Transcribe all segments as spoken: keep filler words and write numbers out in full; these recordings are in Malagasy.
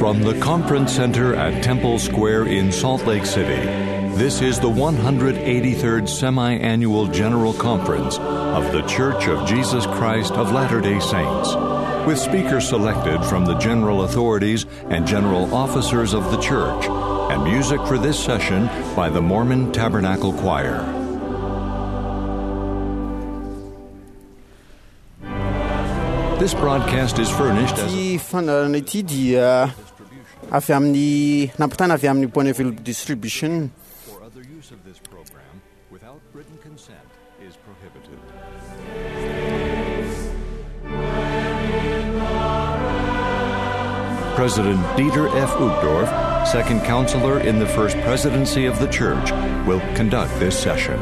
From the Conference Center at Temple Square in Salt Lake City, this is the one hundred eighty-third Semi-Annual General Conference of The Church of Jesus Christ of Latter-day Saints, with speakers selected from the general authorities and general officers of the Church, and music for this session by the Mormon Tabernacle Choir. This broadcast is furnished as Ity fandaharana ity dia avy amin'ny nampitana avy amin'ny Bonneville Distribution. For other use of this program without written consent is prohibited. President Dieter F. Uchtdorf, second counselor in the First Presidency of the Church, will conduct this session.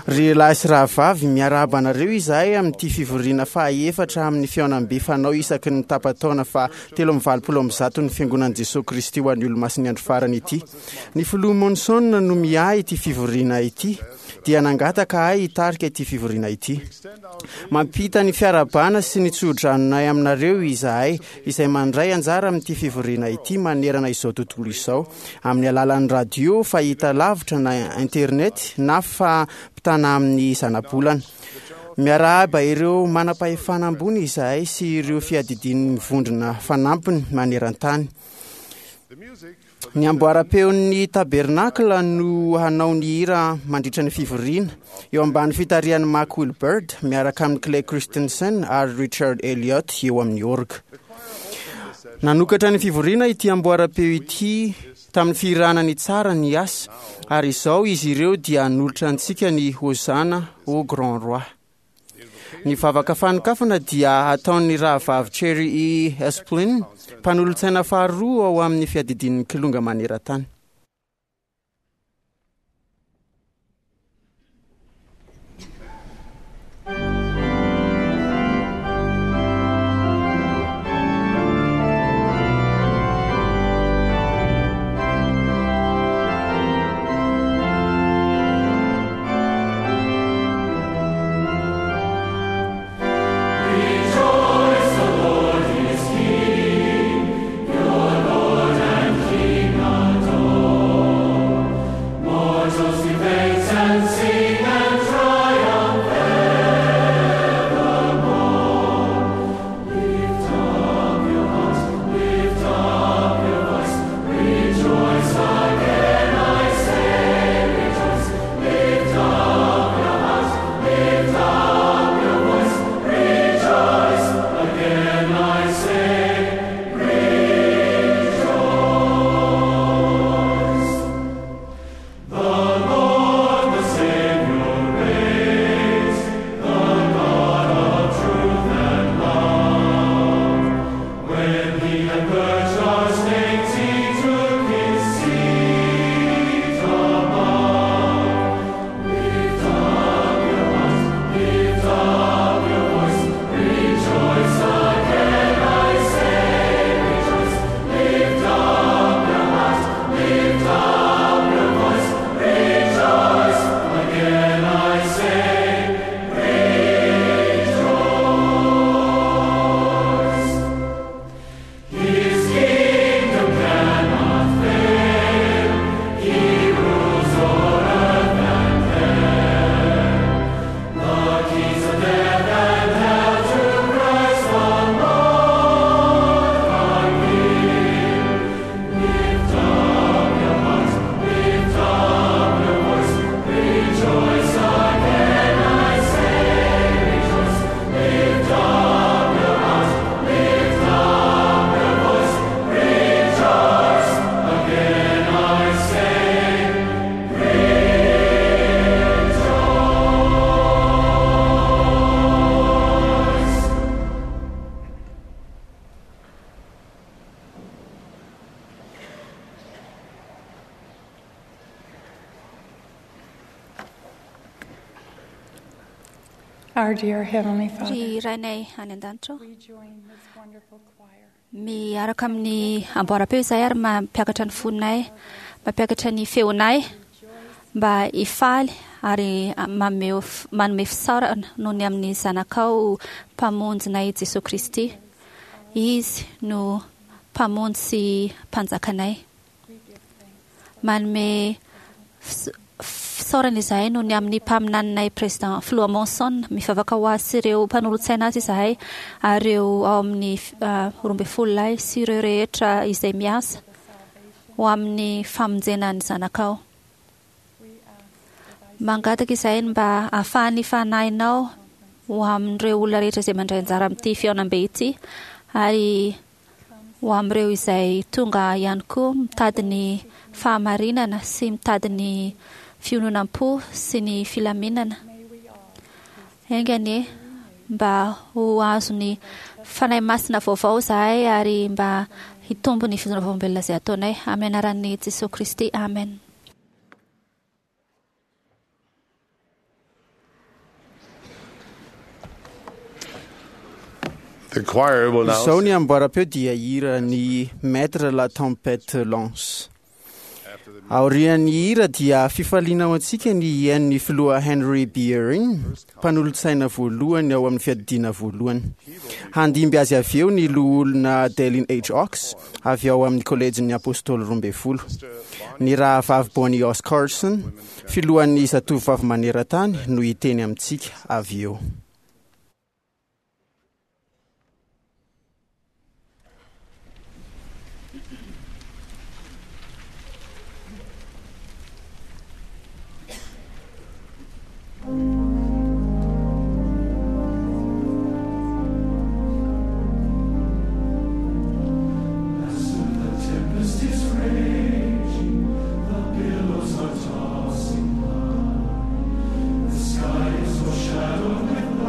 Ry lahy sy rahavavy, miarahaba anareo izahay amin'ity fivoriana fahaefatra amin'ny fihaonambe fanao isaky ny tapa-taona fa telo amby valopolo amby zato ny Fiangonan'i Jesoa Kristy ho an'ny Olomasin'ny andro farany ity. Ny filoha Monson no miahy ity fivoriana ity, dia nangataka ahy hitarika ity fivoriana ity. Mampita ny fiarahabana sy ny tsodranonay aminareo izahay izay mandray anjara amin'ity fivoriana ity manerana izao tontolo izao, amin'ny alalan'ny radio, fahita lavitra na internet na fampitana amin'ny zanabolana. Miarahaba ireo manam-pahefana ambony izahay sy ireo fiadidian'ny vondrona fanampiny maneran-tany. Ny amboaram-peon'ny tabernakla no hanao ny hira mandritra ny fivoriana eo ambany fitarihan'i Mark Wilbird miaraka amin'i Clay Christensen ary Richard Elliott eo amin'ny orga. Nanokatra ny fivoriana ity amboaram-peo ity tamin'ny fihirana ny tsara ny asa, ary izao izy ireo dia hanolotra antsika ny Hosanna au Grand Roi. Ny vavaka fanokafana dia ataon'ny rahavavy Cherry E. Esplin, mpanolotsaina faharoa ao amin'ny fiadidian'ny kilonga maneran-tany. Rejoice, the Lord is King, your Lord and King adore. Our dear Heavenly Father, Ry Rainay any an-danitra, we join this wonderful choir. Miaraka amin'ny amboaram-peo izahay ary mampiakatra ny fonay, mampiakatra ny feonay mba hifaly ary mameo manome fisaorana noho ny amin'ny zanakao mpamonjinay Jesoa Kristy. Izy no mpamonjy sy mpanjakanay. Manome fisaorana izahay noho ny amin'ny mpaminaninay Président Filoha Monson. Mivavaka ho azy sy ireo mpanolotsaina azy izahay ary ireo ao amin'ny roa ambin'ny folo lahy sy ireo rehetra izay miasa ho amin'ny famonjena ny zanakao. Mangataka izahay mba ahafahan'ny fanahinao ho amin'ireo olona rehetra izay mandray anjara amin'ity fihaonambe ity ary ho amin'ireo izay tonga ihany koa mitady ny fahamarinana sy mitady ny fiononam-po sy ny filaminana. Enga anie mba ho azon'ny fanahy masina vaovao izahay ary mba hitombo ny fijoroana vavolombelona izay ataonay. Amin'ny anaran'i Jesoa Kristy, amen. The choir will now Izao ny amboaram-peo dia hira ny Maître la tempête lance. Aorian'ny hira dia fifaliana ho antsika ny hihaino filoha Henry B. Eyring, mpanolotsaina voalohany ao amin'ny fiadidiana voalohany. Handimby azy avy eo ny loholona Dallin H. Oaks avy ao amin'ny kolejin'ny Apôstôly roa ambin'ny folo. Ny rahavavy Bonnie Oss Carlson, filohan'ny zatovovavy maneran-tany, no hiteny amintsika avy eo. The sky is overshadowed with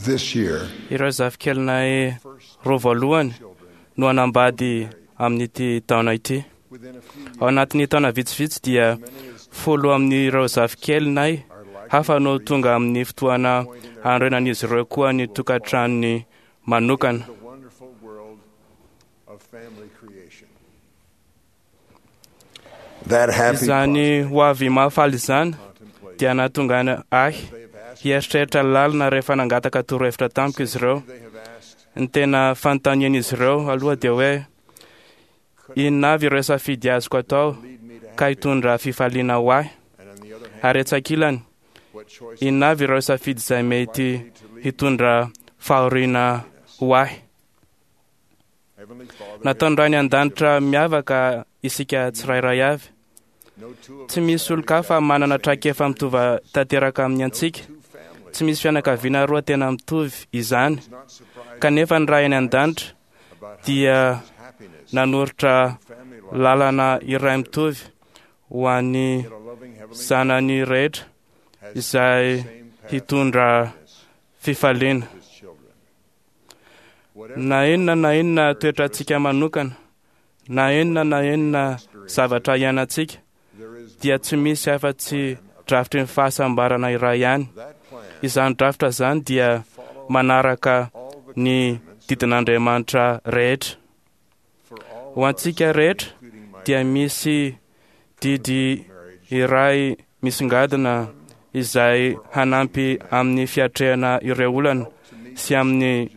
This year, Ireo zafikelinay roa voalohany no hanambady amin'ity taona ity. Ao anatin'ny taona vitsivitsy dia folo amin'ireo zafikelinay hafa no tonga amin'ny fotoana hanorenan'izy ireo koa ny tokantranony manokana. the wonderful world of family creation. That happy Izany ho avy mahafaly izany dia nahatonga ahy hieritreritra lalina rehefa nangataka torohevitra tamiko izy ireo. they have asked, Ny tena fanontanian'izy ireo aloha dia hoe inona avy ireo safidy azoko atao ka hitondra fifaliana ho ahy, and on the other hand, ary etsy ankilany what choice inona avy ireo safidy izay mety hitondra fahoriana ho ahy. Heavenly Father, Nataon'ny Ray any an-danitra miavaka isika tsirairay avy. no two of Tsy misy olon-kafa manana traikefa mitovy tanteraka amin'ny antsika. two families Tsy misy fianakaviana roa tena mitovy izany. is not surprised Kanefa ny Ray any an-danitra about how dia happiness, nanoritra family life, lalana iray mitovy ho an'ny yet a loving Heavenly zanany rehetra has izay the same path hitondra fifaliana. to his children. Whatever Na inona na inona toetrantsika manokana, na inona na inona zavatra iainantsika, there is dia tsy misy afa-tsy drafitry ny fahasambarana iray ihany. that plan, Izany drafitra izany dia manaraka all the ny didin'Andriamanitra rehetra. for all Ho antsika rehetra including my dia misy didy marriage iray misongadina izay hanampy amin'ny fiatrehana ireo olana sy amin'ny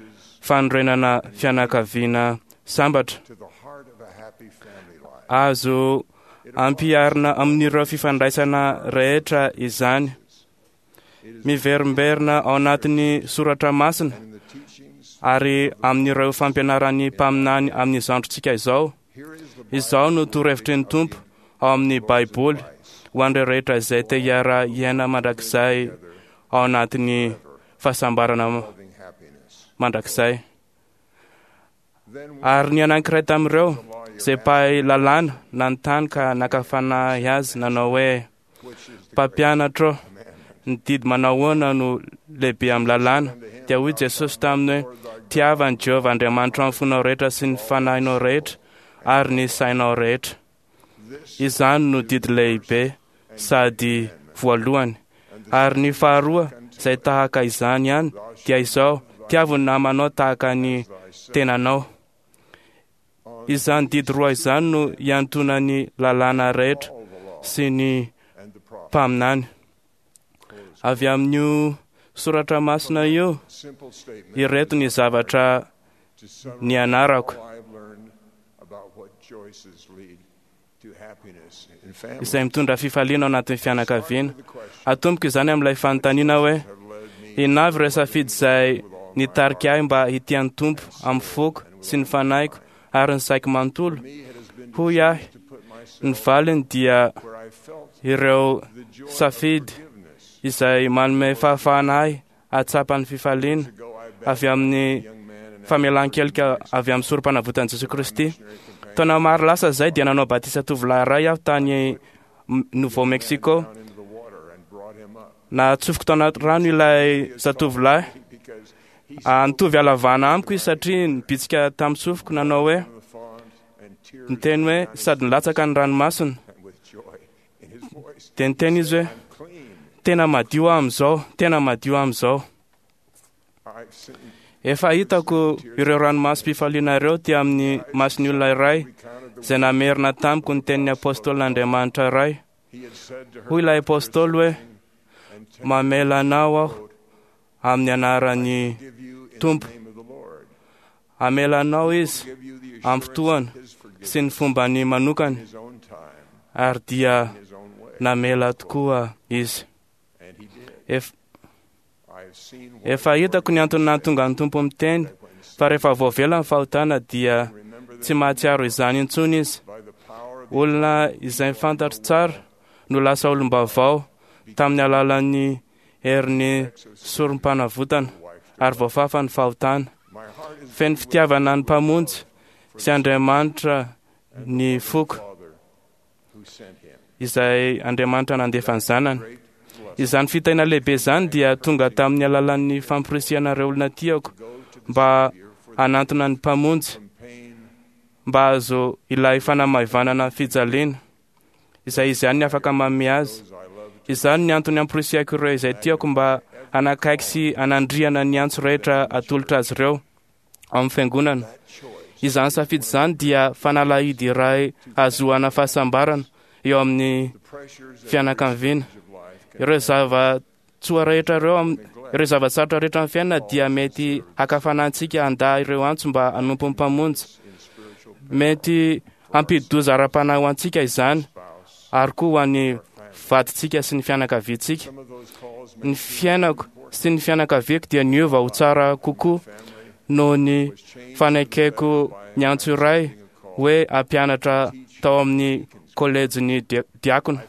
fanorenana fianakaviana sambatra. to the heart of a happy family life. Azo ampiharina amin'ireo fifandraisana rehetra izany. Miverimberina ao anatin'ny soratra masina And in the teachings, ary amin'ireo fampianaran'ny mpaminany amin'izao androntsika izao. here is the Izao no torohevitry ny Tompo ao amin'ny Baiboly ho an'ireo rehetra izay te hiara-hiaina mandrakizay ao anatin'ny fahasambarana loving happiness. mandrakizay. Then Ary ny anankiray tamin'ireo izay mpahay lalàna nanontany ka naka fanahy azy nanao hoe which is the mpampianatra ô, commandment? ny didy manao ahoana no lehibe amin'ny lalàna? Dia hoy Jesosy taminy hoe tiava an'i Jehovah Andriamanitra amin'ny fonao rehetra sy ny fanahinao rehetra ary ny sainao rehetra. This Izany no didy lehibe sady voalohany. Ary ny faharoa izay tahaka izany ihany dia izao tiavo ny namanao tahaka ny tenanao. Izany didy roa izany no iantonan'ny lalàna rehetra all the law sy ny and the prophets. mpaminany. Avy amin'io soratra masina io, Simple statement ireto ny zavatra to summarize nianarako all I've learned about what choices lead to happiness in family. izay mitondra fifaliana ao anatin'ny fianakaviana. The question Atomboko izany amin'ilay fanontaniana hoe have led me inona avy ireo safidy izay nitarika ahy mba hitia ny Tompo amin'ny foko sy ny fanahiko ary ny saiko manontolo. me it has been Hoy ahy, to put myself ny valiny dia where I felt ireo the joy of safidy forgiveness izay manome fahafahana ahy hahatsapa ny fifaliana to go I avy baptized amin'ny a young man and famelan-kelika avy amin'ny sorom-panavotan'i Jesosy Kristy. Taona maro lasa izay dia nanao batisa tovolahy iray aho tany M- Nouveau Mexico. down into the water and brought him up Natsofoko tao anaty rano ilay zatovolahy. because he Ah, Nitovy halavana amiko izy satria nibitsika tamin'ny sofiko nanao hoe the font and tears niteny hoe sady nilatsaka ny ranomasina. and with joy in his voice. Dia niteny izy hoe I'm clean. tena madio aho amin'izao, tena madio aho amin'izao. I've seen Efa hitako ireo ranomasom-pifaliana ireo teo amin'ny mason'ny olona iray recounted the izay namerina tamiko ny tenin'ny apôstôlin'Andriamanitra iray. he had said to her Hoy ilay apôstôly hoe and ten mamela anao aho amin'ny anaran'ny give you in Tompo. the name of the Lord. Hamela anao izy Give you the amin'ny assurance fotoana of his forgiveness sy ny fombany manokana in his own time, ary dia in his own way. namela tokoa izy. And he did. Ef- I have seen what Efa hitako ny antony nahatonga ny Tompo miteny fa rehefa voavela ny fahotana dia remember tsy mahatsiaro izany intsony izy. by the power of the Olona izay fantatro tsara no lasa olom-baovao tamin'ny alalan'ny herin'ny sorom-panavotana ary voafafa ny fahotana. my heart is Feno fitiavana ny Mpamonjy sy Andriamanitra ny foko Father who sent him. izay Andriamanitra nandefa ny zanany. Great Izany fitahiana lehibe izany dia tonga tamin'ny alalan'ny famporisihana ireo olona tiako mba hanantona ny Mpamonjy, mba hahazo ilay fanamaivanana fijaliana izay izy ihany afaka manome azy. Izany ny antony amporisihako ireo izay tiako mba hanakaiky sy hanandriana ny antso rehetra atolotra azy ireo ao amin'ny fiangonana. Izany safidy izany dia fanalahidy iray hahazoana fahasambarana eo amin'ny fianakaviana. Ireo zava-tsoa rehetra ireo, ireo zava-tsarotra rehetra amin'ny fiainana dia mety hakafana antsika handà ireo antso mba hanompo ny Mpamonjy. Mety hampidi-doza ara-panahy ho antsika izany, ary koa ho an'ny vadintsika sy ny fianakaviantsika. Ny fiainako sy ny fianakaviako dia niova ho tsara kokoa noho ny fanekeko ny antso iray hoe hampianatra tao amin'ny kolejin'ny diakona.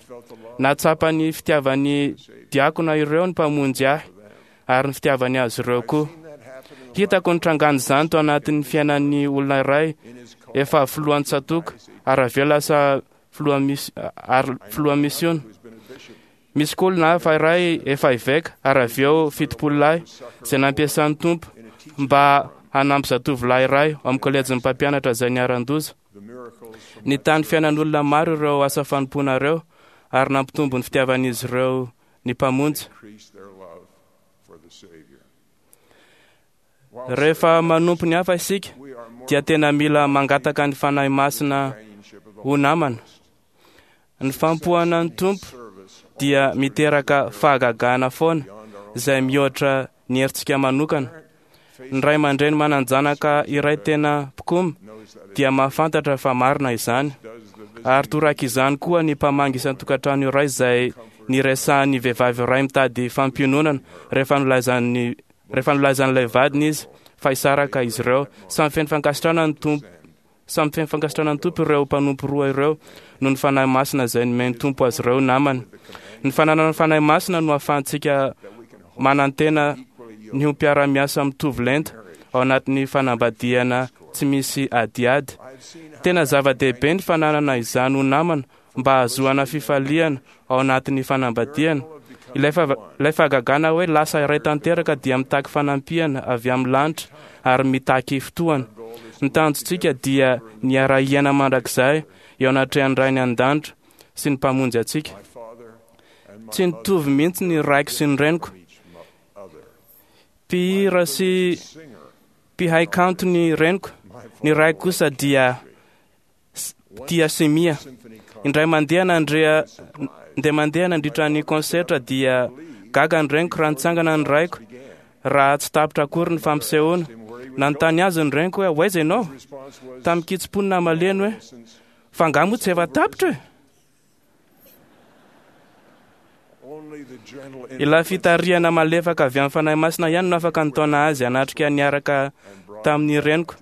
Nahatsapa ny fitiavan'ny diakona ireo ny Mpamonjy ahy ary ny fitiavany azy ireo koa. Hitako ny trangan'izany tao anatin'ny fiainan'ny olona iray efa filohan'ny tsatòka ary avy eo lasa filoha mis- ary filoha misiona. Misy koa olona hafa iray efa eveka ary avy eo fitopolo lahy izay nampiasan'ny Tompo mba hanampy zatovolahy iray ao amin'ny kolejin'ny mpampianatra izay niharan-doza. Nitany fiainan'olona maro ireo asa fanompoana ireo ary nampitombo ny fitiavan'izy ireo ny Mpamonjy. Rehefa manompo ny hafa isika dia tena mila mangataka ny Fanahy Masina ho namana. Ny fampohana ny Tompo dia miteraka fahagagana foana izay mihoatra ny herintsika manokana. Ny ray aman-dreny manan-janaka iray tena mpikomy dia mahafantatra fa marina izany. Ary toraka izany koa ny mpamangy isan-tokantrano iray izay niresahan'ny vehivavy iray mitady fampiononana rehefa nolaizan'ny rehefa nolaizan'ilay vadiny izy fa hisaraka izy ireo. Samy feno fankasitrahana ny Tompo, samy feno fankasitrahana ny Tompo ireo mpanompo roa ireo noho ny Fanahy Masina izay nomen'ny Tompo azy ireo namany. Ny fananana ny Fanahy Masina no ahafahantsika manantena ny ho mpiara-miasa mitovy lenta ao anatin'ny fanambadiana tsy misy adiady. Tena zava-dehibe ny fananana izany ho namana mba hahazoana fifaliana ao anatin'ny fanambadiana. Ilay fa- ilay fahagagana hoe lasa iray tanteraka dia mitaky fanampiana avy amin'ny lanitra ary mitaky fotoana. Ny tanjontsika dia ny hiara-hiaina mandrakizay eo anatrehan'ny Rainy an-danitra sy ny Mpamonjy antsika. Tsy nitovy mihitsy ny raiko sy ny reniko. Mpihira sy mpihay kanto ny reniko. Ny raiko kosa dia tia simia. Indray mandeha nandrea indray mandeha nandritra ny konsertra dia gaga ny reniko raha nitsangana ny raiko raha tsy tapitra akory ny fampisehoana. Nanontany azy ny reniko hoe ho aiza ianao? Tamin'ny kitsim-po no namaliany hoe fa angaha moa tsy efa tapitra e? Ilay fitarihana malefaka avy amin'ny Fanahy Masina ihany no afaka nitaona azy hanatrika niaraka tamin'ny reniko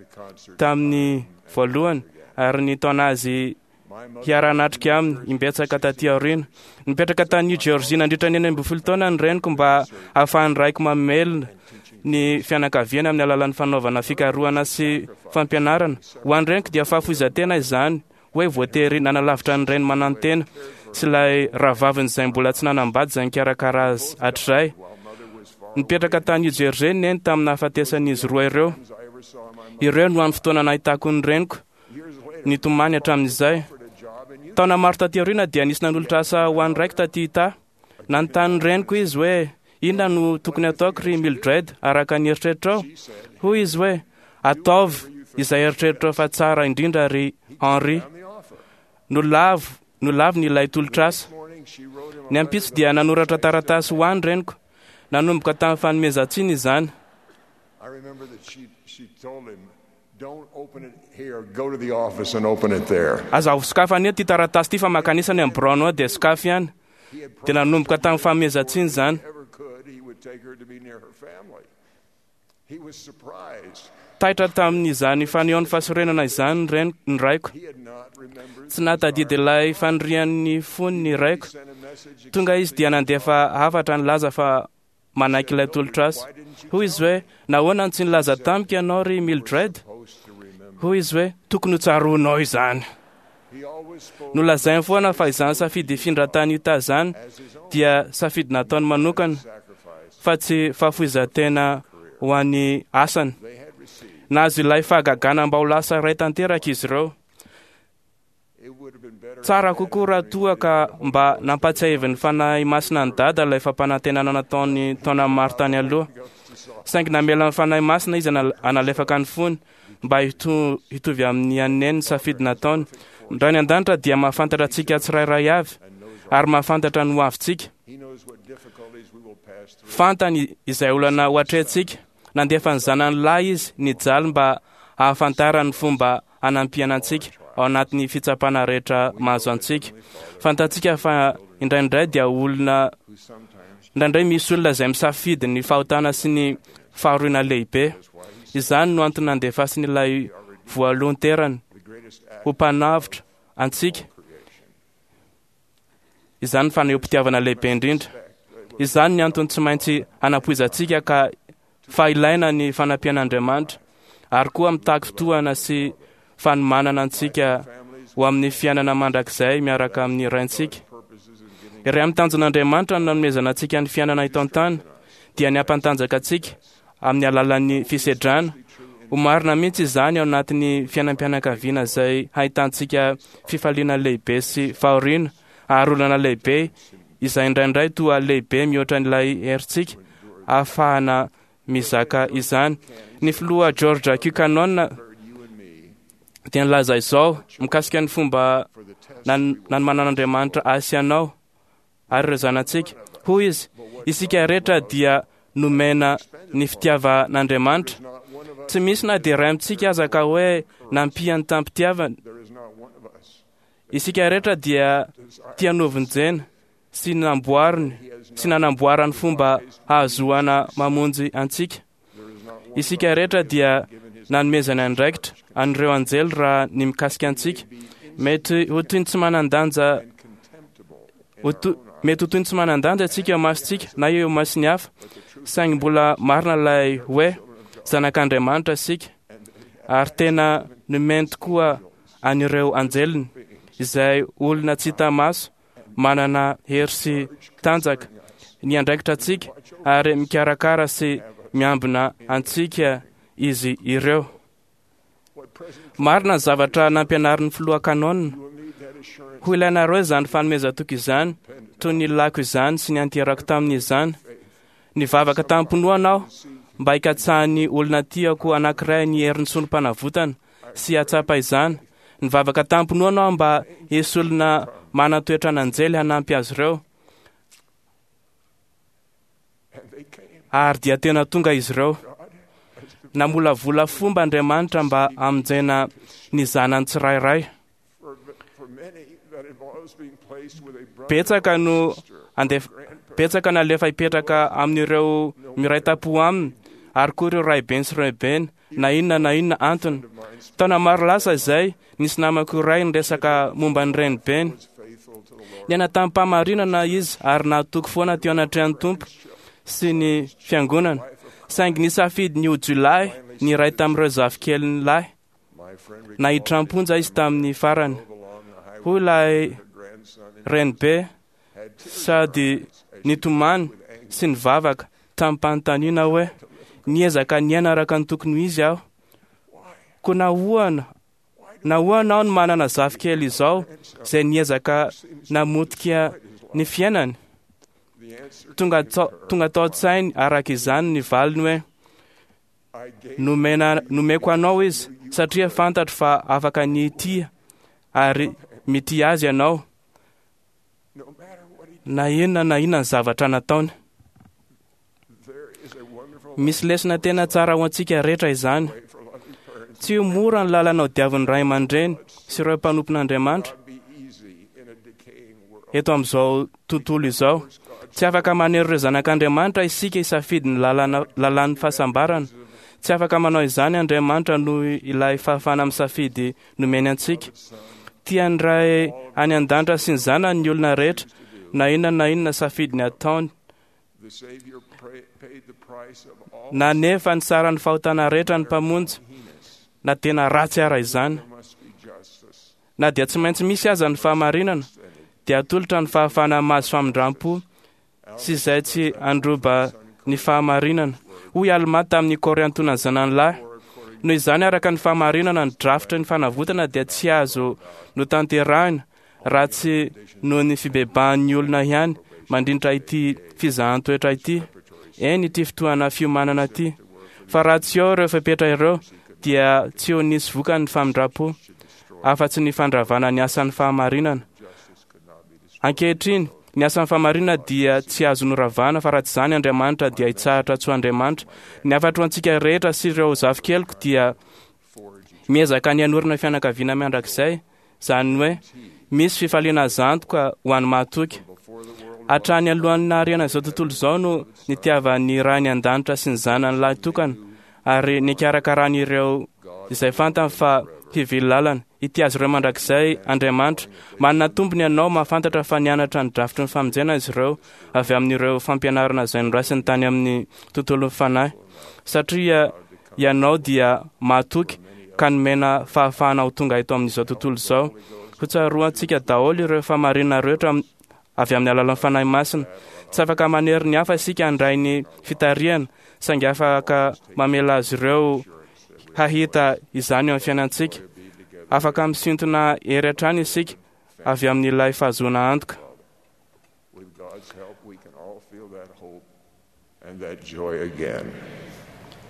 tamin'ny voalohany ary nitaona azy hiara-hanatrika aminy imbetsaka taty aoriana. Nipetraka tany New Jersey nandritra ny enina ambin'ny folo taona ny reniko mba hahafahan'ny raiko mamelona ny fianakaviany amin'ny alalan'ny fanaovana fikarohana sy fampianarana. Ho an'ny reniko dia fahafoizan-tena izany hoe voatery nanalavitra ny reny manantena sy ilay rahavaviny izay mbola tsy nanambady izay nikarakara azy hatrizay. Nipetraka tany New Jersey neny tamin'ny nahafatesan'izy roa ireo. Ireo no hany fotoana nahitako ny reniko nitomany hatramin'izay. Taona maro taty aoriana dia nisy nanolotra asa ho an'ny raiko taty Utah. Nanontany ny reniko izy hoe inona no tokony ataoko ry Mildred araka ny eritreritrao? Hoy izy hoe ataovy izay eritreritrao fa tsara indrindra ry Henry. Nolavo nolaviny ilay tolotr'asa. Ny ampitso dia nanoratra taratasy ho any reniko. Nanomboka tamin'ny fanomezan-tsiny izany. I remember that she, she told him, don't open it here, go to the office and open it there. Aza sokafana eto ity taratasy ity fa mankanisany amin'ny biraonao dia sokafy ihany. Dia nanomboka tamin'ny fanomezan-tsiny izany. Ever could, he would take her to be near her family. He was surprised. Taitra tamin'izany fanehoan'ny fahasorenana izany ny ren- ny raiko. He had not remembered. Tsy nahatadidy ilay fanirian'ny fony ny raiko. Sent a message Tonga izy dia nandefa hafatra nilaza fa manaiky ilay tolotra azy. Hoy izy hoe nahoana no tsy nilaza tamiko ianao ry Mildred? supposed to remember. Hoy izy hoe tokony ho tsaroanao izany. Nolazainy foana fa izany safidy hifindra tany Utah izany dia safidy nataony manokana fa tsy fahafoizan-tena ho an'ny asany. Nahazo ilay fahagagana mba ho lasa iray tanteraka izy ireo. Tsara kokoa raha toa ka mba nampatsiahivin'ny Fanahy Masina ny Dada ilay fampanantenana nataony taona maro tany aloha. Saingy namela ny Fanahy Masina izy hanalefaka ny fony mba hitovy amin'ny an'i Neny ny safidy nataony. Ny Ray any an-danitra dia mahafantatra antsika tsirairay avy ary mahafantatra ny hoavintsika. Fantany izay olana ho atrehintsika. Nandefa ny zanany lahy izy nijaly mba hahafantarany ny fomba hanampiana antsika ao anatin'ny fitsapana rehetra mahazo antsika. Fantatsika fa indraindray dia olona indraindray misy olona izay misafidy ny fahotana sy ny fahoriana lehibe. Izany no antony nandefasiny ilay voalohan-terany ho mpanavotra antsika. Izany ny fanehoam-pitiavana lehibe indrindra. Izany ny antony tsy maintsy hanapoizantsika ka fa ilaina ny fanampian'Andriamanitra ary koa mitaky fotoana sy fanomanana antsika ho amin'ny fiainana mandrakizay miaraka amin'ny Raintsika. Iray amin'ny tanjon'Andriamanitra no nanomezana antsika ny fiainana eto an-tany dia ny hampantanjaka antsika amin'ny alalan'ny fisedrana. Ho marina mihitsy izany ao anatin'ny fiainam-pianakaviana izay hahitantsika fifaliana lehibe sy fahoriana ary olana lehibe izay indraindray toa lehibe mihoatra an'ilay herintsika ahafahana mizaka izany. Ny filoha George Q. Cannon dia nilaza izao mikasika ny fomba nanomanan'Andriamanitra ahy sy anao ary ireo zanatsika. Hoy izy, isika rehetra dia nomena ny fitiavan'Andriamanitra. Tsy misy na dia iray amintsika aza ka hoe nampiany tamin'ny-pitiavana. Isika rehetra dia tia novonjena sy namboariny sy nanamboarany fomba hahazoana mamonjy antsika. Isika rehetra dia nanomezana andraikitra an'ireo anjely raha ny mikasika antsika. Mety ho toy ny tsy manan-danja mety ho toy ny tsy manan-danja antsika eo masontsika na eo mason'ny hafa, saingy mbola marina ilay hoe zanak'Andriamanitra isika ary tena nomeny tokoa an'ireo anjeliny izay olona tsy hita maso manana hery sy tanjaka ny andraikitra antsika ary mikarakara sy miambina antsika izy ireo. Marina ny zavatra nampianarin'ny filoha Cannon. Ho ilainareo izany fanomezan-toky izany, toy ny lako izany sy ny anterako tamin'izany. Nivavaka tamim-pinoana aho mba hikatsahan'ny olona tiako anankiray ny herin'ny solom-panavotana sy hahatsapa izany. Nivavaka tamim-pinoana aho mba hisy olona manan-toetra an'anjely hanampy azy ireo. Ary dia tena tonga izy ireo. Namolavola fomba Andriamanitra mba hamonjena ny zanany tsirairay. Betsaka no andef betsaka nalefa hipetraka amin'ireo miray tampo aminy ary koa ireo raibeny sy raibeny na inona na inona antony. Taona maro lasa izay, nisy namako iray niresaka momba ny renibeny. Niaina tamim-pahamarinana izy ary nahatoky foana teo anatrehan'ny Tompo sy ny fiangonana. Saingy nisafidy ny ho jiolahy ny iray tamin'ireo zafikeliny lahy. Nahiditra am-ponja izy tamin'ny farany. Hoy ilay renibe sady nitomany sy nivavaka tamim-panontaniana hoe niezaka niaina araka ny tokony ho izy aho. Koa nahoana nahoana aho no manana zafikely izao izay niezaka namotika ny fiainany? Tonga tonga tao an-tsainy araka izany ny valiny hoe nomena nomeko anao izy satria fantatro fa afaka ny hitia ary mitia azy ianao na inona na inona ny zavatra nataony. Misy lesona tena tsara ho antsika rehetra izany. Tsy ho mora ny lalana hodiavin'ny ray aman-dreny sy ireo mpanompon'Andriamanitra eto amin'izao tontolo izao. Tsy afaka manery ireo zanak'Andriamanitra isika hisafidy ny lalana lalàn'ny fahasambarana. Tsy afaka manao izany Andriamanitra noho ilay fahafahana misafidy nomeny antsika. Tian'ny Ray any an-danitra sy ny zanany ny olona rehetra na inona na inona safidy ny ataony. Nanefa ny saran'ny fahotana rehetra ny Mpamonjy, na tena ratsy ara izany. Na dia tsy maintsy misy aza ny fahamarinana, dia atolotra ny fahafahana mahazo famindram-po sy izay tsy handroba ny fahamarinana. Hoy Almà tamin'ny Kôriantona zanany lahy: Noho izany, araka ny fahamarinana, ny drafitry ny fanavotana dia tsy azo notanterahina raha tsy noho ny fibebahan'ny olona ihany mandritra ity fizahan-toetra ity, eny ity fotoana fiomanana ity. Fa raha tsy eo ireo fepetra ireo, dia tsy ho nisy vokany ny famindram-po, afa-tsy ny fandravana ny asan'ny fahamarinana. Ankehitriny, ny asan'ny fahamarinana dia tsy azo noravana, fa raha tsy izany Andriamanitra dia hitsahatra tsy ho Andriamanitra. Ny hafatro ho antsika rehetra sy ireo zafikeliko dia miezaka ny hanorina fianakaviana mandrakizay, izany hoe misy fifaliana azo antoka ho an'ny mahatoky. Hatrany alohan'ny nahariana izao tontolo izao no nitiavan'ny Rainy an-danitra sy ny Zanany lahy tokana, ary nikarakarany ireo izay fantany fa hivily lalana. Hitia azy ireo mandrakizay Andriamanitra. Manana tombony ianao mahafantatra fa nianatra ny drafitry ny famonjena izy ireo avy amin'ireo fampianarana izay noraisiny tany amin'ny tontolon'ny fanahy, satria ianao dia mahatoky ka nomena fahafahana ho tonga eto amin'izao tontolo izao. Hotsaroantsika daholo ireo fahamarinana rehetra avy amin'ny alalan'ny Fanahy Masina. Tsy afaka manery ny hafa isika handray ny fitarihana, saingy afaka mamela azy ireo hahita izany eo amin'ny fiainantsika. Afaka misintona hery hatrany isika avy amin'ilay fahazoana antoka. With God's help, we can all feel that hope and that joy again.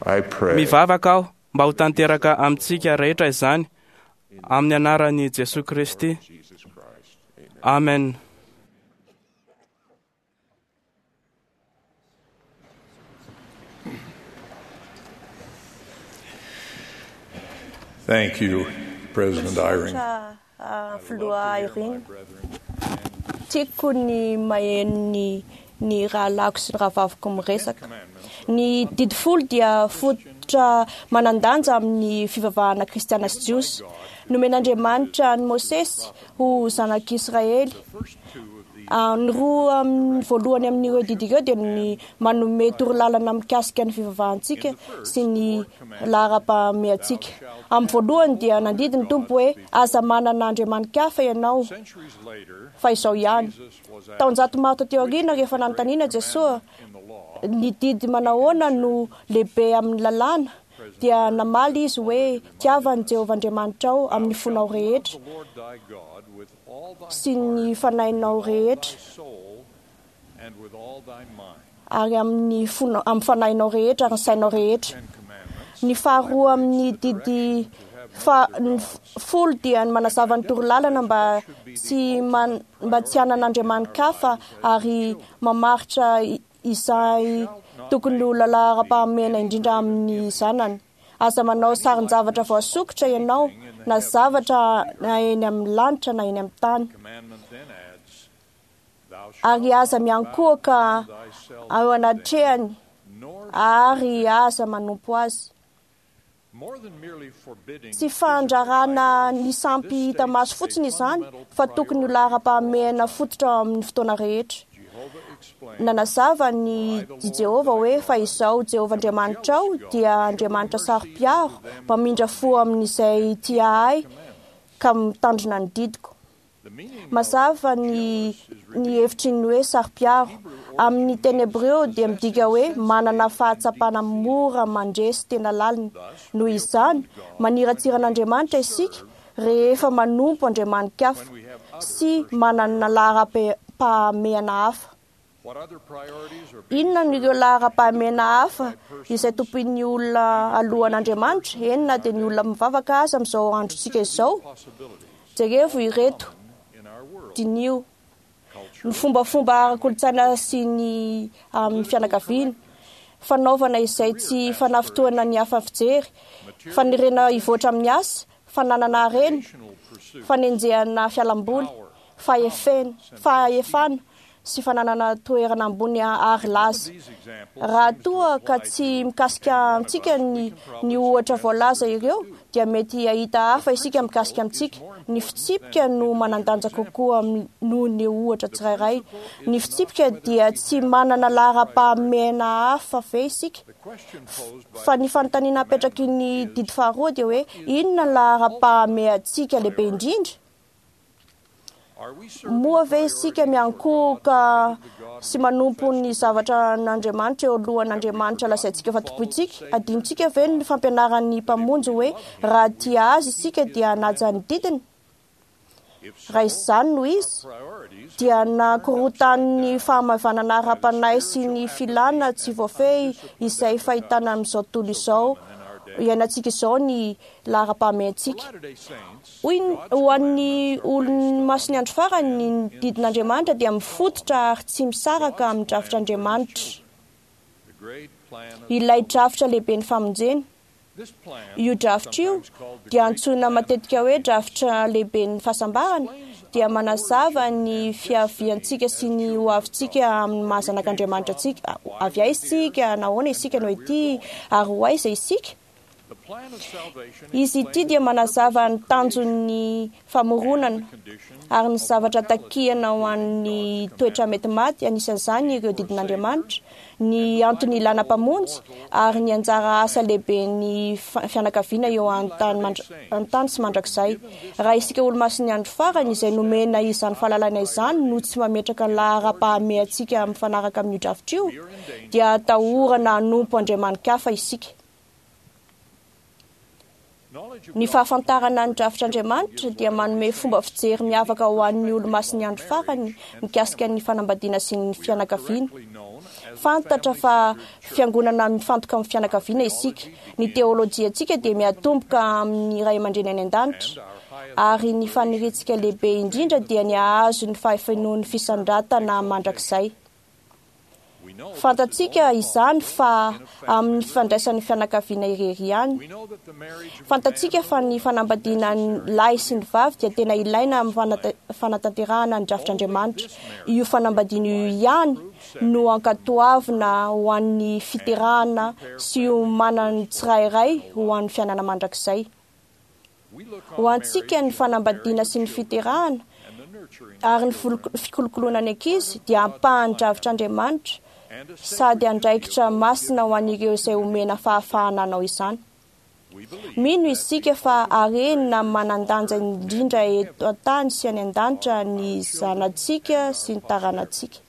I pray. Mivavaka aho mba ho tanteraka amintsika rehetra izany amin'ny anaran'i Jesoa Kristy. Jesus Christ. Amen. Thank you, President Eyring. Misaotra, ah, filoha Eyring. Tiako ny maheno ny ny rahalahiko sy ny rahavaviko miresaka. Ny didy folo dia fototra manan-danja amin'ny fivavahana kristiana sy jiosy. Nomen'Andriamanitra an'i Mosesy ho zanak'Israely. Ah, Ny roa amin'ny voalohany amin'ireo didy ireo dia ny manome torolalana mikasika ny fivavahantsika sy ny laharam-pahamehantsika. Amin'ny voalohany dia nandidy ny Tompo hoe aza manana andriamani-kafa ianao fa izao ihany. Taonjato maro taty aoriana rehefa nanontaniana Jesoa ny didy manahoana no lehibe amin'ny lalàna dia namaly izy hoe tiava an'i Jehovah Andriamanitrao amin'ny fonao rehetra sy ny fanahinao rehetra ary amin'ny fonao amin'ny fanahinao rehetra ary ny sainao rehetra. Ny faharoa amin'ny didy fa ny folo dia ny manazava ny torolalana mba tsy man, mba tsy hanana andriamani-kafa ary mamaritra izay tokony ho laharam-pahamehana indrindra amin'ny zanany. Aza manao sarin-javatra voasokitra ianao na zavatra na eny amin'ny lanitra na eny amin'ny tany. Ary aza miankohoka eo anatrehany ary aza manompo azy. Tsy fandrarana ny sampy hita maso fotsiny izany fa tokony ho laharam-pahamehana fototra amin'ny fotoana rehetra. Nanazava ny i Jehovah hoe fa izao Jehovah Andriamanitrao dia Andriamanitra saro-piaro, mpamindra fo amin'izay tia ahy ka mitandrina ny didiko. Mazava ny ny hevitry ny hoe saro-piaro. Amin'ny teny hebreo dia midika hoe manana fahatsapana mora mandresy tena lalina. Noho izany, maniratsira an'Andriamanitra isika rehefa manompo andriamani-kafa sy manana laharam-pahamehana hafa. Inona no ireo laharam-pahamehana hafa izay tompoin'ny olona alohan'Andriamanitra? Eny na dia ny olona mivavaka aza amin'izao androntsika izao. Jerevo ireto, diniho ny fombafomba ara-kolontsaina sy ny amin'ny fianakaviana, fanaovana izay tsy fanafintohana ny hafa fijery, faniriana hivoatra amin'ny asa, fananana harena, fanenjehana fialamboly, fahefena, fahefana sy fananana toerana ambony ary laza. Raha toa ka tsy mikasika antsika ny, ny ohatra voalaza ireo, dia mety hahita hafa isika mikasika amintsika. Ny fitsipika no manan-danja kokoa noho ny ohatra tsirairay. Ny fitsipika dia tsy manana laharam-pahamehana hafa ve isika? Fa ny fanontaniana apetraky ny didy faharoa dia hoe inona ny laharam-pahamehantsika lehibe indrindra? Moa ve isika miankohoka sy manompo ny zavatra n'Andriamanitra eo alohan'Andriamanitra lazaintsika fa tompointsika? Adinontsika ve ny fampianaran'ny Mpamonjy hoe raha tia azy isika dia hanaja ny didiny? Raha izany no izy, dia nakorotan'ny fahamaivanana ara-panahy sy ny filana tsy voafehy izay fahitana amin'izao tontolo izao iainantsika izao ny laharam-pahamehantsika. Hoy ho an'ny olon'ny masin'ny andro farany, ny didin'Andriamanitra dia mifototra ary tsy misaraka amin'ny drafitr'Andriamanitra. Ilay drafitra lehibe ny famonjena. Io drafitra io dia antsoina matetika hoe drafitra lehibe ny fahasambarana, dia manazava ny fiaviantsika sy ny hoavintsika amin'ny maha zanak'Andriamanitra antsika. Avy aiza isika, nahoana isika no ety, ary ho aiza isika? Izy ity dia manazava ny tanjon'ny famoronana ary ny zavatra takiana ho an'ny toetra mety maty, anisan'izany ireo didin'Andriamanitra, ny antony ilana mpamonjy ary ny anjara asa lehibe ny fianakaviana eo an-tany sy mandrakizay. Raha isika olomasin'ny andro farany izay nomena izany fahalalana izany no tsy mametraka laharam-pahamehantsika mifanaraka amin'io drafitra io, dia atahorana hanompo andriamani-kafa isika. Ny fahafantarana ny drafitr'Andriamanitra dia manome fomba fijery miavaka ho an'ny olomasin'ny andro farany mikasika ny fanambadiana sy ny fianakaviana. Fantatra fa fiangonana mifantoka amin'ny fianakaviana isika. Ny teolojiantsika dia miatomboka amin'ny ray aman-dreny any an-danitra, ary ny faniriantsika lehibe indrindra dia ny hahazo ny fahafenoan'ny fisandratana mandrakizay. Fantatsika izany fa amin'ny fifandraisan'ny fianakaviana irery ihany. Fantatsika fa ny fanambadiana ny lahy sy ny vavy dia tena ilaina amin'ny fanatanterahana ny drafitr'Andriamanitra. Io fanambadiana io ihany no ankatoavina ho an'ny fiterahana sy hiomanan'ny tsirairay ho an'ny fiainana mandrakizay. Ho antsika ny fanambadiana sy ny fiterahana ary ny fikolokoloana ny ankizy dia ampahan'ny drafitr'Andriamanitra sady andraikitra masina ho an'ireo izay omena fahafahana hanao izany. Mino isika fa harena manan-danja indrindra eto an-tany sy any an-danitra ny zanatsika sy ny taranantsika.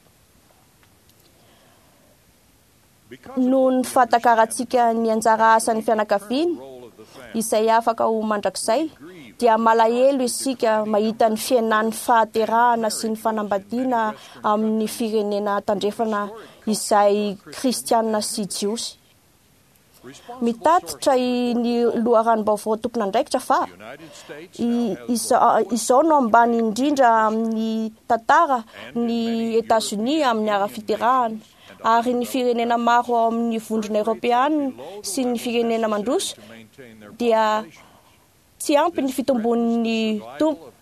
Noho ny fahatakarantsika ny anjara asan'ny fianakaviana izay afaka ho mandrakizay, dia malahelo isika mahita ny fihenan'ny fahaterahana sy ny fanambadiana amin'ny firenena tandrefana izay kristianina sy jiosy. Mitatitra ny loharanom-baovao tompon'andraikitra fa izao no ambany indrindra amin'ny tantara ny Etazonia amin'ny ara-fiterahana, ary ny firenena maro ao amin'ny vondrona eoropeanina sy ny firenena mandroso dia tsy ampy ny fitombon'ny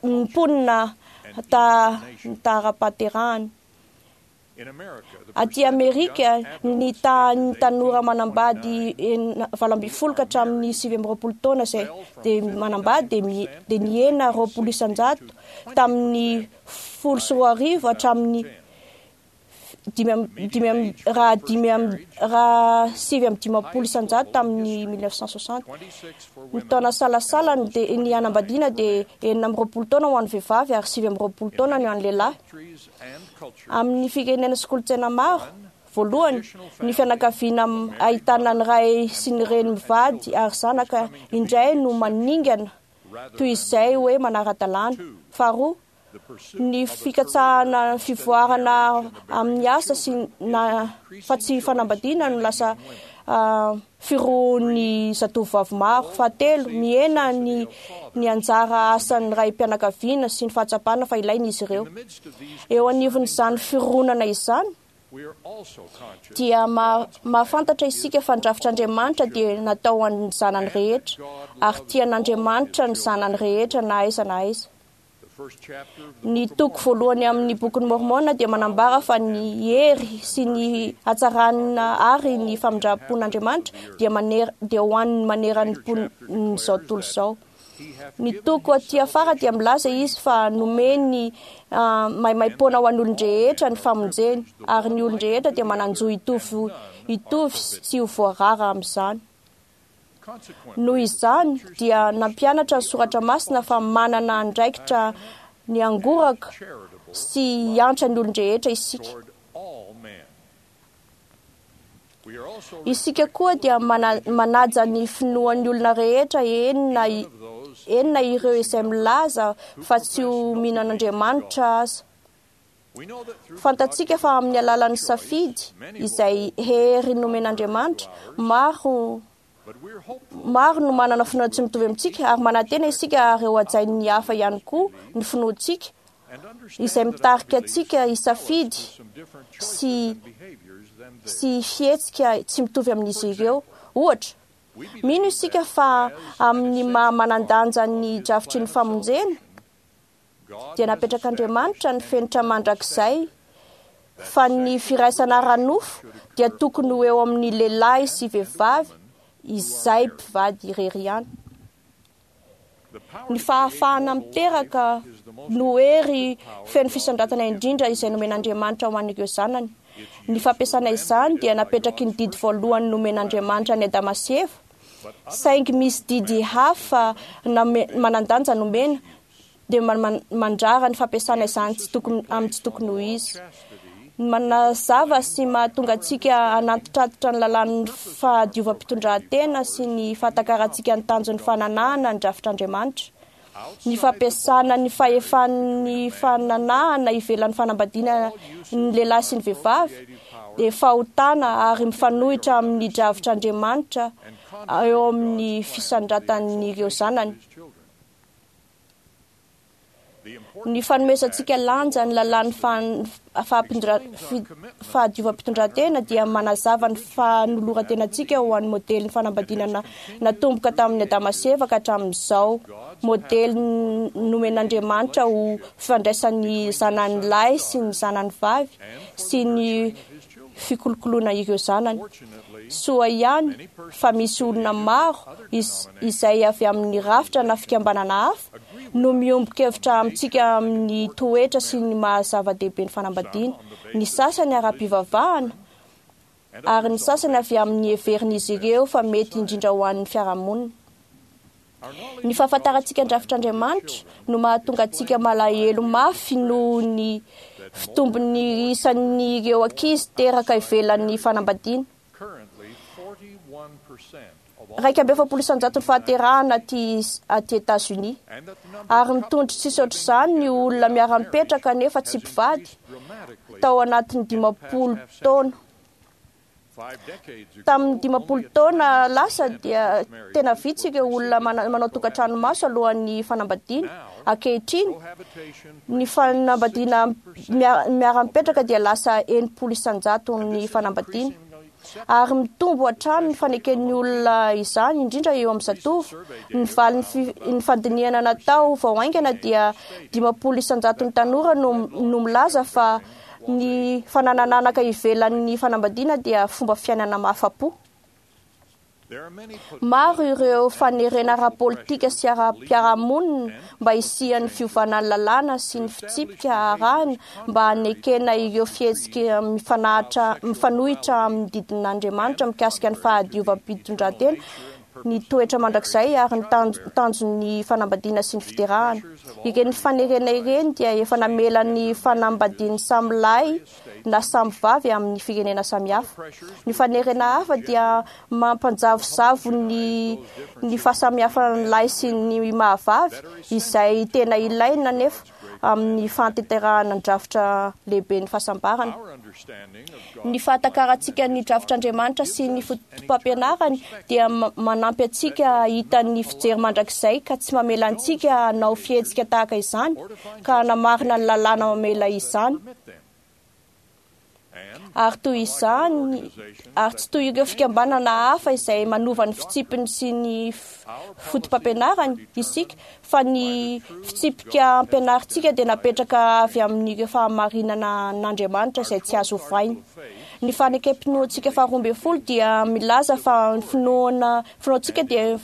mponina ta ny tahara-pahaterahana. Aty Amerika, ny tahan'ny tanora manambady valo ambin'ny folo ka hatramin'ny sivy amby roapolo taona izay dia manambady dia nihena roapolo isan-jato tamin'ny folo sy roa arivo hatramin'ny dimy dimy raha dimy raha sivy amby dimampolo isan-jato tamin'ny mille neuf cent soixante. Ny taona salasalany dia ny hanambadiana dia enina amby roapolo taona ho an'ny vehivavy ary sivy amby roapolo taona ny ho an'ny lehilahy. Amin'ny firenena sy kolontsaina maro, voalohany, ny fianakaviana ahitana ny ray sy ny reny mivady ary zanaka indray no maningana toy izay hoe manara-dalàna. Faharoa, ny fikatsahana fivoarana amin'ny asa sy na fa tsy fanambadiana no lasa firohon'ny zatovovavy maro. Fahatelo, mihena ny ny anjara asan'ny ray-mpianakaviana sy ny fahatsapana fa ilaina izy ireo. Eo anivon'izany fironana izany dia mahafantatra isika fa ny drafitr'Andriamanitra dia natao ho an'ny zanany rehetra, ary tian'Andriamanitra ny zanany rehetra na aiza na aiza. Ny toko voalohany amin'ny bokin'ny Mormona dia manambara fa ny hery sy ny hatsarana ary ny famindram-pon'Andriamanitra dia maner dia ho an'ny maneran'ny mponin'izao tontolo izao. Ny toko aty afara dia milaza izy fa nomeny maimaimpoana ho an'ny olon-drehetra ny famonjeny, ary ny olon-drehetra dia manan-jo hitovy hitovy sy tsy ho voarara amin'izany. Noho izany dia nampianatra ny soratra masina fa manana andraikitra ny angoraka sy hiantra ny olon-drehetra isika. Isika koa dia manaja ny finoan'ny olona rehetra, eny na ireo izay milaza fa tsy ho mino an'Andriamanitra aza. Fantatsika fa amin'ny alalan'ny safidy izay hery nomen'Andriamanitra, maro maro no manana finoana tsy mitovy amintsika, ary manantena isika ary ho hajain'ny hafa ihany koa ny finoantsika izay mitarika antsika hisafidy sy sy fihetsika tsy mitovy amin'izy ireo. Ohatra, mino isika fa amin'ny maha manan-danja ny drafitry ny famonjena dia napetrak'Andriamanitra ny fenitra mandrakizay fa ny firaisana ara-nofo dia tokony ho eo amin'ny lehilahy sy vehivavy izay mpivady irery ihany. Ny fahafahana miteraka no hery feno fisandratana indrindra izay nomen'Andriamanitra ho an'ireo zanany. Ny fampiasana izany dia napetraky ny didy voalohany nomen'Andriamanitra ny Adama sy Eva, saingy misy didy hafa manan-danja nomena dia mandrara ny fampiasana izany tsy tokony amin'ny tsy tokony ho izy. Manazava sy mahatonga antsika hanantitratitra ny lalàn'ny fahadiovam-pitondrantena sy ny fahatakarantsika ny tanjon'ny fananahana ny drafitr'Andriamanitra. Ny fampiasana ny fahefan'ny fananahana ivelan'ny fanambadiana ny lehilahy sy ny vehivavy dia fahotana ary mifanohitra amin'ny drafitr'Andriamanitra eo amin'ny fisandratan'ireo zanany. Ny fanomezantsika lanja ny lalàn'ny fahadiovam-pitondrantena dia manazava ny fanoloran-tenantsika ho an'ny modelin'ny fanambadiana natomboka tamin'ny Adama sy Eva ka hatramin'izao. Modely nomen'Andriamanitra ho fifandraisan'ny zanany lahy sy ny zanany vavy sy ny fikolokoloana ireo zanany. Soa ihany fa misy olona maro izay avy amin'ny rafitra na fikambanana hafa no miombon-kevitra amintsika amin'ny toetra sy ny maha zava-dehibe ny fanambadiana. Ny sasany ara-pivavahana ary ny sasany avy amin'ny heverin'izy ireo fa mety indrindra ho an'ny fiarahamonina. Ny fahafantarantsika ny drafitr'Andriamanitra no mahatonga antsika malahelo mafy noho ny fitombon'ny isan'ireo ankizy teraka ivelan'ny fanambadiana. Iraika amby efapolo isan-jato ny fahaterahana aty aty Etazonia, ary mitondro tsisy ohatr'izany ny olona miara-mipetraka nefa tsy mpivady tao anatin'ny dimampolo taona. Tamin'ny dimampolo taona lasa dia tena vitsy ireo olona manao tokantrano maso alohan'ny fanambadiana. Ankehitriny, ny fanambadiana miara-mipetraka dia lasa enimpolo isan-jato ny fanambadiana, ary mitombo hatrany ny faneken'ny olona izany, indrindra eo amin'ny zatovo. Ny valin'ny ny fandinihana natao vao haingana dia dimampolo isan-jato ny tanora no no milaza fa ny fananananaka ivelan'ny fanambadiana dia fomba fiainana mahafa-po. Maro ireo fanerena ara-politika sy ara-piarahamonina mba hisian'ny fiovana ny lalàna sy ny fitsipika arahina mba hanekena ireo fihetsika mifanahatra mifanohitra amin'ny didin'Andriamanitra mikasika ny fahadiovam-pitondrantena, ny toetra mandrakizay ary ny tanjon'ny fanambadiana sy ny fiterahana. Ireny fanerena ireny dia efa namela ny fanambadian'ny samy lahy na samy vavy amin'ny firenena samihafa. Ny fanerena hafa dia mampanjavozavo ny ny fahasamihafan'ny lahy sy ny mahavavy izay tena ilaina nefa amin'ny fahatanterahana ny drafitra lehibe ny fahasambarana. Ny fahatakarantsika ny drafitr'Andriamanitra sy ny fotopampianarany dia manampy antsika hahita ny fijery mandrakizay ka tsy mamela antsika hanao fihetsika tahaka izany ka hanamarina ny lalàna mamela izany. Ary toy izany, ary tsy toy ireo fikambanana hafa izay manova ny fitsipiny sy ny fotopampianarany isika, fa ny fitsipika ampianarintsika dia napetraka avy amin'ireo fahamarinana an'Andriamanitra izay tsy azo ovaina. Ny fanekem-pinoantsika faharoa ambin'ny folo dia milaza fa ny finoana finoantsika dia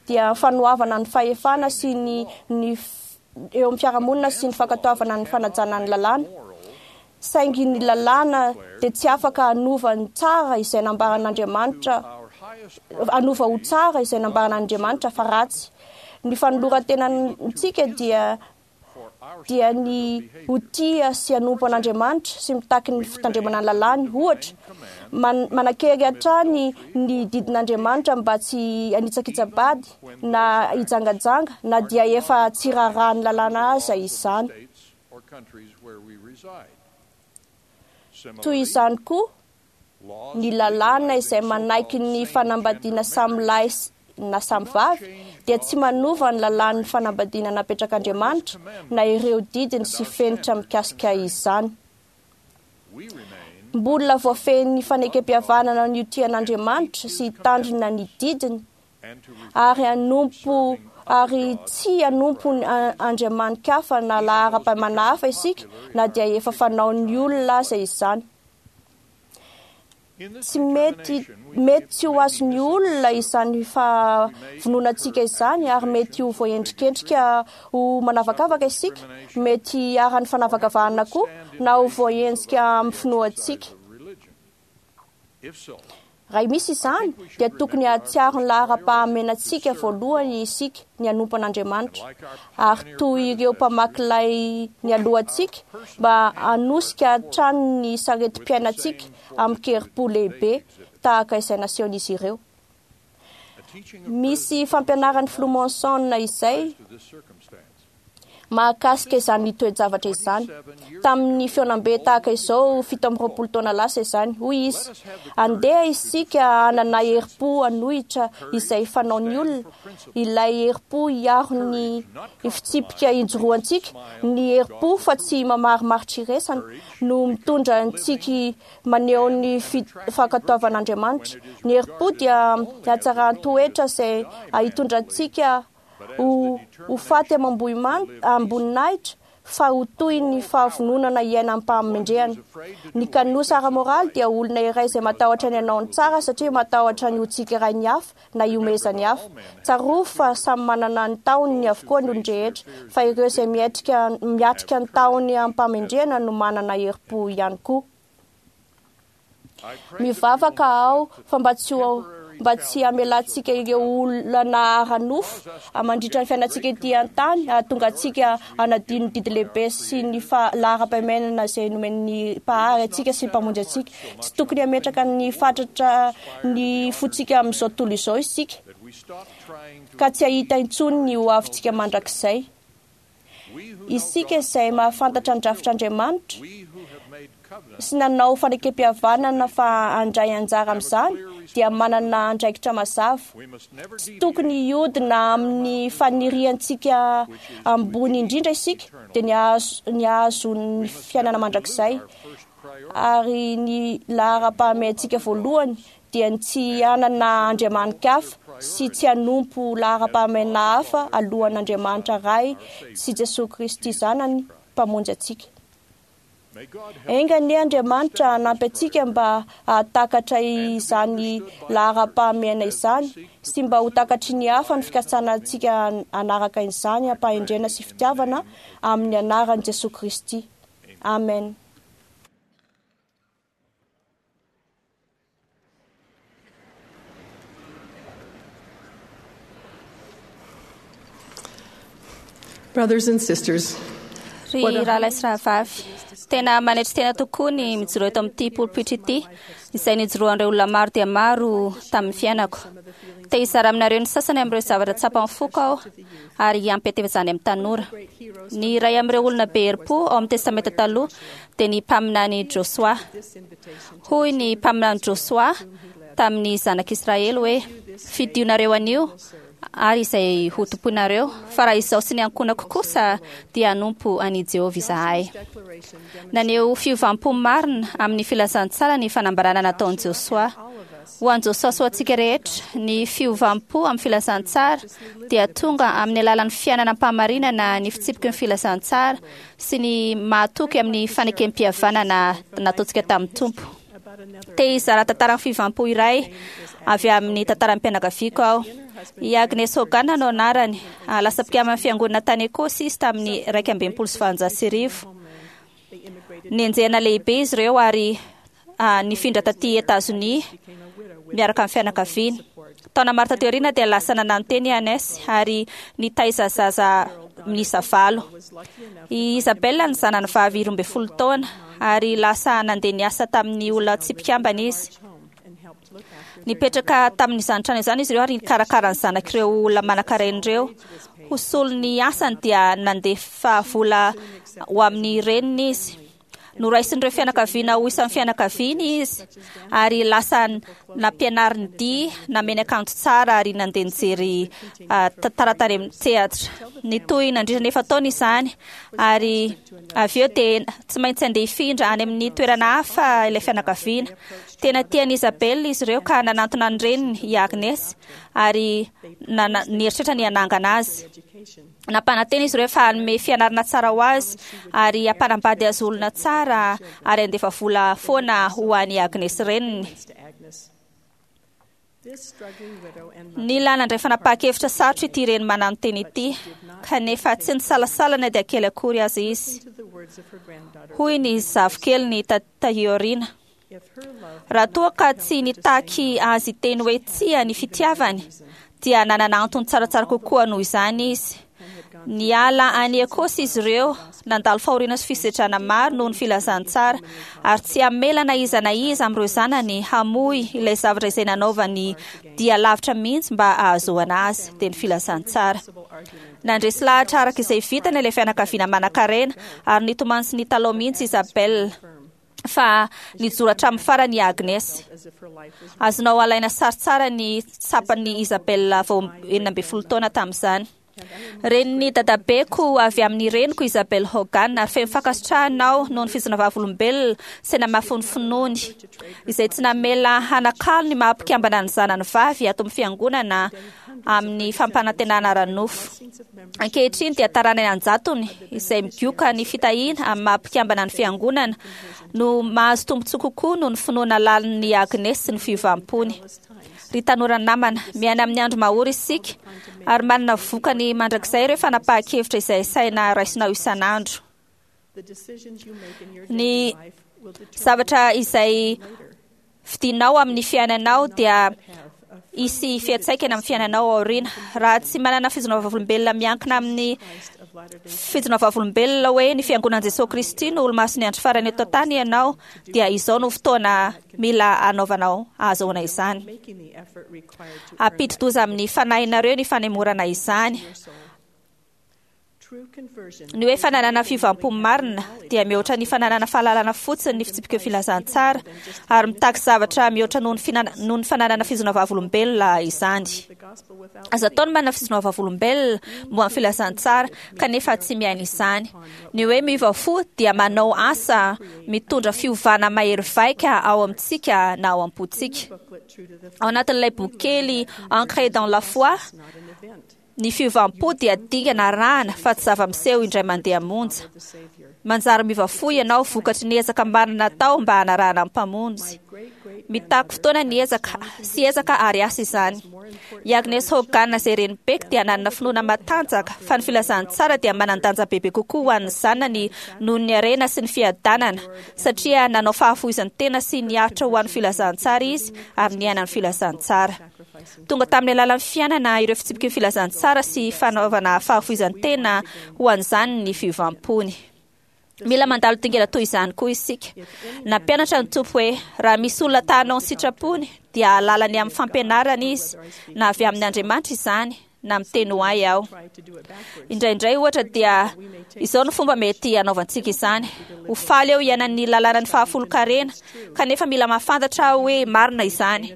dia fanoavana ny fahefana sy ny ny eo amin'ny fiarahamonina sy ny fankatoavana ny fanajana ny lalàna. Saingy ny lalàna dia tsy afaka hanova ny tsara izay nambaran'Andriamanitra, hanova ho tsara izay nambaran'Andriamanitra fa ratsy. Ny fanoloran-tenantsika dia dia ny ho tia sy hanompo an'Andriamanitra sy mitaky ny fitandremana ny lalàny. Ohatra, man- manan-kery hatrany ny didin'Andriamanitra mba tsy hanitsakitsa-bady na hijangajanga na dia efa tsy raharahan'ny lalàna aza izany. Toy izany koa ny lalàna izay manaiky ny fanambadiana samy lahy na samy vavy dia tsy manova ny lalàn'ny fanambadiana napetrak'Andriamanitra na ireo didiny sy fenitra mikasika izany. Mbola voafehin'ny fanekem-pihavanana ny ho tia an'Andriamanitra sy hitandrina ny didiny ary hanompo ary tsy hanompo ny andriamani-kafa na laharam-pahamanana hafa isika na dia efa fanaon'ny olona aza izany. Tsy mety mety tsy ho azon'ny olona izany fahavononantsika izany ary mety ho voaendrikendrika ho manavakavaka isika, mety hiharan'ny fanavakavahana koa na ho voaenjika amin'ny finoantsika. Raha misy izany dia tokony hahatsiaro ny laharam-pahamenantsika voalohany isika ny hanompo an'Andriamanitra ary toy ireo mpamaky lay nialohantsika mba hanosika hatrany ny saretim-piainantsika amin-kerim-po lehibe tahaka izay nasehon'izy ireo. Misy fampianaran'ny filoha Monson izay mahakasika izany toe-javatra izany. Tamin'ny fihaonambe tahaka izao fito amby roapolo taona lasa izany, hoy izy: andeha isika hanana herim-po hanohitra izay fanaon'ny olona, ilay herim-po hiaro ny fitsipika ijoroantsika, ny herim-po fa tsy mamarimaritra iraisana no mitondra antsika maneho ny fankatoavan'Andriamanitra. Ny herim-po dia hatsaran-toetra izay hitondra antsika ho ho faty amam-boninahitra fa ho toy ny fahavononana hiaina am-pahamendrehana. Ny kanosa ara-moraly dia olona iray izay matahotra ny hanao ny tsara satria matahotra ny ho tsikerain'ny hafa na hihomezan'ny hafa. Tsarovy fa samy manana ny tahony avokoa ny olon-drehetra, fa ireo izay miatrika miatrika ny tahony am-pahamendrehana no manana herim-po ihany koa. Mivavaka aho fa mba tsy ho mba tsy hamelantsika ireo olana ara-nofo mandritra ny fiainantsika ety an-tany hahatonga antsika hanadino ny didy lehibe sy ny laharam-pahamehanana izay nomen'ny Mpahary antsika sy ny Mpamonjy antsika. Tsy tokony hametraka ny fatratra ny fontsika amin'izao tontolo izao isika ka tsy hahita intsony ny ho avintsika mandrakizay. Isika izay mahafantatra ny drafitr'Andriamanitra sy nanao fanekem-pihavanana fa handray anjara amin'izany dia manana andraikitra mazava. Tsy tokony hiodina amin'ny faniriantsika ambony indrindra isika dia ny hahazo ny hahazo ny fiainana mandrakizay ary ny laharam-pahamehantsika voalohany dia ny tsy hanana andriamani-kafa sy tsy hanompo laharam-pahamehana hafa alohan'Andriamanitra Ray sy Jesoa Kristy Zanany Mpamonjy antsika. Enga anie Andriamanitra hanampy antsika mba hahatakatra izany laharam-pahamehana izany sy mba ho takatry ny hafa ny fikasana antsika hanaraka izany am-pahendrena sy fitiavana amin'ny anaran'i Jesoa Kristy. Amen. Brothers and sisters, Ry rahalahy sy rahavavy, tena manetry tena tokoa ny mijoro eto amin'ity polipitra ity izay nijoroan'ireo olona maro dia maro tamin'ny fiainako. Te hizara aminareo ny sasany amin'ireo zavatra tsapan'ny foko aho ary hiampy izany amin'ny tanora. Ny iray amin'ireo olona be herim-po ao amin'ny Testamenta Taloha dia ny mpaminany Josoa. Hoy ny mpaminany Josoa tamin'ny zanak'Israely hoe: "Fidionareo anio ary izay ho tompoinareo, fa raha izaho sy ny ankohonako kosa dia hanompo an'i Jehovah izahay." Naneho fiovam-po marina amin'ny filazantsara ny fanambarana nataon'i Josoa. Ho an'i Josoa sy ho antsika rehetra, ny fiovam-po amin'ny filazantsara dia tonga amin'ny alalan'ny fiainana am-pahamarinana ny fitsipiky ny filazantsara sy ny mahatoky amin'ny fanekem-pihavanana nataontsika tamin'ny Tompo. Te hizara tantaran'ny fiovam-po iray avy amin'ny tantaram-pianakaviako aho. I Agnes Hogan no anarany. Lasa mpikaman'ny fiangonana tany Ekosy izy tamin'ny iraika amby enimpolo sy valonjato sy arivo. Nenjehina lehibe izy ireo ary nifindra taty Etazonia miaraka amin'ny fianakaviany. Taona maro taty aoriana dia lasa nanano teny i Agnes ary nitaiza zaza miisa valo. I Isabella ny zanany vavy roa ambin'ny folo taona ary lasa nandeha niasa tamin'ny olona tsy mpikambana izy. Nipetraka tamin'izany trano izany izy ireo ary nikarakara ny zanak'ireo olona manankarena ireo. Ho solon'ny asany dia nandefa vola ho amin'ny reniny izy. Noraisin'ireo fianakaviana ho isan'ny fianakaviany izy ary lasa nampianariny dihy, nameny akanjo tsara ary nandeha nijery tantara tany amin'ny teatra. Nitohy nandritra ny efa-taona izany ary avy eo dia tsy maintsy andeha hifindra any amin'ny toerana hafa ilay fianakaviana. Tena tian'i Isabella izy ireo ka nanantona ny reniny i Agnes ary nieritreritra ny hanangana azy. Nampanantena izy ireo fa hanome fianarana tsara ho azy ary hampanambady azy olona tsara ary handefa vola foana ho an'i Agnes reniny. Nila nandray fanapahan-kevitra sarotra ity reny mananontena ity, kanefa tsy nisalasala na dia kely akory aza izy. Hoy ny zafikeliny taty aoriana: raha toa ka tsy nitaky azy teny hoe tsia ny fitiavany, dia nanana antony tsaratsara kokoa noho izany izy. Niala any Ekosy izy ireo, nandalo fahoriana sy fisedrana maro noho ny filazantsara, ary tsy hamela na iza na iza amin'ireo zanany hamoy ilay zavatra izay nanaovany dia lavitra mihitsy mba hahazoana azy, dia ny filazantsara. Nandresy lahatra araka izay vitany ilay fianakaviana manankarena ary nitomany sy nitalao mihitsy Isabella fa nijoro hatramin'ny farany i Agnes. Azonao alaina sary tsara ny tsapan'i Isabella vao enina ambin'ny folo taona tamin'izany. Renin'ny dadabeko avy amin'ny reniko Isabel Hogan ary feno fankasitrahana aho noho ny fizina vavolombelona sy namafy ny finoany izay tsy namela hanakalo ny maha mpikambana ny zanany vavy ato amin'ny fiangonana amin'ny fampanantenana ara-nofo. Ankehitriny dia taranany an-jatony izay migoka ny fitahiana amin'ny maha mpikambana ny fiangonana no mahazo tombontsoa kokoa noho ny finoana lalin'ny Agnes sy ny fiovam-pony. Ry tanora namana, miaina amin'ny andro mahory isika ary manana vokany mandrakizay ireo fanapahan-kevitra izay saina raisinao isan'andro. Ny zavatra izay fidinao amin'ny fiainanao dia hisy fiantraikany amin'ny fiainanao aoriana. Raha tsy manana fijoroana vavolombelona miankina amin'ny fijoroana vavolombelona hoe ny fiangonan'i Jesoa Kristy no olomasin'ny andro farany eto an-tany ianao, dia izao no fotoana mila anaovanao ahazoana izany. Hampidi-doza amin'ny fanahinareo ny fanemorana izany. Ny hoe fananana fiovam-po marina dia mihoatra ny fananana fahalalana fotsiny ny fitsipika filazantsara ary mitaky zavatra mihoatra noho ny finan- noho ny fananana fijoroana vavolombelona izany. Azo atao ny manana fijoroana vavolombelona momba ny filazantsara kanefa tsy miaina izany. Ny hoe miova fo dia manao asa mitondra fiovana mahery vaika ao amintsika na ao am-pontsika. Ao anatin'ilay boky kely Ancré dans la foi, ny fiovam-po dia dingana arahana fa tsy zava-miseho indray mandeha monja. Manjary miova fo ianao vokatry ny ezaka marina natao mba hanarahana ny Mpamonjy. Mitaky fotoana ny ezaka sy ezaka ary asa izany. I Agnes Hogan izay renibeko dia nanana finoana matanjaka fa ny filazantsara dia manan-danja bebe kokoa ho an'ny zanany noho ny harena sy ny fiadanana, satria nanao fahafoizan-tena sy niaritra ho an'ny filazantsara izy ary niaina ny filazantsara. Tonga tamin'ny alalan'ny fiainana ireo fitsipiky ny filazantsara sy fanaovana fahafoizan-tena ho an'izany ny fiovam-pony. Mila mandalo dingana toy izany koa isika. Nampianatra ny Tompo hoe raha misy olona ta hanao ny sitrapony dia hahalala ny amin'ny fampianarana izy, na avy amin'ny Andriamanitra izany na miteny ho ahy aho. Indraindray ohatra dia izao no fomba mety hanaovantsika izany. Ho faly eo iainan'ny lalànan'ny fahafolonkarena, kanefa mila mahafantatra aho hoe marina izany.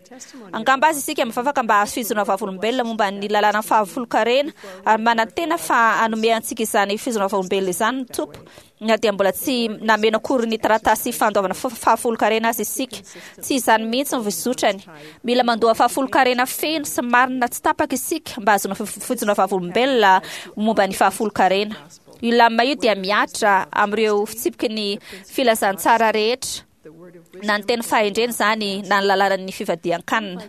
Angamba azy isika mivavaka mba hahazo fijoroana vavolombelona momba ny lalànan'ny fahafolonkarena ary manantena fa hanome antsika izany fijoroana vavolombelona izany ny Tompo, na dia mbola tsy nameno akory ny taratasy fandoavana fahafolonkarena azy isika. Tsy izany mihitsy ny fizotrany. Mila mandoa fahafolonkarena feno sy marina tsy tapaka isika mba hahazoana fijoroana vavolombelona momba ny fahafolonkarena. Io lamina io dia mihatra amin'ireo fitsipiky ny filazantsara rehetra, na ny teny fahendrena izany na ny lalànan'ny fivadian-kanina.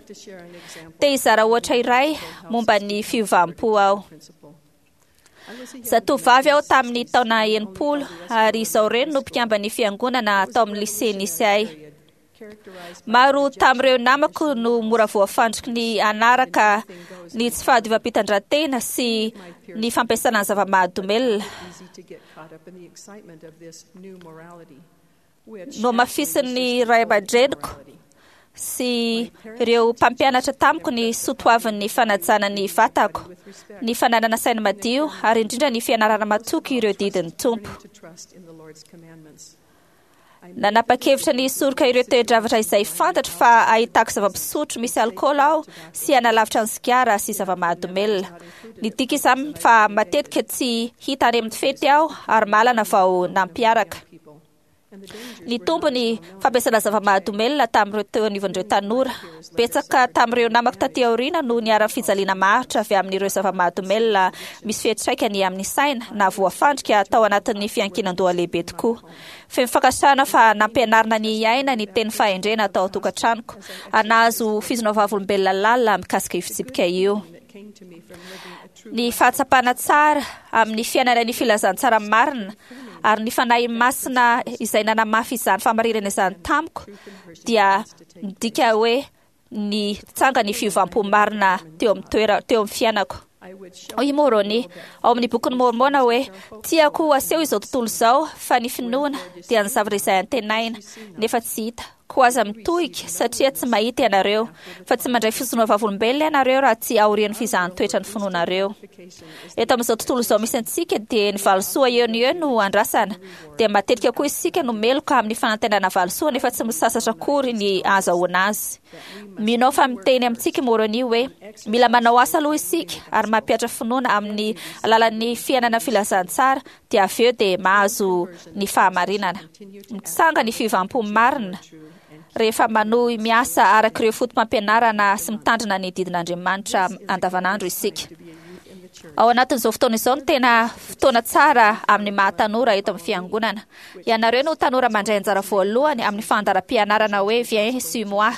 Te hizara ohatra iray momba ny fiovam-po aho. Zatovavy aho tamin'ny taona enimpolo ary izao reny no mpikamban'ny fiangonana tao amin'ny lycée nisy ahy. Maro tamin'ireo namako no mora voafandriky ny anaraka ny tsy fahadiovam-pitondran-tena sy ny fampiasana ny zava-mahadomelina. Nohamafisin'ny ray aman-dreniko sy ireo mpampianatra tamiko ny soatoavin'ny fanajana ny vatako, ny fananana saina madio ary indrindra ny fianarana matoky ireo didin'ny Tompo. Nanapa-kevitra ny hisoroka ireo toe-javatra izay fantatro fa ahitako zava-pisotro misy alkaola aho sy hanalavitra ny sigara sy zava-mahadomelina. Nidika izany fa matetika tsy hita any amin'ny fety aho ary malana vao nampiaraka. Nitombo ny fampiasana zava-mahadomelina tamin'ireo teo anivon'ireo tanora. Betsaka tamin'ireo namako taty aoriana no niharan'ny fijaliana maharitra avy amin'ireo zava-mahadomelina misy fiantraikany amin'ny saina na voafandrika tao anatin'ny fiankinan-doha lehibe tokoa. Feno fankasitrahana fa nampianarina ny hiaina ny teny fahendrena tao an-tokantranoko ary nahazo fizina vavolombelona lalina mikasika io fitsipika io. Ny fahatsapana tsara amin'ny fiainana ny filazantsara marina ary ny fanahy masina izay nanamafy izany fahamarinana izany tamiko dia midika hoe ny tsanga ny fiovam-po marina teo amin'ny toera teo amin'ny fiainako. Hoy i Moroni ao amin'ny bokin'ny Mormona hoe tiako aseho izao tontolo izao fa ny finoana dia ny zavatra izay antenaina nefa tsy hita. Koa aza mitohika satria tsy mahita ianareo, fa tsy mandray fisonoa vavolombelona ianareo raha tsy aorian'ny fizahan-toetra ny finoanareo. Eto amin'izao tontolo izao misy antsika dia ny valisoa eo no eo no andrasana, dia matetika koa isika no meloka amin'ny fanantenana valisoa nefa tsy misasatra akory ny ahazahoana azy. Mino aho fa miteny amintsika Moroni hoe mila manao asa aloha isika ary mampihatra finoana amin'ny alalan'ny fiainana filazantsara dia avy eo dia mahazo ny fahamarinana. Mitsanga ny fiovam-po marina rehefa manohy miasa araka ireo foto-pampianarana sy mitandrina ny didin'Andriamanitra andavanandro isika. Ao anatin'izao fotoana izao no tena fotoana tsara amin'ny maha tanora eto amin'ny fiangonana. Ianareo no tanora mandray anjara voalohany amin'ny fandaharam-pianarana hoe Viens suis-moi.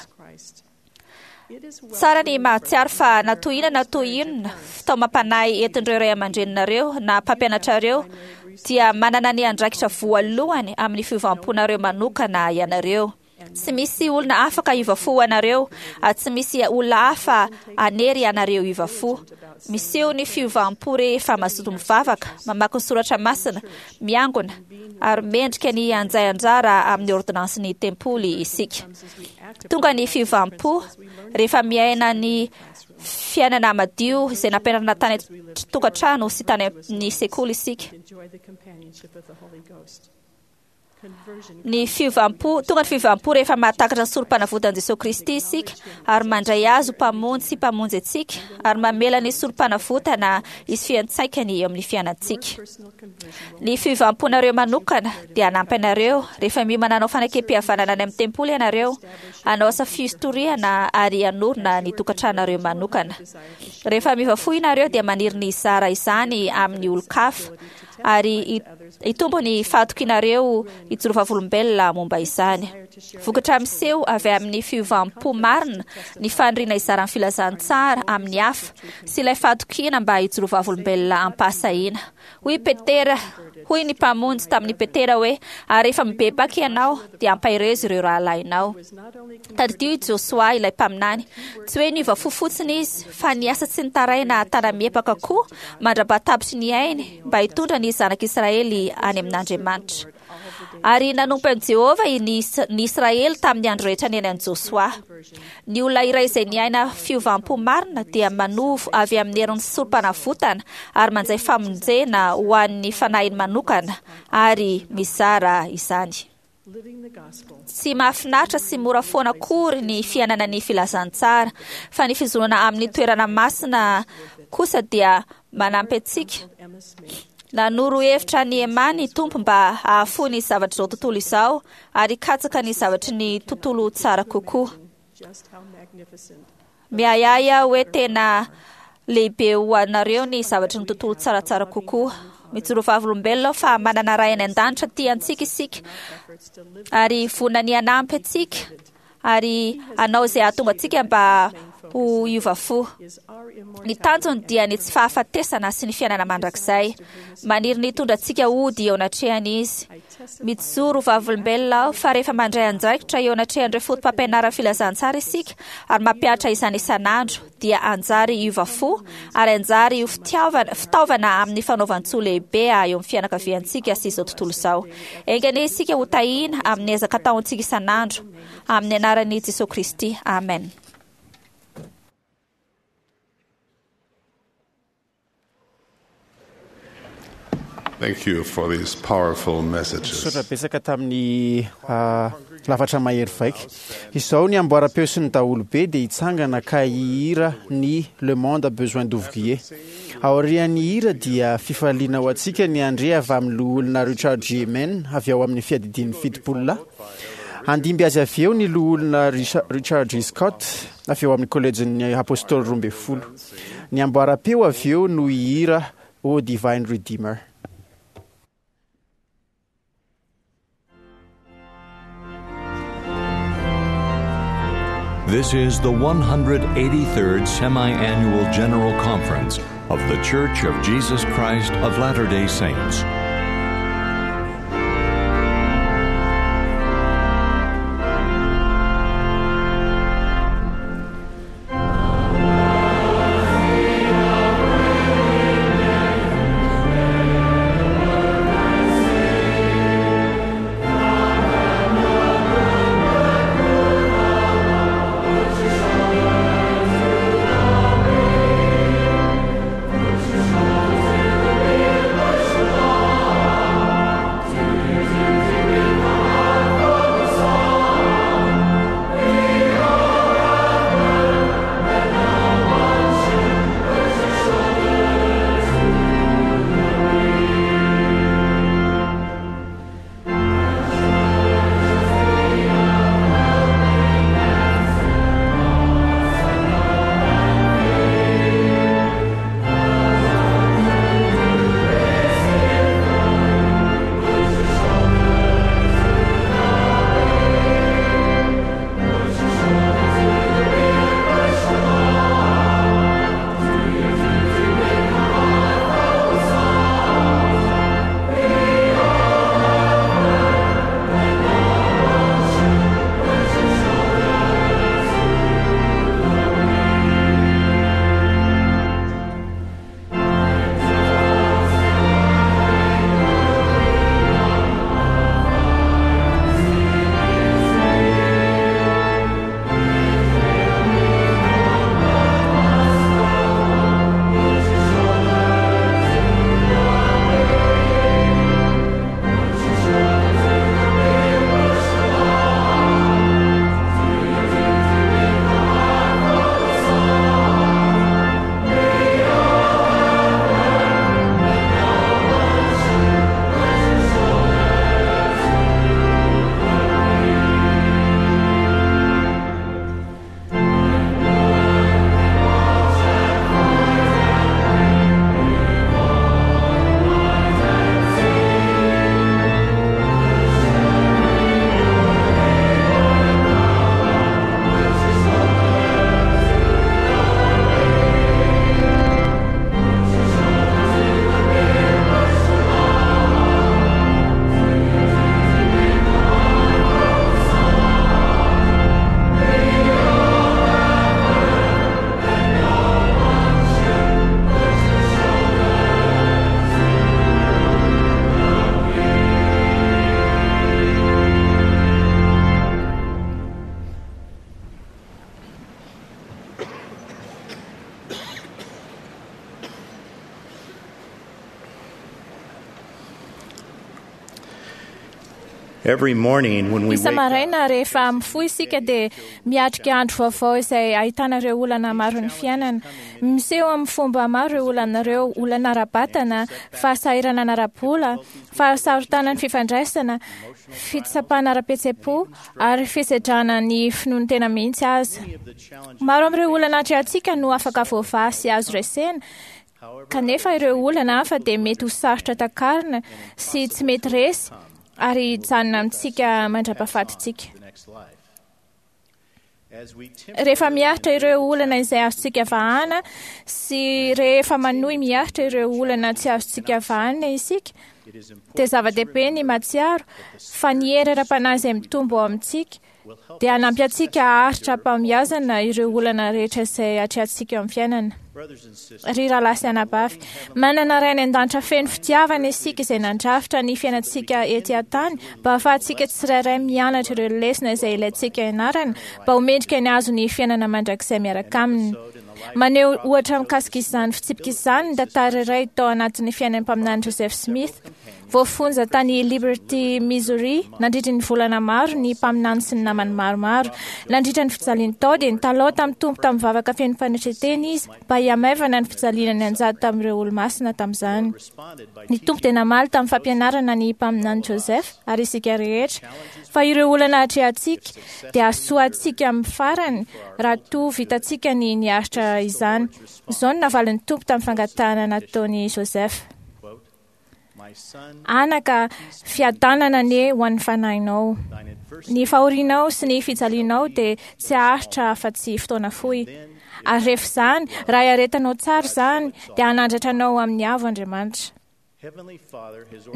Tsara ny mahatsiaro fa na toy inona na toy inona fitaomam-panahy entin'ireo ray aman-dreninareo na mpampianatrareo dia manana ny andraikitra voalohany amin'ny fiovam-ponareo manokana ianareo. Tsy misy olona afaka hiova fo ho anareo ary tsy misy olona hafa hanery anareo hiova fo. Miseho ny fiovam-po rehefa mazoto mivavaka, mamaky ny soratra masina, miangona ary mendrika ny handray anjara amin'ny ordonansin'ny tempoly isika. Tonga ny fiovam-po rehefa miaina ny fiainana madio izay nampianarina tany an-tokantrano sy tany amin'ny sekoly isika. Ny fiovam-po, tonga ny fiovam-po rehefa mahatakatra ny sorom-panavotan'i Jesosy Kristy isika ary mandray azy ho mpamonjy sy mpamonjy antsika ary mamela ny sorom-panavotana hisy fiantraikany eo amin'ny fiainantsika. Ny fiovam-ponareo manokana dia hanampy anareo rehefa miomana hanao fanekem-pihavanana any amin'ny tempoly ianareo, hanao asa fitoriana ary hanorina ny tokantranareo manokana. Rehefa miova fo ianareo dia maniry ny hizara izany amin'ny olon-kafa ary hitombo ny fahatokianareo hijoro vavolombelona momba izany. Vokatra miseho avy amin'ny fiovam-po marina ny faniriana hizara ny filazantsara amin'ny hafa sy ilay fahatokiana mba hijoro vavolombelona am-pahasahiana. Hoy Petera, hoy ny mpamonjy tamin'i Petera hoe ary rehefa mibebaka ianao dia ampaherezo ireo rahalahinao. Tadidio i Josoa ilay mpaminany. Tsy hoe niova fo fotsiny izy fa niasa tsy nitaraina tana-miepaka koa mandra-pahatapitry ny ainy mba hitondra ny zanak'Israely any amin'Andriamanitra. Ary nanompo an'i Jehovah ny ny Israely tamin'ny andro rehetra niainan'i Josoa. Ny olona iray izay niaina fiovam-po marina dia manovo avy amin'ny herin'ny sorom-panavotana ary mandray famonjena ho an'ny fanahiny manokana ary mizara izany. Tsy mahafinaritra sy mora foana akory ny fiainana ny filazantsara, fa ny fizorana amin'ny toerana masina kosa dia manampy antsika. Nanoro hevitra an'i Emma ny Tompo mba hahafoy ny zavatr'izao tontolo izao ary hikatsaka ny zavatry ny tontolo tsara kokoa. Miahiahy aho hoe tena lehibe ho anareo ny zavatry ny tontolo tsaratsara kokoa. Mijoro vavolombelona aho fa manana Ray any an-danitra tia antsika isika ary vonona ny hanampy antsika ary hanao izay hahatonga antsika mba ho ho hiova fo. Ny tanjony dia ny tsy fahafatesana sy ny fiainana mandrakizay. Maniry ny hitondra antsika hody eo anatrehany izy. Mijoro ho vavolombelona aho fa rehefa mandray andraikitra eo anatrehan'ireo foto-pampianaran'ny filazantsara isika ary mampihatra izany isan'andro, dia anjary hiova fo ary anjary ho fitiavana, fitaovana amin'ny fanaovan-tsoa lehibe eo amin'ny fianakaviantsika sy izao tontolo izao. Enga anie isika ho tahiana amin'ny ezaka ataontsika isan'andro, amin'ny anaran'i Jesosy Kristy. Amen. Thank you for these powerful messages. Misaotra betsaka tamin'ny ah, lafatra mahery vaika. Izao ny amboaram-peo sy ny daholobe dia hitsangana ka hihira ny Le monde a besoin d'ouvrier. Aorian'ny hira dia fifaliana ho antsika ny handre avy amin'ny loholona Richard G. Mann avy ao amin'ny fiadidian'ny fitopolo lahy. Handimby azy avy eo ny loholona Richa- Richard G. Scott avy eo amin'ny kolejin'ny apôstôly roa ambin'ny folo. Ny amboaram-peo avy eo no hihira O Divine Redeemer. This is the one hundred eighty-third Semi-Annual General Conference of The Church of Jesus Christ of Latter-day Saints. Every morning when we wake up, Isa-maraina rehefa mifoha isika dia miatrika andro vaovao izay ahitana ireo olana maro ny fiainana. Miseho amin'ny fomba maro ireo olana ireo: olana ara-batana, fahasahiranana ara-bola, fahasarotana ny fifandraisana, fitsapana ara-pihetseham-po ary fisedrana ny finoan'ny tena mihitsy aza. Maro amin'ireo olana atrehantsika no afaka voavaha sy azo resena, kanefa ireo olana hafa dia mety ho sarotra takarina sy tsy mety resy ary hijanona amintsika mandra-pahafatintsika. Rehefa miaritra ireo olana izay azontsika vahana sy rehefa manohy miaritra ireo olana tsy azontsika vahana isika, dia zava-dehibe ny mahatsiaro fa ny hery ara-panahy izay mitombo ao amintsika dia hanampy antsika haharitra am-pahombiazana ireo olana rehetra izay atrehantsika eo amin'ny fiainana. Ry rahalahy sy anabavy, manana Ray any an-danitra feno fitiavana isika izay nandrafitra ny fiainantsika ety an-tany mba hahafahantsika tsirairay mianatra ireo lesona izay ilaintsika ianarana mba ho mendrika ny hahazo ny fiainana mandrakizay miaraka aminy. Maneho ohatra mikasika izany fitsipika izany ny tantara iray tao anatin'ny fiainan'ny mpaminany Joseph Smith. Voafonja tany Liberty, Missouri, nandritra ny volana maro ny mpaminany sy ny namany maromaro. Nandritra ny fijaliany tao dia nitalao tamin'ny Tompo tamin'ny vavaka feno fanetren-tena izy mba hihamaivana ny fijaliana nianjady tamin'ireo olomasina tamin'izany. Ny Tompo dia namaly tamin'ny fampianarana ny mpaminany Joseph ary isika rehetra fa ireo olana atrehantsika dia hahasoa antsika amin'ny farany raha toa vitantsika ny niaritra izany. Izao no navalin'ny Tompo tamin'ny fangatahana nataon'i Joseph: Anaka, fiadanana anie ho an'ny fanahinao. Ny fahorianao sy ny fijalianao dia tsy haharitra afa-tsy fotoana fohy. Ary rehefa izany, raha iaretanao tsara izany, dia hanandratra anao amin'ny avo Andriamanitra.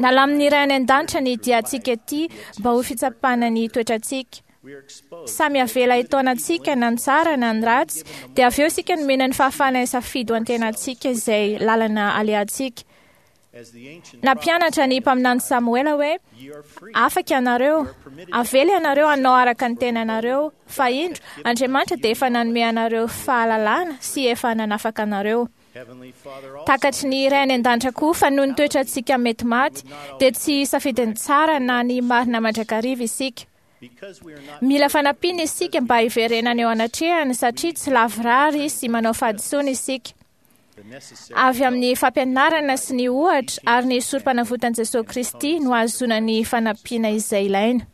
Nalamin'ny Ray any an-danitra ny diantsika ety mba ho fitsapana ny toetrantsika. Samy avela hitaona antsika na ny tsara na ny ratsy, dia avy eo isika nomena ny fahafahana hisafidy ho antenantsika izay lalana alehantsika. Nampianatra ny mpaminany Samoela hoe: Afaka ianareo, avela ianareo hanao araka ny tenanareo, fa indro, Andriamanitra dia efa nanome anareo fahalalana sy efa nanafaka anareo. Takatry ny Ray any an-danitra koa fa noho ny toetrantsika mety maty, dia tsy safidin'ny tsara na ny marina mandrakariva isika. Mila fanampiana isika mba hiverenana eo anatrehany satria tsy lavorary sy manao fahadisoana isika. Avy amin'ny fampianarana sy ny ohatra ary ny sorom-panavotan'i Jesosy Kristy no ahazoana ny fanampiana izay ilaina.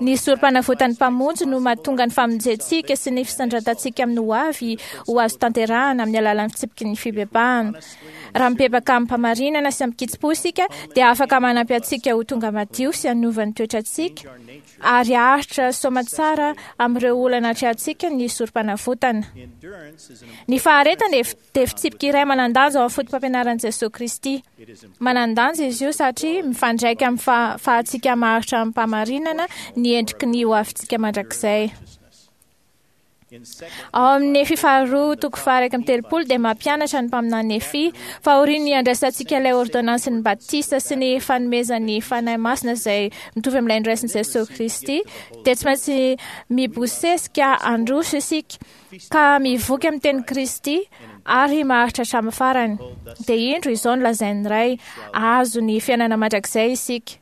Ny sorom-panavotan'ny Mpamonjy no mahatonga ny famonjentsika sy ny fisandratantsika amin'ny hoavy ho azo tanterahana amin'ny alalan'ny fitsipiky ny fibebahana. Raha mibebaka amim-pamarinana sy amin-kitsim-po isika, dia afaka manampy antsika ho tonga madio sy hanova ny toetrantsika ary haharitra soamantsara amin'ireo olana atrehantsika ny sorom-panavotana. Ny faharetana dia fitsipika iray manan-danja ao amin'ny foto-pampianaran'i Jesosy Kristy. Manan-danja izy io satria mifandraika amin'ny fahafahantsika maharitra amim-pahamarinana ny endriky ny hoavintsika mandrakizay. Ao amin'ny Nefy faharoa toko faha-iraika amby telopolo dia mampianatra ny mpaminany Nefy fa aorian'ny handraisantsika ilay ôrdônansin'ny batisa sy ny fanomezan'ny Fanahy Masina izay mitovy amin'ilay noraisin'i Jesosy Kristy, dia tsy maintsy mibosesika handroso isika ka mivoky amin'ny tenin'i Kristy ary maharitra hatramin'ny farany. Dia indro izao no lazain'ny Ray, hahazo ny fiainana mandrakizay isika.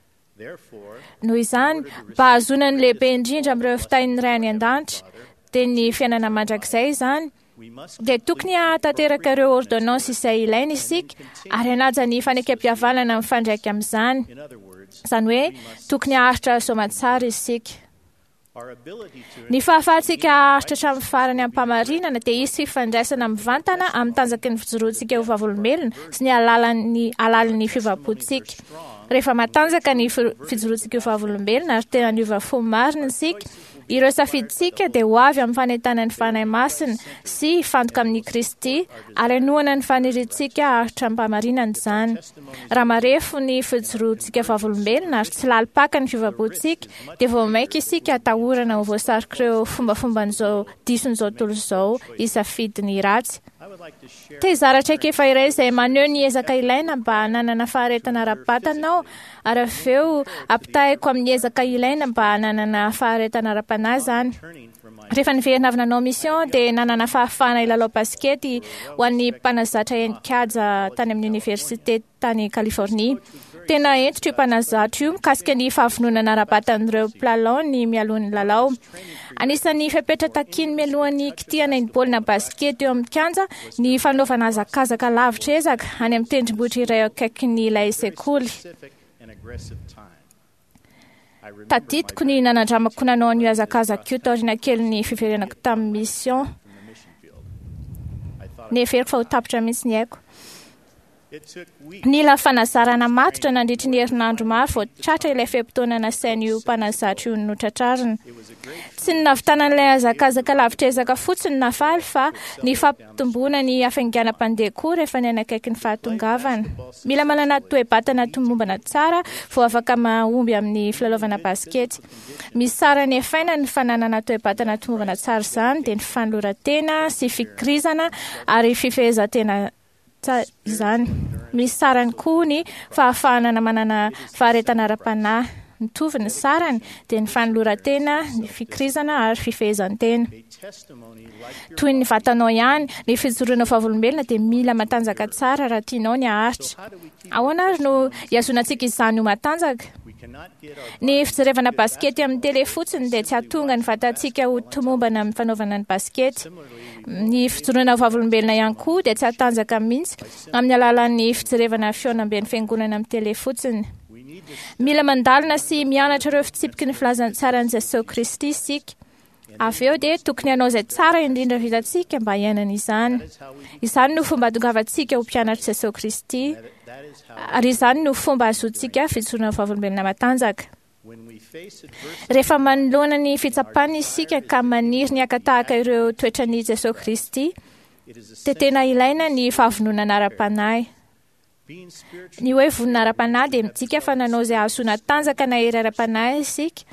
Noho izany, mba hahazoana ny lehibe indrindra amin'ireo fitahian'ny Ray any an-danitra, dia ny fiainana mandrakizay izany, dia tokony hahatanteraka ireo ôrdônansy izay ilaina isika ary hanaja ny fanekempihavanana mifandraika amin'izany. Izany hoe, tokony haharitra soamantsara isika. Ny fahafahantsika haharitra hatramin'ny farany amim-pahamarinana dia hisy fifandraisana mivantana amin'ny tanjaky ny fijoroantsika ho vavolombelona sy ny alalan'ny alalin'ny fiovam-pontsika. Rehefa matanjaka ny fijoroantsika ho vavolombelona ary tena niova fo marina isika, ireo safidintsika dia ho avy amin'ny fanentanan'ny Fanahy Masina sy hifantoka amin'i Kristy ary hanohana ny faniriantsika haharitra amim-pahamarinana izany. Raha marefo ny fijoroantsika vavolombelona ary tsy lalim-paka ny fiovam-pontsika, dia vao mainka isika atahorana ho voasarik'ireo fombafomban'izao dison'izao tontolo izao hisafidy ny ratsy. Te hizara traikefa iray izay maneho ny ezaka ilaina mba hananana faharetana ara-batana aho, ary avy eo ampitahiko amin'ny ezaka ilaina mba hananana faharetana ara-panahy izany. Rehefa niverina avy nanao mission dia nanana fahafahana hilalao basikety ho an'ny mpanazatra henin-kaja tany amin'ny oniversite tany Californie. Tena hentitra io mpanazatra io mikasika ny fahavononana ara-batan'ireo mpilalao ny mialoha ny lalao. Anisan'ny fepetra takiany mialohan'ny kitihana ny baolina basikety eo amin'ny kianja ny fanaovana hazakazaka lavitra ezaka any amin'ny tendrombohitra iray eo akaikin'ilay sekoly. Tadidiko ny nanandramako nanao an'io hazakazaka io taoriana kelin'ny fiverenako tamin'ny mission. Neveriko fa ho tapitra mihitsy ny aiko. Nila fanazarana matotra nandritry ny herinandro maro vao tratra ilay fe-potoana nasain'io mpanazatra io notratrarina. Tsy ny nahavitana an'ilay hazakazaka lavitra ezaka fotsiny nafaly fa ny fampitomboana ny hafainganam-pandeha koa rehefa nianakaiky ny fahatongavana. Mila manana toe-batana tomombana tsara vao afaka mahomby amin'ny filalaovana basikety. Misy sarany efaina ny fananana toe-batana tomombana tsara izany dia ny fanoloran-tena sy fikirizana ary fifehezan-tena izany. Misy sarany koa ny fahafahana manana faharetana ara-panahy. Mitovy ny sarany dia ny fanoloran-tena, ny fikirizana ary fifehezan-tena. Toy ny vatanao ihany, ny fijoroana vavolombelona dia mila matanjaka tsara raha tianao ny haharitra. Ahoana ary no hihazonantsika izany ho matanjaka? Ny fijerevana basikety amin'ny tele fotsiny dia tsy hahatonga ny vatantsika ho tomombana amin'ny fanaovana ny basikety. Ny fijoroana vavolombelona ihany koa dia tsy hatanjaka mihitsy amin'ny alalan'ny fijerevana fihaonamben'ny fiangonana amin'ny tele fotsiny. Mila mandalina sy mianatra ireo fitsipiky ny filazantsaran'i Jesosy Kristy isika. Avy eo dia tokony hanao izay tsara indrindra vitantsika mba hiainana izany. Izany no fomba hahatongavantsika ho mpianatr'i Jesosy Kristy, ary izany no fomba ahazoantsika fijoroana vavolombelona matanjaka. Rehefa manoloana ny fitsapana isika ka maniry ny haka tahaka ireo toetran'i Jesosy Kristy, dia tena ilaina ny fahavononana ara-panahy. Ny hoe vonona ara-panahy dia midika fa nanao izay hahazoana tanjaka na hery ara-panahy isika.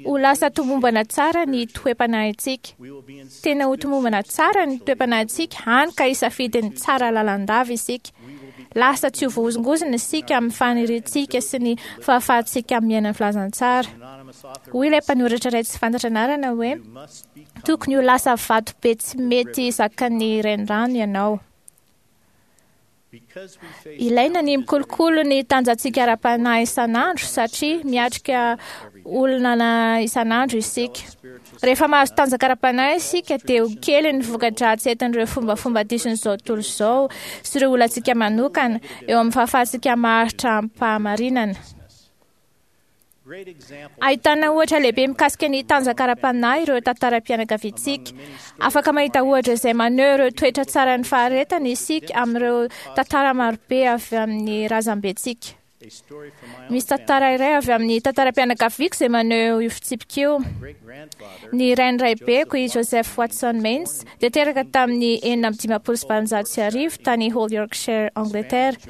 Ho lasa tomombana tsara ny toe-panahintsika. Tena ho tomombana tsara ny toe-panahintsika hany ka hisafidy ny tsara lalandava isika. Lasa tsy ho voahozongozona isika amin'ny faniriantsika sy ny fahafahantsika miaina ny filazantsara. Hoy ilay mpanoratra iray tsy fantatra anarana hoe tokony ho lasa vato be tsy mety zakan'ny renirano ianao. Ilaina ny mikolokolo ny tanjantsika ara-panahy isan'andro satria miatrika olona isan'andro isika. Rehefa mahazo tanjaka ara-panahy isika dia ho kely ny voka-dratsy entin'ireo fombafomba dison'izao tontolo izao sy ireo olantsika manokana eo amin'ny fahafahantsika maharitra amim-pahamarinana. Ahitana ohatra lehibe mikasika ny tanjaka ara-panahy ireo tantaram-pianakaviantsika. Afaka mahita ohatra izay maneho ireo toetra tsaran'ny faharetana isika amin'ireo tantara marobe avy amin'ny razambentsika. Misy tantara iray avy amin'ny tantaram-pianakaviako izay maneho io fitsipika io. Ny rain'ny raibeko i Joseph Watson Mains dia teraka tamin'ny enina amby dimampolo sy valonjato sy arivo tany Hull, Yorkshire, Angleterre.